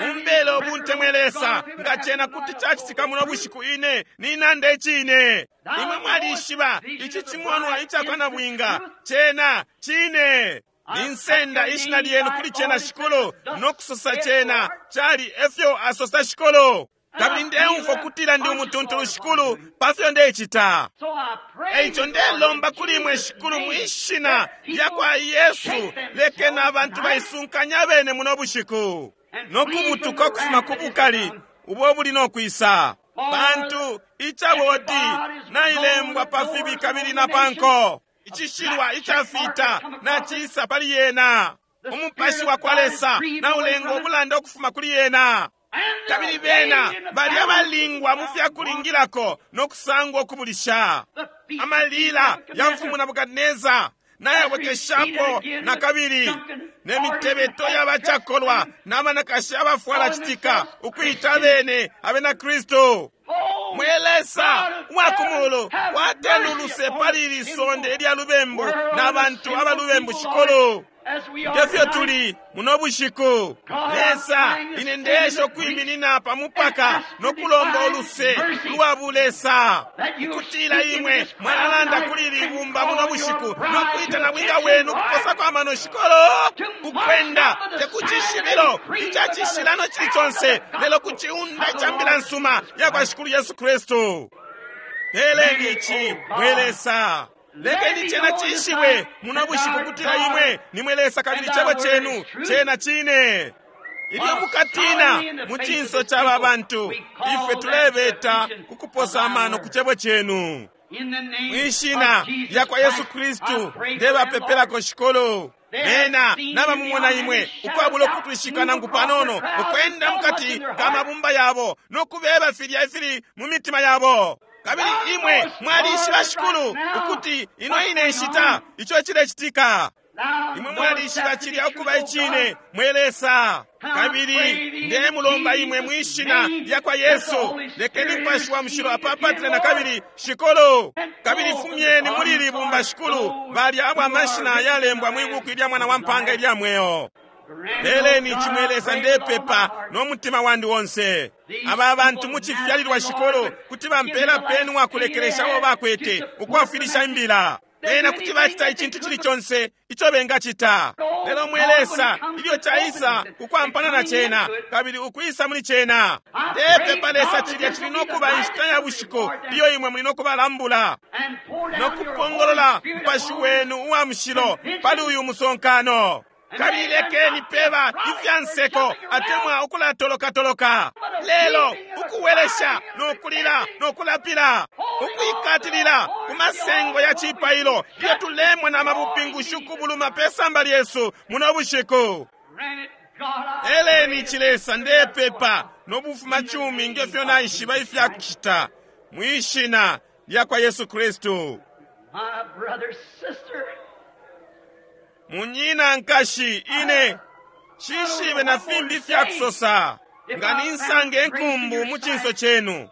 Mumbele ubunte mwe Lesa, nga cena kuti cacitika muno bushiku ine ninanda icine. Imwe mwalishiba ici cimonwa icakwa nabwinga cena cine. Ninsenda ishina lyenu kuli cena Shikulu, no kusosa cena cali efyo asosa Shikulu. Kabili ndeumfwa kutila ndi umutuntulu Shikulu pa fyo ndecita. So I pray Eico ndelomba kuli imwe Shikulu mu ishina lya kwa Yesu, lekeni abantu baisunkanya abene muno bushiku no kubutuka ukufuma ku bukali ubo buli no kwisa, pantu icabodi nailembwa pa fibi kabili na panko icishilwa icafita nacisa pali yena. Umupashi wa kwa Lesa naulenga ubulanda ukufuma kuli yena. Kabili bena bali abalingwa mu fya kulingilako no kusangwa ukubulisha. Amalila ya mfumu Nabukadineza nayabwekeshapo na kabili, ne mitebeto y'abacakolwa n'abanakashi abafwala citika ukwita abene abena Kristu. Mwe Lesa uwa ku mulu, wateni uluse pali ili sonde ilya lubembu na bantu abalubembu Shikulu. Nge fyo tuli muno bushiku, Lesa, ine ndeesha ukwiminina pa mupaka no kulomba uluse lwa bulesa, ukutila imwe mwalalanda kuli ili bumba muno bushiku no kwita nabwinga wenu ukuposako amano shikolo, ukwenda te ku cishibilo ica cishilano cili conse, lelo ku ciunda ica mbila nsuma ya kwa Shikulu Yesu Kristu. Peleni ici, mwe Lesa. Lekeni cena cishibwe muno bushiku kutila imwe nimwe Lesa kabili cebo cenu cena cine. Ilyo mukatina mu cinso ca ba bantu, ifwe tulebeta kukuposa amano ku cebo cenu. Mwishina lya kwa Yesu Kristu ndebapepelako shikolo. Bena nabamumona imwe ukwabula ukutwishika nangu panono, ukwenda mukati ka mabumba yabo no kubeba filya ifili mu mitima yabo. Kabili imwe mwalishiba shikulu ukuti ino ine nshita ico cilecitika. Imwe mwalishiba cilya ukuba icine, mwe Lesa. Kabili ndemulomba imwe mwishina lya kwa Yesu, lekeni Mupashi wa Mushilo apapatile na kabili shikulu. Kabili fumyeni muli ili bumba shikulu balya abo amashina yalembwa mwi buku ilya mwana wa mpanga ilya mweo. Peleni ici mwe Lesa, ndepepa no mutima wandi onse. Aba bantu mu cifyalilwa shikulu kuti bampela peni wakulekelesha uo bakwete ukwafwilisha imbila. Bena kuti bacita icintu cili conse ico bengacita. Lelo mwe Lesa, ilyo caisa ukwampana na cena kabili ukwisa muli cena, ndepepa Lesa cilya cili no kuba inshita ya bushiku iyo imwe muli no kubalambula no kupongolola Mupashi wenu uwa mushilo pali uyu musonkano. Kabili lekeni peba ifya nseko atemwa ukulatolokatoloka, lelo ukuwelesha no kulila no kulapila, ukwikatilila ku masengo ya cipailo ilyo tulemwa na mabupingushi ukubuluma pe samba lyesu muno bushiku. Eleni cilesa, ndepepa no bufuma cumi nge fyo naishiba ifya kucita mwishina lya kwa Yesu Kristu. Munyina nkashi, ine shishibe na fimbi ifya kusosa, nga ninsange nkumbu mu cinso cenu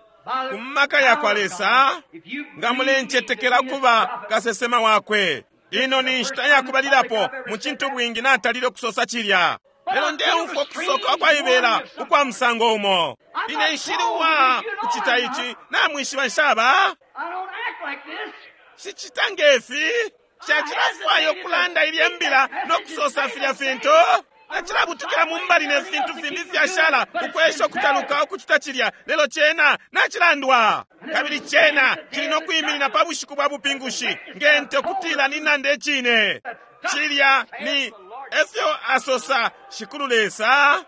ku maka ya kwa Lesa, nga mulencetekela kuba kasesema wakwe. Ino ni nshita ya kubalilapo mu cintu bwingi natalile ukusosa cilya, lelo ndeumfwa ukusoka ukwaibela ukwa musango umo. Ine nshili uwa kucita ici, namwishiba nshaba sicita ngefi. Nshacilafwaya ukulanda ilye mbila no kusosa filya fintu. Nacilabutukila mu mbali ne fintu fimbi fyashala ukwesha ukutaluka ukucita cilya, lelo cena nacilandwa. Kabili cena cili no kwiminina pa bushiku bwa bupingushi nge nte ukutila ninanda icine. Cilya ni efyo asosa Shikulu Lesa.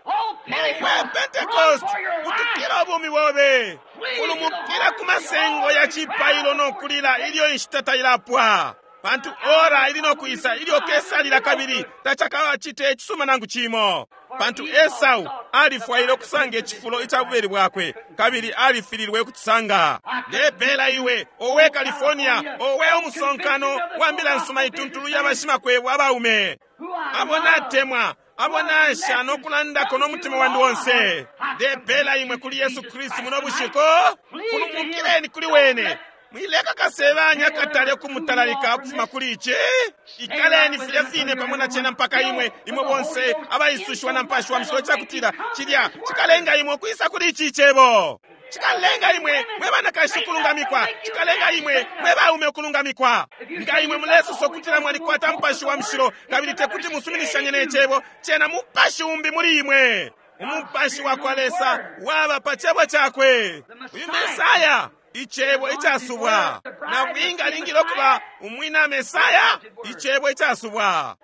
Mwe Pentecost, butukila ubumi bobe, fulumukila ku masengo ya cipailo no kulila ilyo inshita tailapwa. Pantu ora ili no kwisa ilyo kesalila kabili tacakacite icisuma nangu cimo. Pantu Esau alifwaile ukusanga icifulo ica bubeli bwakwe kabili alifililwe ukucisanga. Ndepela iwe, owe California, owe umusonkano wa mbila nsuma ituntulu ya bashimakwebo abaume, abo natemwa, abo nasha no kulandako no mutima wandi onse. Ndepela imwe kuli Yesu Kristu muno bushiku. Fulumukileni kuli wene. Mwileka kasebanya katale ukumutalalika ukufuma kuli ici. Ikaleni filya fine pamo na cena mpaka imwe imwe bonse abaisushiwa na Mupashi wa Mushilo, cakutila cilya cikalenga imwe ukwisa kuli ici cebo. Cikalenga imwe mwe banakashi ukulungamikwa, cikalenga imwe mwe baume ukulungamikwa. Nga imwe mulesosa ukutila mwalikwata Mupashi wa Mushilo kabili tekuti musuminishanye ne cebo, cena mupashi umbi muli imwe. Umupashi wa kwa Lesa waba pa cebo cakwe. Uyu Mesaya, icebo icasubwa. Nabwinga alingile ukuba umwina Mesaya, icebo icasubwa.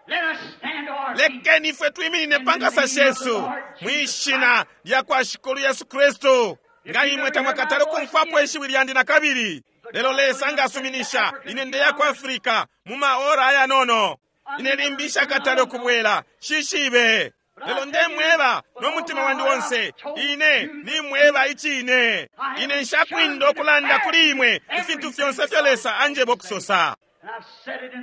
Lekeni ifwe twiminine pa nkasa shesu mwishina lya kwa Shikulu Yesu Kristu. Nga imwe tamwakatale ukumfwapo ishiwi lyandi na kabili, lelo Lesa ngasuminisha ine ndeya ku Afrika mu maora ayanono. Ine limbi nshakatale ukubwela, shishibe. Lelo ndemweba no mutima wandi onse, ine nimweba icine. Ine nshakwinda ukulanda kuli imwe ifintu fyonse fyo Lesa anjeba ukusosa.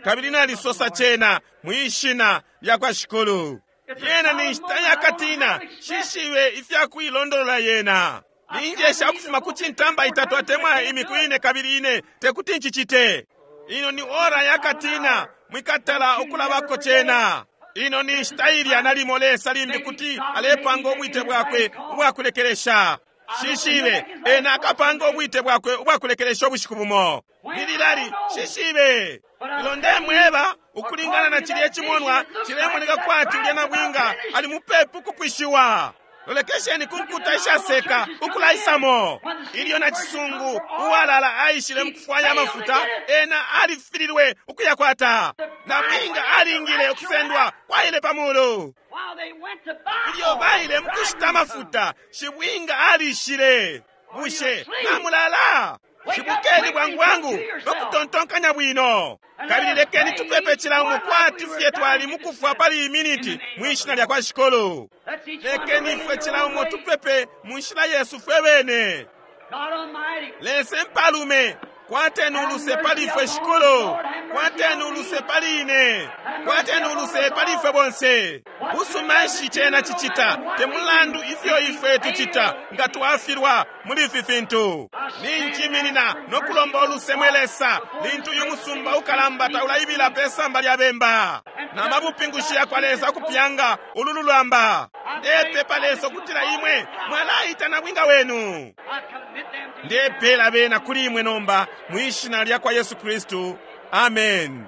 Kabili nalisosa cena mwishina lya kwa Shikulu. Yena ni nshita yakatina, shishibe ifya kuilondolola yena. Ninjesha ukufuma ku cintamba itatu atemwa imiku ine kabili ine tekuti ncicite. Ino ni ora yakatina, mwikatala ukulabako cena. Ino ni nshita ilya nalimo Lesa limbi kuti alepanga ubwite bwakwe ubwakulekelesha. Shishibe, ena akapanga ubwite bwakwe ubwakulekelesha ubushiku bumo. Lililali, shishibe. Lelo ndemweba, ukulingana na cilya cimonwa, cilemoneka kwati ulya nabwinga ali mupepi ukupwishiwa. Lolekesheni ku nkuta ishaseka ukulaisamo. Ilyo na cisungu uwalala aishile mukufwaya amafuta, ena alifililwe ukuyakwata. Nabwinga alingile ukusendwa kwaile pa mulu. While they went to buy Ilyo oil, baile mukushita amafuta, shibwinga alishile. Bushe namulala? Shibukeni bwangu bwangu no kutontonkanya bwino. Kabili lekeni tupepe cila umo kwati fye twali mukufwa pali iyi miniti mwi shina lya kwa Shikulu. Let's each one Lekeni pray ifwe in cila our umo own way. tupepe mu nshila yesu fwe bene. God Almighty, Lesa mpalume, kwateni uluse pali ifwe Shikulu, kwateni uluse pali ine, kwateni uluse pali ifwe bonse. Busuma nshi cena cicita, te mulandu ifyo ifwe tucita nga twafilwa muli ifi fintu. Ninjiminina no kulomba uluse mwe Lesa, lintu uyu musumba ukalamba taulaibila pe samba lya bemba. Na mabupingushi ya kwa Lesa ukupyanga ulu lulamba. Ndepepa Lesa ukutila imwe mwalaita nabwinga wenu. I commit them to you. Ndepela bena kuli imwe nomba mwi shina lya kwa Yesu Kristu. Amen.